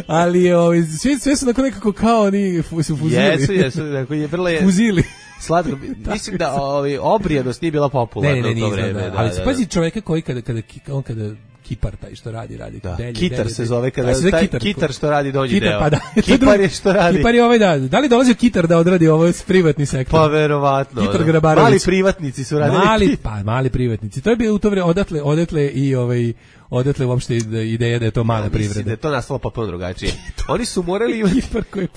Ali ovaj, sve, sve su onako nekako kao oni su fuzili. Jesu, jesu, neko je vrlo je... Fuzili. Slatko, mislim da ovaj, obrijanost nije bila popularna ne, ne, ne, u to vreme. Da, da, ali da, da. Pazi čoveka koji kada, kada, on kada kipar taj što radi, radi. Da. Delje, kitar delje, se zove kada se taj kitar, kitar što radi donji kitar, deo. Pa da, Kipar je što radi. Kipar je ovaj da. Da li dolazio kitar da odradi ovo s privatni sektor? Pa verovatno. Kitar Grabarović. Mali privatnici su radili. Mali, pa mali privatnici. To je bilo u to vreme odatle, odatle i ovaj odatle uopšte ideja da je to mala ja, privreda. Da je to nastalo potpuno drugačije. Oni su morali imati,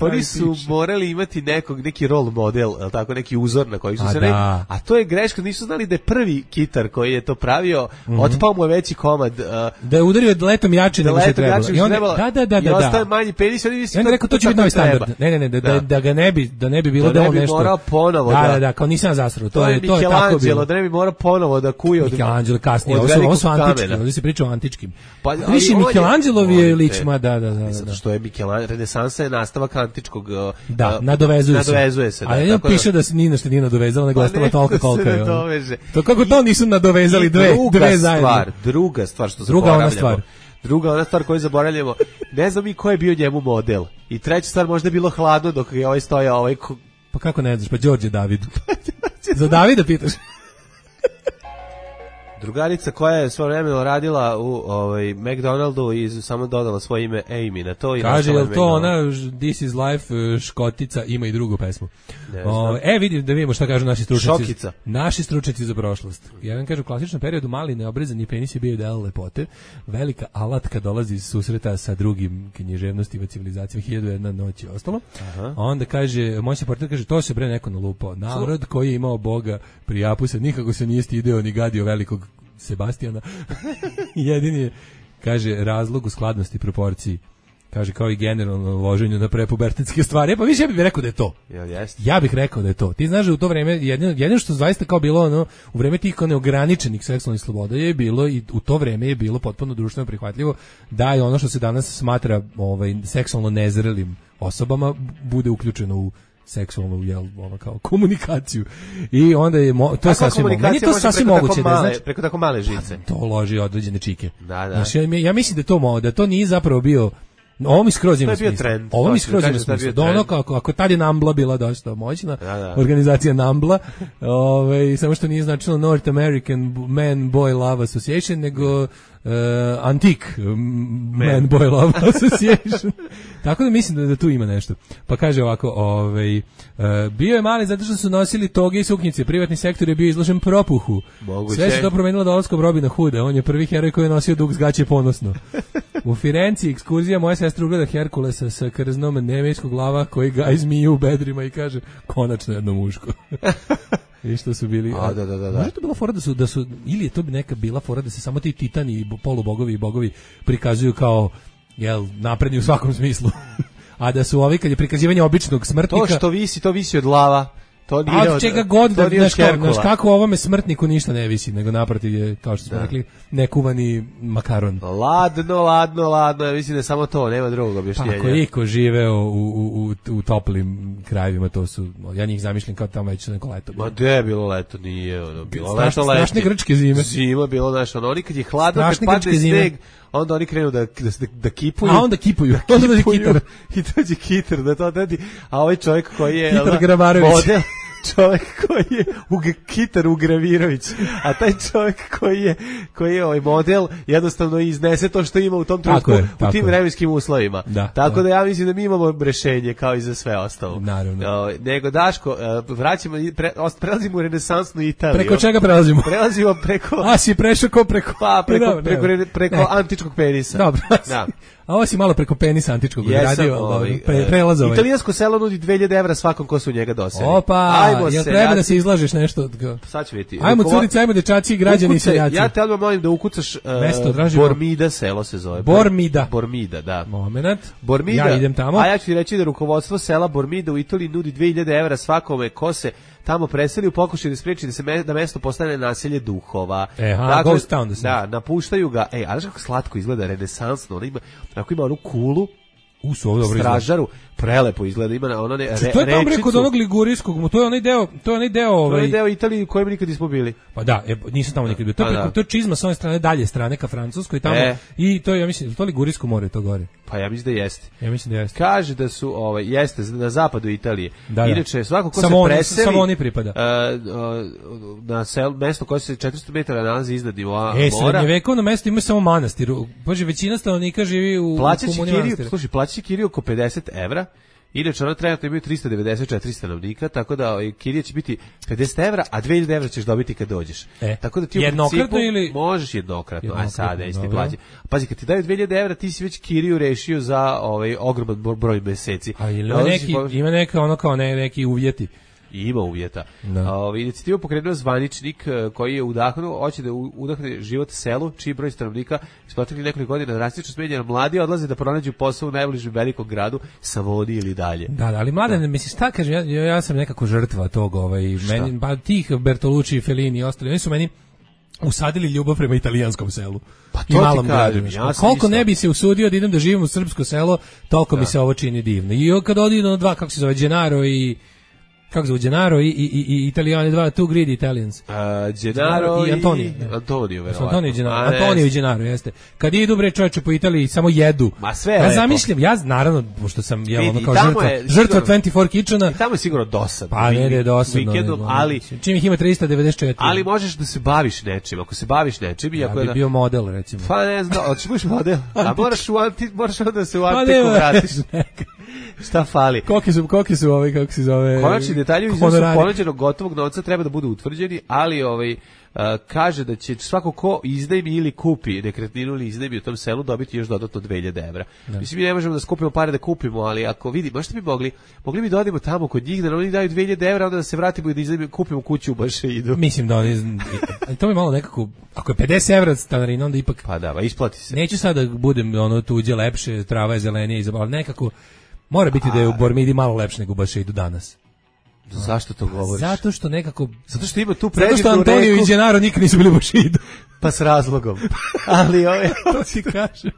oni su morali imati nekog neki role model, el tako neki uzor na koji su a se rekli, a to je greška, nisu znali da je prvi kitar koji je to pravio, mm-hmm. otpao mu je veći komad. Uh, da je udario letom jače nego što trebalo. I onda da da da da. I ostaje manji penis, oni misle. Ja rekao to će biti novi standard. Ne, ne, ne, da, da, da ga ne bi, da ne bi bilo da on nešto. Morao ponovo da. Da, da, kao nisam zasrao. To je to je tako bilo. Da ne bi morao ponovo da kuje od Michelangelo kasnije. Ovo su antički, ovdje se priča o antičkim. Više Michelangelovi je ličma, da, da, da. Zato što je Michelangelo, renesansa je nastavak antičkog. Da, nadovezuje se. Nadovezuje se, da. A ja piše da se ni nešto nije nadovezalo, nego ostalo toliko koliko je. To kako to nisu nadovezali dve, dve zajedno. Stvar, druga stvar što druga ona stvar. Druga ona stvar koju zaboravljamo, ne znam i ko je bio njemu model. I treća stvar možda je bilo hladno dok je ovaj stojao ovaj. Pa kako ne znaš, pa Đorđe David. Za Davida pitaš? Drugarica koja je svoje vremeno radila u ovaj McDonaldu i samo dodala svoje ime Amy na to i kaže je to ona This is Life Škotica ima i drugu pesmu. O, e vidim da vidimo šta kažu naši stručnjaci. Šokica. Naši stručnjaci za prošlost. Jedan kaže u klasičnom periodu mali neobrezani penis je bio ideal lepote. Velika alatka dolazi iz susreta sa drugim književnostima civilizacijama hiljadu i jedna noć i ostalo. Aha. A onda kaže moj se portir kaže to se bre neko nalupao. Narod koji je imao Boga pri Japusa nikako se nije stideo ni gadio velikog Sebastijana. Jedini je, kaže, razlog u skladnosti proporciji. Kaže, kao i generalno loženju na prepubertetske stvari. E pa više ja bih rekao da je to. Jel jeste? Ja bih rekao da je to. Ti znaš da u to vreme, jedino, jedino što zaista kao bilo ono, u vreme tih neograničenih seksualnih sloboda je bilo i u to vreme je bilo potpuno društveno prihvatljivo da je ono što se danas smatra ovaj, seksualno nezrelim osobama bude uključeno u seksualnu jel ono kao komunikaciju i onda je mo, to je sasvim meni to sasvim moguće male, da znači preko tako male žice to loži određene čike. Da, da. Znači, ja, ja mislim da to mo, da to nije zapravo bio ovo mi skroz ima smisla. Ovo mi skroz ima smisla. Da ono kako ako tad je Nambla bila dosta moćna da, da. Organizacija Nambla, ovaj samo što nije značilo North American Man Boy Love Association nego Uh, Antique Man, Man Boy Love Association. Tako da mislim da, da tu ima nešto. Pa kaže ovako, ovaj, uh, bio je mali zato što su nosili toge i suknjice. Privatni sektor je bio izložen propuhu. Moguće. Sve se to promenilo dolaskom Robina Hooda. On je prvi heroj koji je nosio dug s gaće ponosno. U Firenci ekskurzija moja sestra ugleda Herkulesa sa krznom nemejskog glava koji ga izmije u bedrima i kaže konačno jedno muško. I što su bili a, da, da, da, da. Možda to bila fora da su, da su ili je to neka bila fora da se samo ti titani i polubogovi i bogovi prikazuju kao jel, napredni u svakom smislu. A da su ovi, kad je prikazivanje običnog smrtnika... To što visi, to visi od lava. To nije od čega god, da, znaš, znaš kako o ovome smrtniku ništa ne visi, nego naprotiv je, kao što smo da. rekli, nekuvani makaron. Ladno, ladno, ladno, ja mislim da je samo to, nema drugog objašnjenja. Pa ako je iko živeo u, u, u, u toplim krajevima, to su, ja njih zamišljam kao tamo već neko leto. Ma gde je bilo leto, nije, ono, bilo Straš, leto, strašne leti. grčke zime. Zima bilo, znaš, ono, oni kad je hladno, kad padne sneg, onda oni krenu da, da, da kipuju. A onda kipuju, da onda dođe kitar. I dođe kitar, da to odredi, a ovaj čovjek koji je... Kitar Gramarović. Model, čovjek koji je Ug, Kitar Ugravirović, a taj čovjek koji je koji je ovaj model jednostavno iznese to što ima u tom trenutku je, u tim vremenskim uslovima. Da, tako da. da ja mislim da mi imamo rešenje kao i za sve ostalo. Naravno. O, nego Daško, vraćamo pre, prelazimo u renesansnu Italiju. Preko čega prelazimo? Prelazimo preko A si prešao ko preko pa preko Dobre, preko, preko, preko ne. antičkog penisa. Dobro. Da. A ovo si malo preko penisa antičkog radio, ovaj, pre, prelaz ovaj. Italijansko selo nudi dve hiljade evra svakom ko se u njega doseli. Opa, ajmo jel se, treba ja da se izlažeš nešto? Sad ću vidjeti. Ajmo curice, ajmo dečaci i građani i seljaci. Ja te odmah molim da ukucaš uh, Mesto, Bormida selo se zove. Bormida. Bormida, da. Momenat. Bormida. Ja idem tamo. A ja ću ti reći da rukovodstvo sela Bormida u Italiji nudi dve hiljade evra svakome ko se tamo preseli u pokušaju da spreči da se me, da mesto postane naselje duhova. E, ha, dakle, ghost town da se. Da, napuštaju ga. Ej, a znaš kako slatko izgleda, renesansno. Ona ima, ako ima onu kulu, u su dobro stražaru, prelepo izgleda, ima ono ne re, to je tamo preko od onog ligurijskog, to je onaj deo, to je onaj deo, ovaj. To je deo Italije u kojem nikad nismo bili. Pa da, e, nisam tamo nikad bio. To je preko, to je čizma sa one strane dalje strane ka Francuskoj tamo e. I to je, ja mislim, to je Ligurijsko more to gore. Pa ja mislim da jeste. Ja mislim da jeste. Kaže da su ovaj jeste na zapadu Italije. Da, inače da. svako ko samo se on, preseli samo oni pripada. Uh, uh, na sel, mesto koje se četiristo metara nalazi iznad nivoa e, mora. E, srednjevekovno mesto ima samo manastir. Bože, većina stanovnika živi u komuni manastira. Slušaj, plaćaće kiriju oko pedeset evra. Inače, ona trenutno imaju tristo devedeset četiri stanovnika, tako da ovaj, kirija će biti pedeset evra, a dve hiljade evra ćeš dobiti kad dođeš. E, tako da ti u jednokratno ili... možeš jednokratno, jednokratno a sada isti plaći. Pazi, kad ti daju dve hiljade evra, ti si već kiriju rešio za ovaj ogroman broj meseci. A ili ima neki, po... ima neka ono kao ne, neki uvjeti. I ima uvjeta. Ovaj inicijativu pokrenuo zvaničnik koji je udahnuo, hoće da udahne život selu, čiji broj stanovnika iz proteklih nekoliko godina drastično smanjen, mladi odlaze da pronađu posao u najbližem velikom gradu, Savoni ili dalje. Da, da ali mladen, mislim šta kaže, ja, ja sam nekako žrtva tog, ovaj meni pa tih Bertolucci, Fellini i ostali, oni su meni usadili ljubav prema italijanskom selu. Pa to ti kažem, ja koliko ne bi se usudio da idem da živim u srpsko selo, toliko da. Mi se ovo čini divno. I kad odi na dva, kako se zove, Gennaro i kako zove Gennaro i i i Italijani dva, two greedy Italians. Uh, Gennaro i Antonio. Antonio, verovatno. Antonio Gennaro, Antonio i Gennaro, jeste. Kad idu bre čoveče po Italiji samo jedu. Ma sve ja lepo. Zamišljam, ja naravno pošto sam ja ono kao žrtva, je, žrtva dvadeset četiri Kitchena. I tamo je sigurno dosadno. Pa ne, ne dosadno. Vikendom, ali čim ih ima tristo devedeset četiri. Ali možeš da se baviš nečim. Ako se baviš nečim, ja ako bi bio model recimo. Pa ne znam, hoćeš biti model. A moraš u anti, moraš onda se u antiku vratiš. Šta fali? Koliki su, koliki su ovaj, kako se zove? Konačni detalji u iznosu ponuđenog gotovog novca treba da budu utvrđeni, ali ovaj Uh, kaže da će svako ko iznajmi ili kupi nekretninu ili iznajmi u tom selu dobiti još dodatno dve hiljade evra. Da. Mislim, mi ne možemo da skupimo pare da kupimo, ali ako vidimo, možete bi mogli, mogli bi da odemo tamo kod njih, da oni daju dve hiljade evra, onda da se vratimo i da iznajmimo, kupimo kuću u Bašeidu. Mislim da oni, to mi malo nekako, ako je pedeset evra stanarina, onda ipak... Pa da, ba, isplati se. Neću sad da budem ono tuđe lepše, trava je zelenija, ali nekako mora biti da je u Bormidi malo lepše nego u Bašeidu danas. Zašto to govoriš? Zato što nekako... Zato što ima tu predivnu reku... Zato što Antonio i Gennaro nikad nisu bili u Bašeidu. Pa s razlogom. Ali ove... to ti kažem.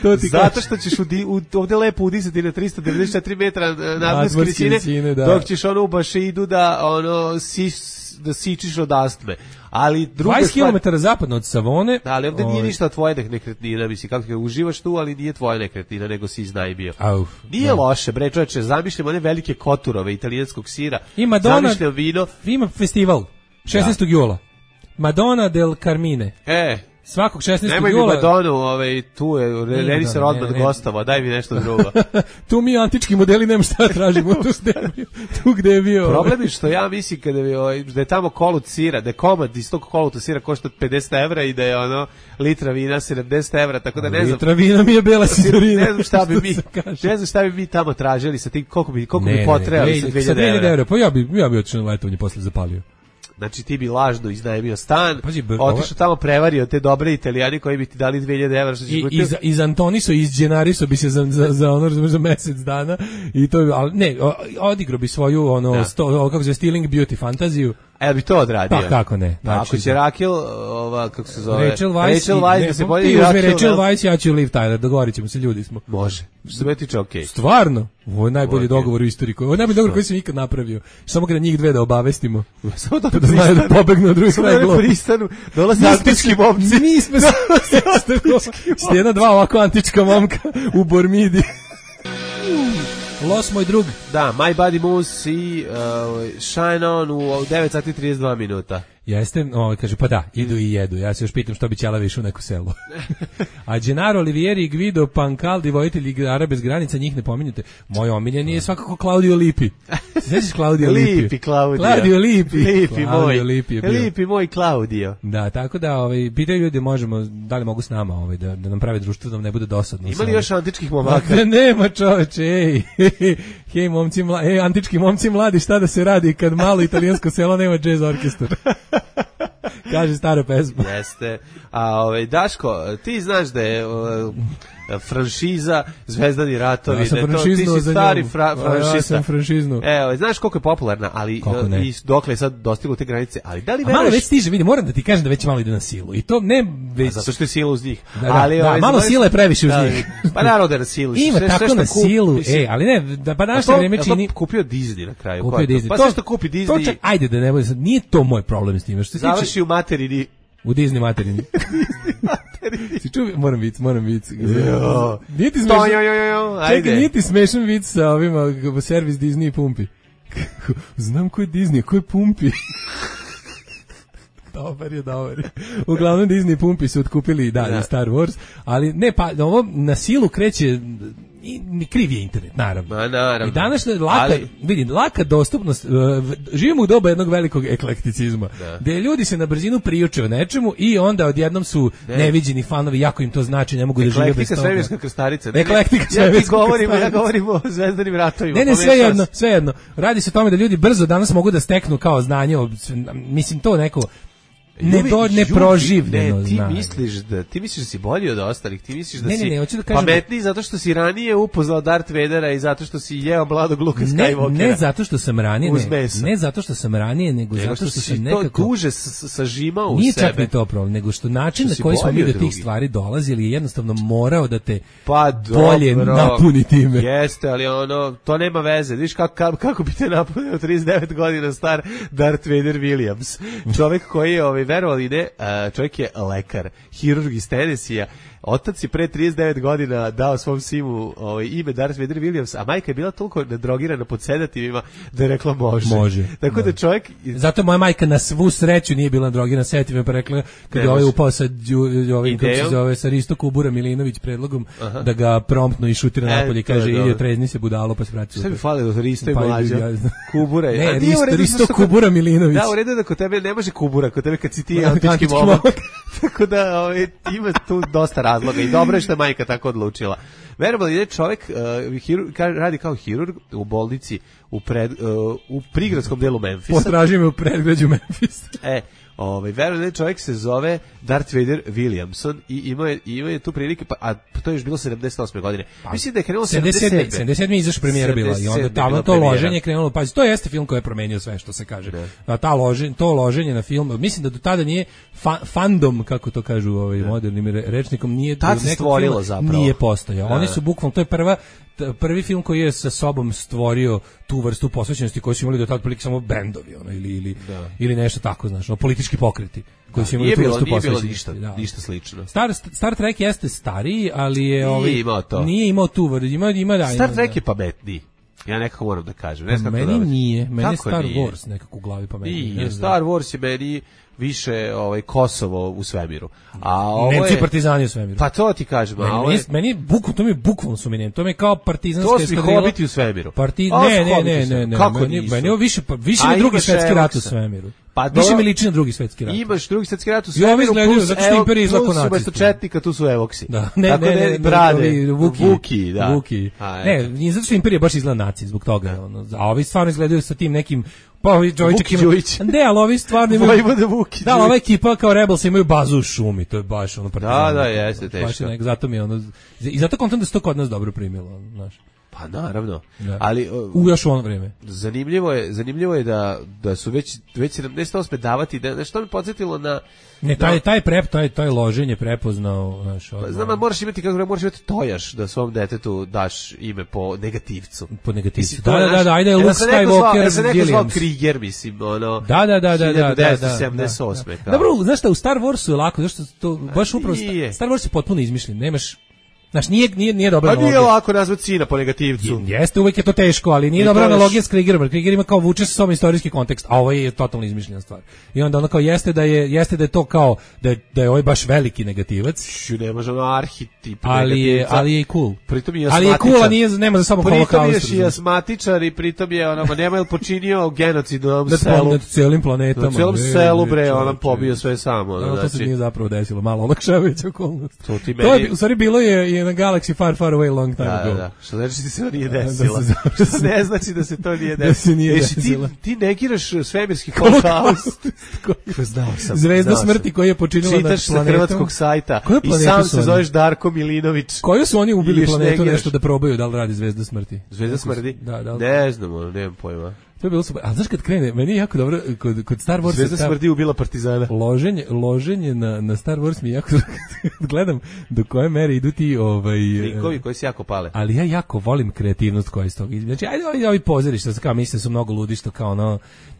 To ti Zato što ćeš u, u, ovdje lepo udisati na tristo devedeset četiri metra nadmorske visine, da. Dok ćeš ono u Bašeidu da ono si, da sičiš od astme. Ali druga dvadeset kilometara zapadno od Savone. Da, ali ovdje nije ništa tvoje nekretnina, misli kako te uživaš tu, ali nije tvoja nekretnina, nego si iznajmio. Auf, nije da. Loše, bre, čoveče, zamišljamo one velike koturove italijanskog sira. I Madonna, zamišljamo vino. Ima festival šesnaestog jula. Madonna del Carmine. E, svakog šesnaestog nemoj jula. Nemoj mi Madonu, ovaj, tu je, Renisa Rodman gostava, daj mi nešto drugo. Tu mi antički modeli nema šta tražimo, tu, tu gde je bio. Problem je što ja mislim kada je, ovaj, da je tamo kolut sira, da je komad iz tog koluta sira košta pedeset evra i da je ono litra vina sedamdeset evra, tako da ne znam. Litra vina mi je bela sidorina. Ne znam šta bi mi, ne znam šta bi mi tamo tražili sa tim, koliko bi, koliko ne, bi potrebali sa dve hiljade evra. Pa ja bi, ja bi otišao na letovanje posle zapalio. Znači ti bi lažno iznajmio stan, Pazi, br- otišao tamo, prevario te dobre Italijani koji bi ti dali dve hiljade evra što će I iz, iz Antoniso, iz Gennariso bi se za, za, za, ono, za mesec dana i to bi, ali ne, odigrao bi svoju ono, da. sto, kako se Stealing Beauty fantaziju. E, bi to odradio. Pa kako ne. Znači, ako će Raquel, ova, kako se zove, Rachel Weisz, Rachel Weisz ne, da se ti bolje uzmi Raquel, Rachel Weisz, ja ću Liv Tyler, dogovorit ćemo se, ljudi smo. Može. Što se me tiče, okej. Okay. Stvarno? Ovo je najbolji okay. dogovor u istoriji. Ovo je najbolji dogovor koji sam ikad napravio. Samo kada njih dve da obavestimo. Samo da, da znaju da pobegnu od drugih kraj globa. Pristanu, dolaze antički momci. Mi smo s jedna dva ovako antička momka u Bormidi. Los, moj drug. Da, My Body Moves i uh, Shine On u devet sati i trideset dva minuta. Jeste, ovaj kaže pa da, idu i jedu. Ja se još pitam što bi ćela više u neko selo. A Gennaro Olivieri i Guido Pancaldi, vojitelji igara bez granica, njih ne pominjete. Moj omiljeni je svakako Claudio Lippi. Sećaš Claudio Lippi? Lippi, Claudio. Claudio Lippi. Lippi moj. Lippi, Lippi moj Claudio. Da, tako da, ovaj pitaju ljudi možemo, da li mogu s nama, ovaj da da nam prave društvo da nam ne bude dosadno. Ima li još antičkih momaka? Ne, nema čoveče, ej. Hej, momci mladi, ej, antički momci mladi, šta da se radi kad malo italijansko selo nema džez orkestar? Kaže stara pesma. Jeste. A ovaj Daško, ti znaš da je uh, franšiza Zvezdani ratovi, ja sam da to, ti si stari fra, franšista. Ja sam franšiznu. Evo, znaš koliko je popularna, ali i dokle je sad dostiglo te granice, ali da li veruješ? Malo već stiže, vidi, moram da ti kažem da već malo ide na silu. I to ne već... A zato što je sila uz njih. Da, da, ali, da, ovaj, malo sila je previše uz da, njih. Pa naravno da je na silu. Ima sve, tako sve na kup, silu, mislim, e, ali ne, da pa naše to, vreme čini... To kupio Disney na kraju. Kupio Disney. Pa to, sve što kupi Disney... To čak, ajde da ne bude sad, nije to moj problem s tim. Što završi tiče, u materini. U Disney materini. Si čuo, moram vic, moram vic. Nije ti smešan, čekaj, nije ti smešan vic sa ovima, servis Disney i pumpi. Znam ko je Disney, ko je pumpi. Dobar je, dobar je. Uglavnom Disney pumpi su otkupili da, da. Star Wars, ali ne, pa ovo na silu kreće i kriv je internet, naravno. Ma, naravno. I danas laka, ali... vidim, laka dostupnost, uh, živimo u doba jednog velikog eklekticizma, da. Gde ljudi se na brzinu priuče o nečemu i onda odjednom su ne. neviđeni fanovi, jako im to znači, ne mogu da žive bez toga. Eklektika svemirska krstarica. Ne, Eklektika ne, ja ti govorim, ja govorim o Zvezdanim ratovima. Ne, ne, sve jedno, sve jedno. Radi se o tome da ljudi brzo danas mogu da steknu kao znanje, mislim to neko ne do ne proživljeno. Ne, ti znanje. misliš da ti misliš da si bolji od ostalih, ti misliš da ne, si ne, ne, da kažem pametniji zato što si ranije upoznao Darth Vadera i zato što si jeo mladog Luka Skywalkera. Ne, ne zato što sam ranije, ne, ne zato što sam ranije, nego, nego zato što, što sam nekako to duže sažimao u nije sebe. Nije čak ni to problem, nego što način što na koji smo mi do tih stvari dolazili je jednostavno morao da te pa bolje dobro, napuni time. Jeste, ali ono, to nema veze. Viš kako, kako, kako bi te napunio trideset devet godina star Darth Vader Williams. Čovjek koji je, ovaj, verovali ne, čovjek je lekar, hirurg iz Tennessee-a. Otac je pre trideset devet godina dao svom sinu ovaj, ime Darth Vader Williams, a majka je bila toliko nadrogirana pod sedativima da je rekla može. Može. Tako da, da čovjek... Zato moja majka na svu sreću nije bila nadrogirana sedativima, pa rekla kad je ovaj upao sa, ovaj, kako se zove, sa Risto Kubura Milinović predlogom, aha, da ga promptno i šutira e, napolje i kaže idi trezni se budalo pa se vrati. Šta bi falilo Risto i pa, mlađa? Ja, Kubura je. Ne, Risto, Risto Kubura Milinović. Da, u redu da kod tebe ne može Kubura, kod tebe kad si ti antički momak. Tako da ovaj, ima tu dosta razloga i dobro je što je majka tako odlučila. Verovali je čovjek uh, hirurg, radi kao hirurg u bolnici u, pred, uh, u prigradskom delu Memfisa. Potraži me u predgrađu Memfisa. E, ovaj, verovali je čovjek se zove Darth Vader Williamson i imao je, imao je tu prilike, pa, a to je još bilo sedamdeset osme godine. Pa, mislim da je krenulo sedamdeset sedme. sedamdeset sedme izašla premijera bila i onda tamo to premijera. Loženje krenulo, pa to jeste film koji je promenio sve što se kaže. Da. Ta loženje, to loženje na film, mislim da do tada nije fa, fandom, kako to kažu ovaj modernim rečnikom, nije tad se stvorilo zapravo. Nije postojao. Da. Oni su bukvalno, to je prva prvi film koji je sa sobom stvorio tu vrstu posvećenosti koju su imali do tada otprilike samo bendovi, ono, ili ili da. Ili nešto tako, znaš, no, politički pokreti koji su imali nije tu bilo, vrstu nije bilo posvećenosti. Ništa, da. ništa slično. Star Star Trek jeste stariji, ali je nije ovaj imao to. Nije imao tu vrstu, ima ima da. Star ima, Trek da. je pametniji. Ja nekako moram da kažem. Ne znam meni nije, meni je Star nije? Wars nekako u glavi pametniji. Nije, Star Wars je meni više ovaj Kosovo u svemiru. A ovo Nemci je partizani u svemiru. Pa to ti kažem, meni, a ovo je... meni bukvalno to mi bukvalno su meni, to mi je kao partizanska eskadrila. To su hobiti u svemiru. Parti... Ne, ne, ne, ne, ne, kako meni, meni je više više mi drugi svetski rat u svemiru. Pa više dobro, mi liči na drugi svetski rat. Imaš drugi svetski rat u I ovi svemiru, izgledaju, plus, zato što evo, imperija izlako plus nacisti. umesto četnika, tu su evoksi. Da, ne, Tako ne, ne, ne, brade, ne, Vuki, Vuki, da. Vuki. A, ne, nije zato što imperija baš izgleda naci, zbog toga. Ono, a ovi stvarno izgledaju sa tim nekim pa ovi Đojićak ima... Ne, ali ovi stvarno imaju... Vuki, da, ova ekipa kao Rebels imaju bazu u šumi, to je baš ono partizan. Da, da, jeste, teško. Baš je nek, zato mi je ono... I zato kontam da se to kod nas dobro primilo, znaš. Pa naravno. Da. Ali u još u ono vrijeme. Zanimljivo je, zanimljivo je da da su već već sedamdeset osme davati da nešto mi podsjetilo na ne taj taj prep taj taj loženje prepoznao naš. Pa, znam, ali moraš imati kako moraš imati tojaš da svom detetu daš ime po negativcu. Po negativcu. Da, da, da, da, ajde Luke Skywalker, se neko zvao Krieger, mislim, ono. Da, da, da, da, da, da, sedamdeset osme. Dobro, znaš šta, u Star Warsu je lako, zašto to baš upravo Star Wars je potpuno izmišljen. Nemaš Znaš, nije, nije, nije dobra analogija. Pa nije lako nazvati sina po negativcu. Jeste, uvijek je to teško, ali nije I dobra analogija s Kriegerom. Krieger ima kao vuče sa sobom istorijski kontekst, a ovo je totalno izmišljena stvar. I onda ono kao jeste da je, jeste da je to kao, da je, da je ovaj baš veliki negativac. Šu, ne može ono arhetip ali je, ali je i cool. Pritom je ali je cool, a nije, nema za sobom holokaust. Pritom je asmatičar i pritom je, ono, ma nema je počinio genocid na ovom selu. Nad cijelim planetom. Na cijelom selu, bre, on pobio sve samo. No, to se nije zapravo desilo, malo olakšavajuća okolnost. To ti meni... u stvari bilo je i na Galaxy Far Far Away long time da, ago. Da, da. Što znači da se to nije desilo. Da se ne znači da se to nije desilo. Da se nije Ješi, desilo. Ti, ti negiraš svemirski holokaust. Znao sam. Zvezda smrti koju je počinila nad planetom. Čitaš sa hrvatskog sajta i sam se zoveš Darko Milinović. Koju su oni ubili planetu nešto da probaju, da li radi Zvezda smrti? Zvezda smrti? Da, da. Ne znamo, nemam pojma. To je bilo super. A znaš kad krene, meni je jako dobro kod kod Star Wars Zvezda smrti ubila partizana. Loženje, loženje na na Star Wars mi jako gledam do koje mere idu ti ovaj likovi koji se jako pale. Ali ja jako volim kreativnost koja iz toga. Znači ajde ovi, ovi pozorišta, kao mislim su mnogo ludi što kao ono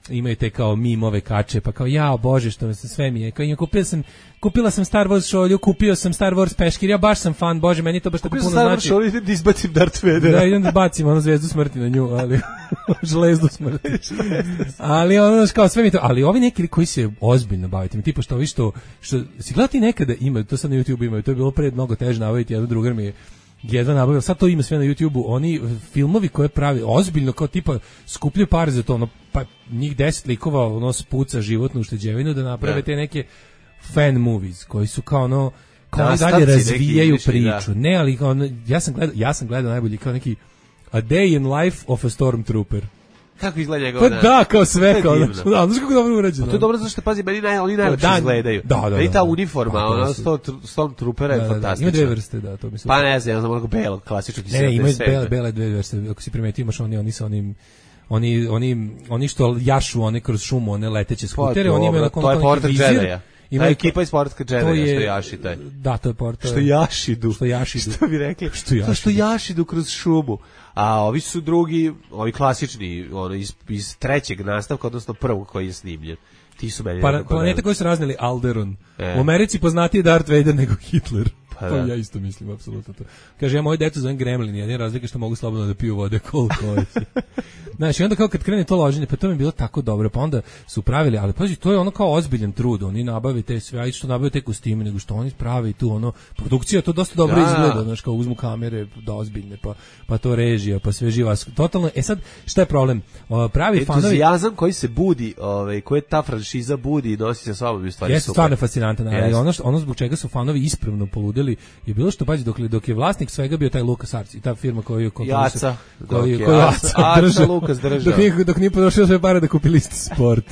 imaju te kao mimove kače, pa kao ja bože što me se sve mi je. Kao ja kupila sam kupila sam Star Wars šolju, kupio sam Star Wars peškir, ja baš sam fan, bože, meni to baš tako puno znači. Kupio sam Star Wars šolju, idem da izbacim Darth Vadera. Da, idem da bacim ono Zvezdu smrti na nju, ali žlezdu smrti. ali ono kao sve mi to, ali ovi neki koji se ozbiljno bavite, mi tipa što ovi što, što si gledao ti nekada ima, to sad na YouTube imaju, to je bilo pred mnogo teže nabaviti, jedan drugar mi je jedva nabavio, sad to ima sve na YouTubeu, oni filmovi koje pravi ozbiljno kao tipa skupljaju pare za to, ono, pa njih deset likova ono spuca životnu ušteđevinu da naprave te neke fan movies koji su kao ono kao da, dalje razvijaju priču. Da. Ne, ali kao, ja sam gledao, ja sam gledao najbolji kao neki A Day in Life of a Stormtrooper. Kako izgleda njegov? Pa da, kao sve, kao da, znaš kako dobro urađeno. To je dobro zato što pazi, meni naj, oni najlepše izgledaju. Da, da, da. I ta uniforma, pa, ono Stormtroopera je fantastična. Ima dve vrste, da, to mislim. Pa ne znam, znam onako belo, klasično. Ne, ne, imaju bele, bele dve vrste. Ako si primetio, imaš oni, oni sa onim oni oni oni što jašu one kroz šumu, one leteće skutere, oni imaju to je portret Jedija. Ima ekipa iz Portka Jedija što jaši taj. Da, to je portret. Što jašidu. Što jašidu. Što bi rekli? Što jašidu. Što jašidu kroz šumu. A ovi su drugi, ovi klasični, ono iz iz trećeg nastavka, odnosno prvog koji je snimljen. Ti su meni pa, planeta koji su razneli Alderaan. E. U Americi poznatiji Darth Vader nego Hitler. Pa, pa ja isto mislim, apsolutno to. Kaže, ja moju decu zovem Gremlin, jedina razlika što mogu slobodno da piju vode koliko hoće. Znaš, i onda kao kad krene to loženje, pa to mi je bilo tako dobro, pa onda su pravili, ali pazi, to je ono kao ozbiljan trud, oni nabave te sve, a i što nabave te kostime, nego što oni pravi tu, ono, produkcija to dosta dobro da. Izgleda, znaš, kao uzmu kamere da ozbiljne, pa, pa to režija, pa sve živa, totalno, e sad, šta je problem? O, pravi fanovi... Entuzijazam koji se budi, ovaj, koji ta franšiza budi i nosi sa sobom, u stvari jeste stvarno fascinantan, ali yes. ono, što, ono zbog čega su fanovi ispravno poludeli je bilo što, pazi, dok, dok je vlasnik svega bio taj LucasArts i ta firma koju Jaca, koju koju Jaca držao, Lukas držao. Dok nije, dok nije potrošio sve pare da kupi listi sport.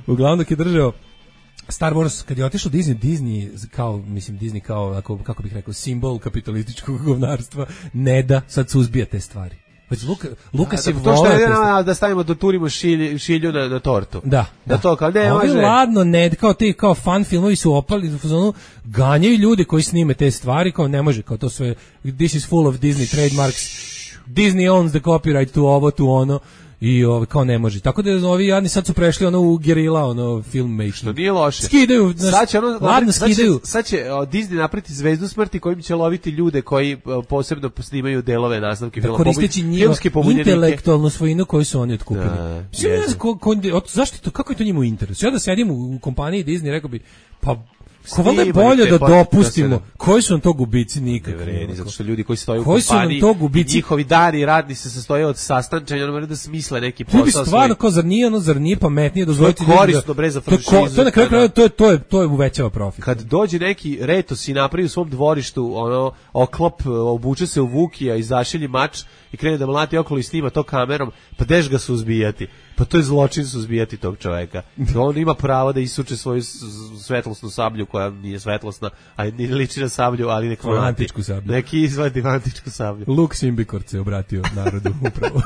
Uglavnom dok je držao Star Wars, kad je otišao Disney, Disney kao, mislim, Disney kao, ako, kako bih rekao, simbol kapitalističkog govnarstva, ne da sad suzbija te stvari. Već Luka, Lukas da, je to što je da, da stavimo da turimo šilju, šilju na, na tortu. Da. Da, da to kao ne može. Ovi ladno, ne, kao ti kao fan filmovi su opali, u fazonu ganjaju ljude koji snime te stvari, kao ne može, kao to sve, this is full of Disney trademarks, Disney owns the copyright to ovo, to ono. I ovaj kao ne može. Tako da ovi jadni sad su prešli ono u gerila, ono filmmaking. Što nije loše. Skidaju, sad će ono, ladno skidaju. Sad će, sad će o, Disney napraviti Zvezdu smrti kojim će loviti ljude koji o, posebno snimaju delove nastavke filma. Da koristeći njihov intelektualnu svojinu koju su oni otkupili. Da, ko, ko, zašto to, kako je to njima u interesu? Ja da sedim u, u kompaniji Disney, rekao bi, pa Ko valjda je bolje da dopustimo, koji su nam to gubici nikakvi. Ne vredi, zato što ljudi koji stoje u koji kompaniji, to gubici? Njihovi dani radni se sastoje od sastančenja, ono moraju da smisle neki posao. Ljudi stvarno, kao zar nije, ono, zar nije pametnije dozvoliti to je korisno, bre, za franšizu. To, to na kraju krajeva, to je, to je, to je uvećava profit. Kad dođe neki retos i napravi u svom dvorištu, ono, oklop, obuče se u Vukija i zašilji mač i krene da mlati okolo i snima to kamerom, pa deš ga suzbijati. Pa to je zločin suzbijati tog čoveka. On ima pravo da isuče svoju svetlosnu sablju koja nije svetlosna, a ne liči na sablju, ali neku antičku sablju. Neki izvadi antičku sablju. Luk Simbikort se obratio narodu upravo.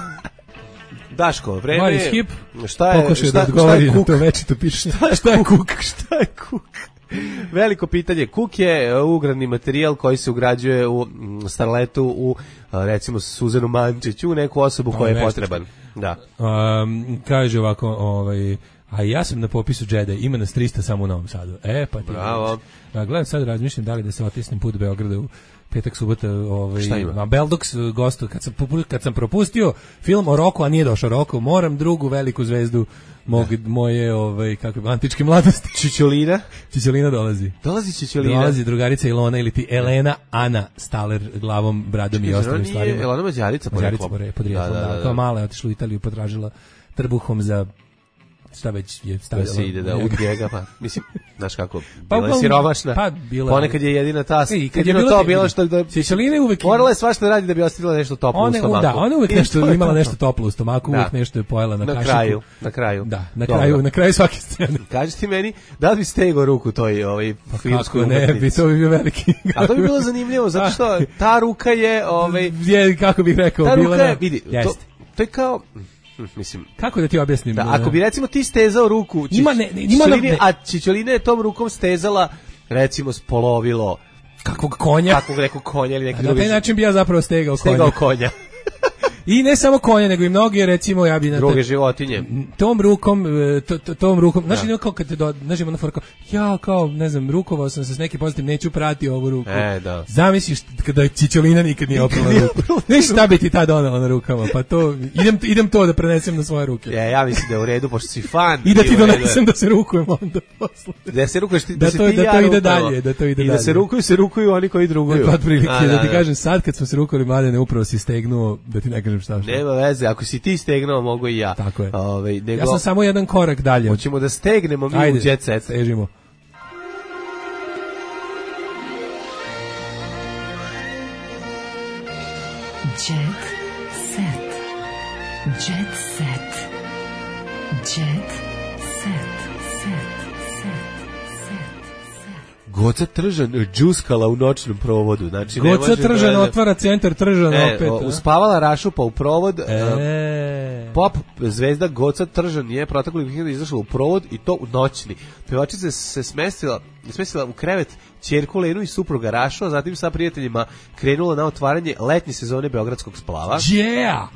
Daško, vreme Maris Hip, šta je, pokušaj šta, da odgovori šta je na to večito pišanje. Šta je, šta je kuk? Šta je kuk? Veliko pitanje. Kuk je ugradni materijal koji se ugrađuje u starletu, u recimo Suzanu Mančić, u neku osobu koja je potreban. Da. Um, kaže ovako, ovaj, a ja sam na popisu Jedi, ima nas trista samo u Novom Sadu. E, pa ti. Bravo. A, gledam sad, razmišljam da li da se otisnem put Beograda u petak, subota, ovaj, šta ima? Na Beldox gostu, kad sam, kad sam propustio film o Roku, a nije došao Roku, moram drugu veliku zvezdu mog, moje, ovaj, kako, antičke mladosti. Čičolina? Čičolina dolazi. Dolazi Čičolina? Dolazi drugarica Ilona ili ti Elena Ana Staler glavom, bradom i ostalim stvarima. Elena Mađarica poreklom. Podrijetlom, da, da, da. Kao mala je otišla u Italiju, potražila trbuhom za šta već je stavila. Da se ide da ud njega, pa mislim, znaš kako, pa, bila je siromašna, pa, bila, ponekad je jedina ta, e, kad jedino je to bilo što da, Čičolina uvek morala je svašta radi da bi ostavila nešto toplo one, u stomaku. Da, ona uvek nešto imala nešto toplo u stomaku, da. Uvek nešto je pojela na, na kašiku. kraju, na kraju. Da, na Dobro. kraju, na kraju svake scene. Kaži ti meni, da li bi stegao ruku toj ovaj pa filmskoj umetnici? Ne, bi to bi bio veliki. A to bi bilo zanimljivo, zato što ta ruka je, ovaj, je, kako bih rekao, ta bila ruka je, vidi, to, to je kao mislim, kako da ti objasnim? Da, ako bi recimo ti stezao ruku, čič, ima ne, ima Čičoline, ne, a Čičolina je tom rukom stezala recimo spolovilo kakvog konja, kakvog nekog konja ili neki drugi. drugi. Na taj način bi ja zapravo stegao, stegao konja. konja. I ne samo konja, nego i mnogi, recimo, ja bi na druge životinje. Tom rukom, to, to, tom rukom, znaš, ja. Kao kad te do, znaš, ima na forka, ja kao, ne znam, rukovao sam se s nekim pozitivnim, neću prati ovu ruku. E, da. Zamisliš kada Čičolina nikad nije oprala ruku. Znaš šta bi ti ta donala na rukama, pa to, idem, idem to da prenesem na svoje ruke. Ja, ja mislim da je u redu, pošto si fan. I da ti donesem da se rukujem onda posle. Da se rukuješ ti, da, da, se to, ti da ja to ide rukamo. dalje, da to ide I dalje. da se rukuju, se rukuju oni koji druguju. Pa otprilike, da ti kažem, sad kad smo se rukali, Mladene, upravo si stegnuo, da ti ne kažem šta šta. Nema veze, ako si ti stegnuo, mogu i ja. Tako je. Ove, nego, ja sam samo jedan korak dalje. Hoćemo da stegnemo mi Ajde, u jet set. Stežimo. Jet set. Jet set. Jet set. Goca Tržan džuskala u noćnom provodu. Znači, Goca Tržan da, otvara centar Tržan e, opet. O, uspavala Rašupa u provod. E. Pop zvezda Goca Tržan je proteklih vikenda izašla u provod i to u noćni. Pevačica se smestila, smestila u krevet ćerku Lenu i supruga Rašu, a zatim sa prijateljima krenula na otvaranje letnje sezone beogradskog splava. Yeah!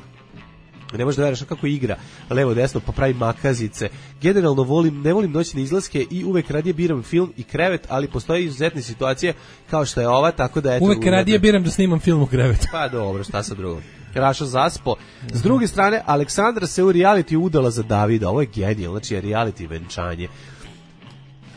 Ne možeš da veriš kako igra levo desno pa pravi makazice. Generalno volim, ne volim noćne izlaske i uvek radije biram film i krevet, ali postoje izuzetne situacije kao što je ova, tako da eto. Uvek radije biram da snimam film u krevetu. Pa dobro, šta sa drugom. Raša zaspo. S druge strane, Aleksandra se u reality udala za Davida. Ovo je genijalno, znači je reality venčanje.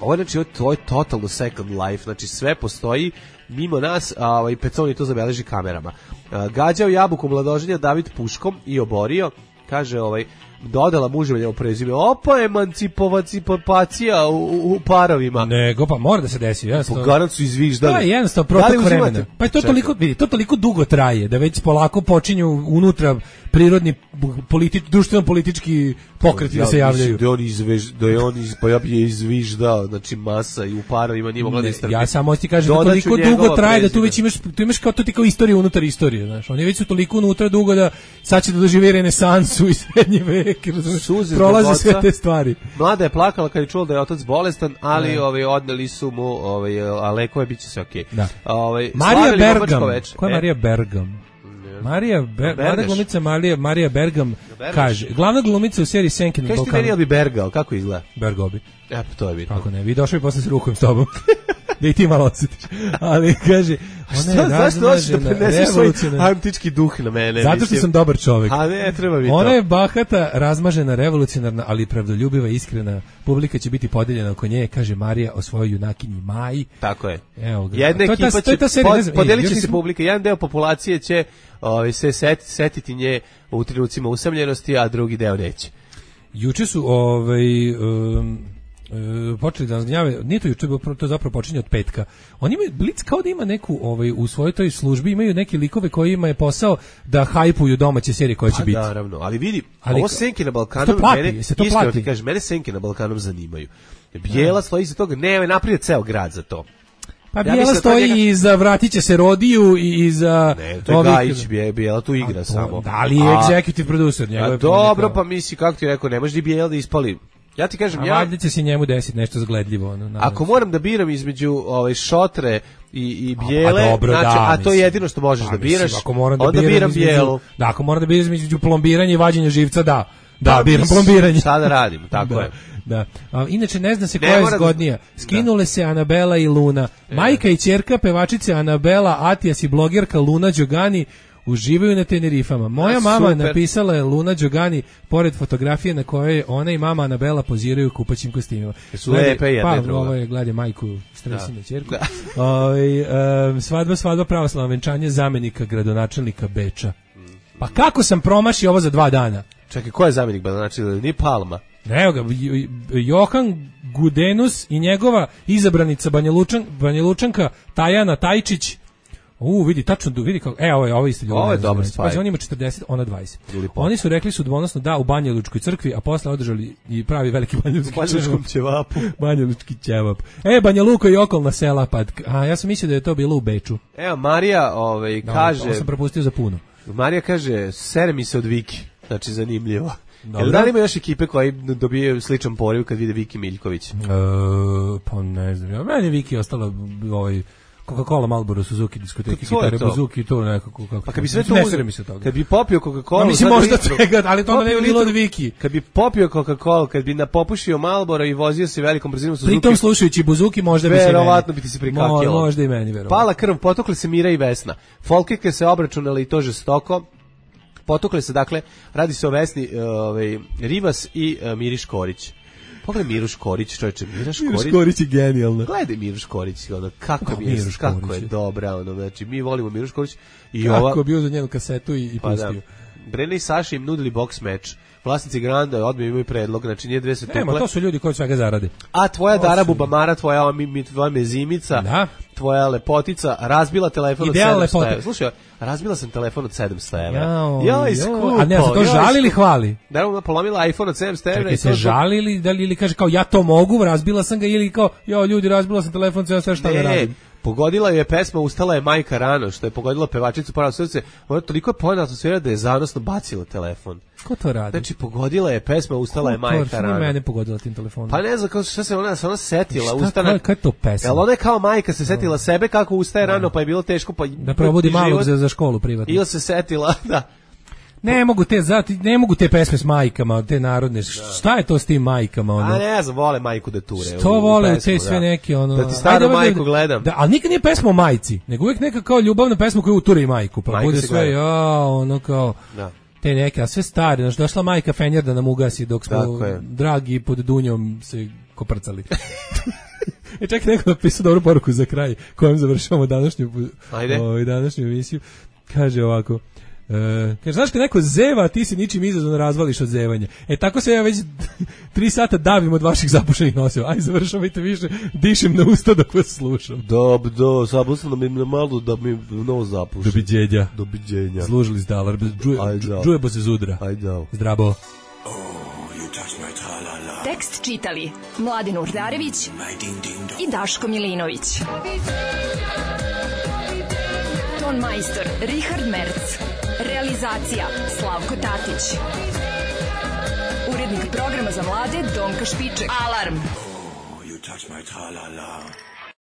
Ovo je, znači, to je totalno second life, znači sve postoji mimo nas, a ovaj Peconi to zabeleži kamerama. A, gađao jabuku mladoženja David puškom i oborio, kaže ovaj dodala muževo prezime. Opa, emancipacija u, u, u parovima. Nego, pa mora da se desi. Jednostavno. Po garancu izviždali. Da, jednostavno, protok vremena. Pa je to toliko, vidi, to toliko dugo traje, da već polako počinju unutra prirodni politi, društveno-politički pokreti ja, da se javljaju. Da on izvež, da je on iz, pa ja bi je izviždao, znači masa i u parovima nije mogla da istrpi. Ja samo ti kažem da toliko dugo traje, da tu već imaš, tu imaš kao to ti kao istorija unutar istorije, znaš. Oni već su toliko unutra dugo da sad će da doživi renesansu i srednji vek. Prolaze sve te stvari. Mlada je plakala kad je čula da je otac bolestan, ali ovaj odneli su mu ovaj a lekove biće sve okej. Da. Ovaj Marija Bergam. Ko je Marija Bergam? Marija Ber, mlada glumica Marija Marija Bergam kaže, glavna glumica u seriji Senkin Balkan. Kaži ti meni bi Bergao, kako izgleda? Bergobi. E, pa to je bitno. Kako ne, vi došli posle s rukom s tobom. Da i ti malo osjetiš. Ali kaže, Ona je zašto hoćeš da razmažena, preneseš svoj revolucionarna. antički duh na mene? Zato što mislim. sam dobar čovjek. A ne, treba mi to. Ona je bahata, razmažena, revolucionarna, ali pravdoljubiva i iskrena. Publika će biti podeljena oko nje, kaže Marija o svojoj junakinji Maji. Tako je. Evo ga. Jedna To je ta- ekipa to je će ta serija, ne pod- znam, podelit ej, će još se nismo- publika. Jedan deo populacije će ovaj, se setiti, setiti nje u trenucima usamljenosti, a drugi deo neće. Juče su ovaj um, e, počeli da nas gnjave, nije to juče, to zapravo počinje od petka. Oni imaju Blic kao da ima neku ovaj u svojoj toj službi imaju neke likove koji ima je posao da hajpuju domaće serije koje će Pa biti. naravno, ali vidi, Ali ovo ka- senke na se Balkanu, to plati, mene, se to iskreno plati? ti kažem, mene senke na Balkanu zanimaju. Bijela stoji iza toga, ne, naprije ceo grad za to. Pa Ja Bijela mislim da to stoji njega- i za vratit će se Rodiju i i za Ne, to je ovih- Gajić, Bije- Bijela tu igra A, samo. Da li je A- executive producer? A njegov je dobro, kao- pa misli, kako ti rekao, ne može ni Bijela da ispali. Ja ti kažem, A ja, valjda će se njemu desiti nešto zagledljivo. Ono, nadam ako se. moram da biram između ovaj Šotre i, i Bijele, Pa dobro, znači, da, a to je mislim. jedino što možeš Pa da mislim, biraš, ako moram da onda biram biram između- Bijelu. Da, ako moram da biram između plombiranja i vađenja živca, da. Da, Pa, biram mislim, plombiranje. Šta da radim, tako da, je. Da. A, inače ne zna se Ne koja je mora da- zgodnija. Skinule se Anabela i Luna. Majka i ćerka pevačice Anabela Atijas i blogerka Luna Đogani uživaju na Tenerifama. Moja A, mama super. napisala je Luna Đogani pored fotografije na kojoj ona i mama Anabela poziraju u kupaćim kostimima. Jesu Gledaj, lepe jedna pa, i druga. ovo je gledaj majku stresinu ćerku. Da. Ovaj, em, svadba, svadba, pravoslavno venčanje zamenika gradonačelnika Beča. Pa kako sam promašio ovo za dva dana? Čekaj, ko je zamjenik Znači, ni Palma. Evo ga, J- Johan Gudenus i njegova izabranica Banja, Lučan, Banja Lučanka Tajana Tajčić. U, vidi, tačno, vidi kako, e, ovo je, ovo je isto ljubav. Ovo je dobar spaj. Pazi, on ima četrdeset, ona dvadeset. Ili po. Oni su rekli su dvonosno da u Banja Lučkoj crkvi, a posle održali i pravi veliki Banja Lučki U Banjalučkom ćevapu. Banja Lučki ćevap. E, Banja Luka i okolna sela, pa, a ja sam mislio da je to bilo u Beču. Evo, Marija ovaj, Da, kaže... ovo sam propustio za puno. Marija kaže, sere mi se od Viki. Znači, zanimljivo. Dobro. Jel da li ima još ekipe koji dobijaju sličan poriv kad vide Viki Miljković? E, pa ne znam, ja, meni je Viki ostala ovaj Coca-Cola, Marlboro, Suzuki, diskoteki, To je gitare, to. buzuki, to nekako kako. Pa kad bi sve to ne uzeo, sere mi se toga. kad bi popio Coca-Cola... Ma mislim sad možda litru- svega, ali to onda ne bi popio bilo od litru- Viki. Kad bi popio Coca-Cola, kad bi napopušio Marlboro i vozio se velikom brzinom Suzuki... Pritom slušajući buzuki možda bi se meni. Verovatno bi ti se prikakilo. Mo- Možda i meni, verovatno. Pala krv, potukle se Mira i Vesna. Folkike se obračunali i to žestoko. Potukle se, dakle, radi se o Vesni uh, ovaj, Rivas i uh, Miri Škorić. Pogledaj Miru Škorić, čovječe, Mira Škorić. Mira Škorić je genijalna. Gledaj Miru Škorić, ono, kako, Kako mi je, Miru kako Škorić je je? dobra, ono, znači, mi volimo Miru Škorić. I Kako ova, je bio za njenu kasetu i, i pa da, pustio. Brene i Saša im nudili boks meč. Vlasnici Granda odmah imaju predlog, znači nije dve se tukle. Nema, to su ljudi koji od svega zarade. A tvoja To Dara su- Bubamara, tvoja, ova mi, mi, tvoja mezimica, Da. tvoja lepotica, razbila telefon od Ideal sedamsto lepote. evra. Slušaj, razbila sam telefon od sedamsto evra. Jao, Joj, jao. skupo. A ne, za to joj, žali ili skupo. hvali? Da, ona polomila iPhone od sedamsto evra. Čekaj, i se to- žali ili, da li, ili kaže kao ja to mogu, razbila sam ga ili kao jo ljudi razbila sam telefon, sve sve šta da Ne, radim. pogodila je pesma Ustala je majka rano, što je pogodila pevačicu Pravo srce. Ona toliko je pojena atmosfera da je zanosno bacila telefon. Ko to radi? Znači, pogodila je pesma Ustala je Ko to- majka šta nije rano. mene pogodila tim telefonom. Pa ne znam kako šta se ona se ona setila, Šta, ustana. koja- koja je to pesma? Jel ona je kao majka se setila sebe kako ustaje rano, pa je bilo teško pa Da probudi i malog život. za, za školu privatno. Ili se setila, da. Ne mogu te zati, ne mogu te pesme s majkama, te narodne. Šta je to s tim majkama ono? A ne znam, vole majku da ture. To u- u vole u pesmu, te sve da. neke ono. Da ti staru Ajde, majku da- gledam. Da, ali nikad nije pesma o majci, nego uvijek neka kao ljubavna pesma koja uturi majku, pa Majka bude se sve gleda. ja, ono kao Da. te neke, a sve stare, znači došla majka Fenjer da nam ugasi dok smo Tako je. dragi pod dunjom se koprcali. E čekaj, neko napisao dobru poruku za kraj kojom završavamo današnju, Ajde. ovaj, današnju emisiju. Kaže ovako, e, kaže, znaš kad neko zeva, a ti se ničim izazvano razvališ od zevanja. E tako se ja već tri sata davim od vaših zapušenih noseva. Aj, završavajte više, dišem na usta dok vas slušam. Dob, do, zabusno mi na malo da mi nos zapuši. Dobiđenja. Dobiđenja. Zlužili zdalar, džuje, Aj, da. džuje bo se zudra. Ajde, da. Zdravo. Tekst čitali Mladin Urdarević i Daško Milinović. Ton majstor Richard Merc. Realizacija Slavko Tatić. Urednik programa za mlade Donka Špiček. Alarm! You touch my tra-la-la.